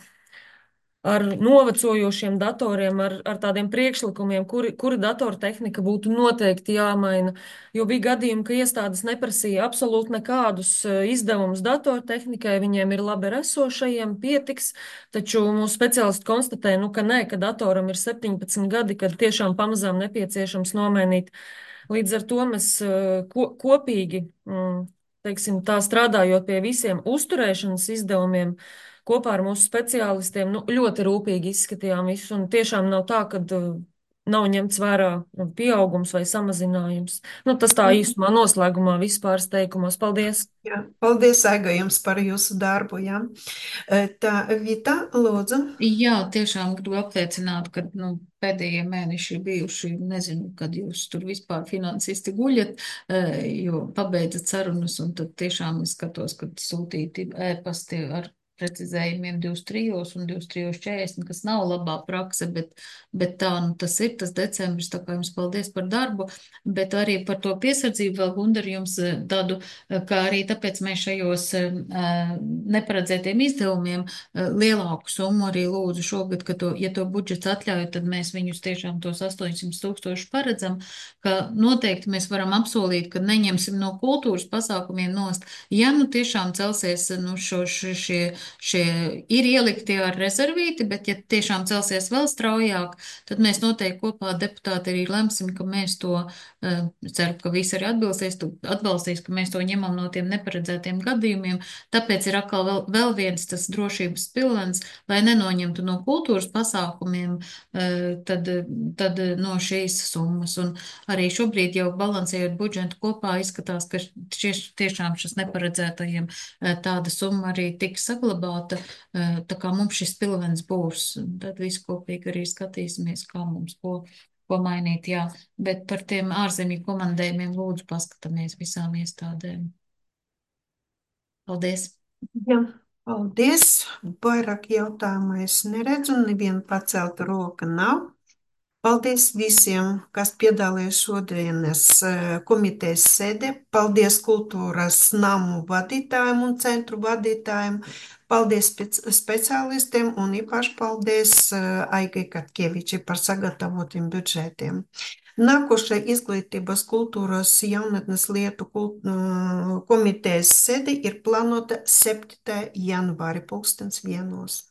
ar novecojošiem datoriem, ar, ar tādiem priekšlikumiem, kuri, kuri datortehnika būtu noteikti jāmaina. Jo bija gadījumi, ka iestādes neprasīja absolūti nekādus izdevumus datortehnikai, viņiem ir labi ar esošajiem, pietiks, taču mūsu speciālisti konstatēja, nu, ka nē, ka datoram ir septiņpadsmit gadi, kad tiešām pamazām nepieciešams nomainīt. Līdz ar to mēs ko, kopīgi, teiksim, tā strādājot pie visiem uzturēšanas izdevumiem, kopā ar mūsu speciālistiem, nu, ļoti rūpīgi izskatījām visu, un tiešām nav tā, ka uh, nav ņemts vērā pieaugums vai samazinājums. Nu, tas tā īsumā noslēgumā vispār teikumos. Paldies!
Jā, paldies, Aiga, jums par jūsu darbu, jā. Tā, Vita, lūdzu.
Jā, tiešām gribu apliecināt, ka, nu, pēdējie mēneši ir bijuši, nezinu, kad jūs tur vispār finansisti guļat, jo pabeidzat sarunas, un tad tiešām es skatos, kad sūtīti ēpasti ar precizējumiem divdesmit trijos un divdesmit trijos četrdesmit, kas nav labā prakse, bet, bet tā, nu, tas ir tas decembris, tā kā jums paldies par darbu, bet arī par to piesardzību vēl, Gundar, jums tādu, kā arī tāpēc mēs šajos neparedzētiem izdevumiem lielāku summu arī lūdzu šogad, ka to, ja to budžets atļauj, tad mēs viņus tiešām tos astoņsimt tūkstoši paredzam, ka noteikti mēs varam apsolīt, ka neņemsim no kultūras pasākumiem nost. Ja nu tiešām celsies, nu, šo, šie šie ir ielikti ar rezervīti, bet ja tiešām celsies vēl straujāk, tad mēs noteikti kopā deputāti arī lemsim, ka mēs to, ceru, ka visi arī atbilstīs, atbalstīs, ka mēs to ņemam no tiem neparedzētiem gadījumiem. Tāpēc ir atkal vēl, vēl viens tas drošības pilvens, lai nenoņemtu no kultūras pasākumiem, tad, tad no šīs summas. Un arī šobrīd jau balansējot budžetu kopā izskatās, ka šieš, tiešām šis neparedzētajiem tāda summa arī tiks saglabāta. Tā kā mums šis pilvens būs, tad visi kopīgi arī skatīsimies, kā mums ko, ko mainīt, jā. Bet par tiem ārzemju komandējumiem lūdzu paskatāmies visām iestādēm. Paldies!
Jā, paldies! Vairāk jautājumu es neredzu, neviena pacelta roka nav. Paldies visiem, kas piedalījās šodienas komitejas sēdē. Paldies kultūras namu vadītājiem un centru vadītājiem. Paldies speciālistiem un īpaši paldies Aigai Katkevičai par sagatavotiem budžetiem. Nākošai izglītības kultūras jaunatnes lietu kult, komitejas sēde ir plānota septītā janvāri pulkstens vienos.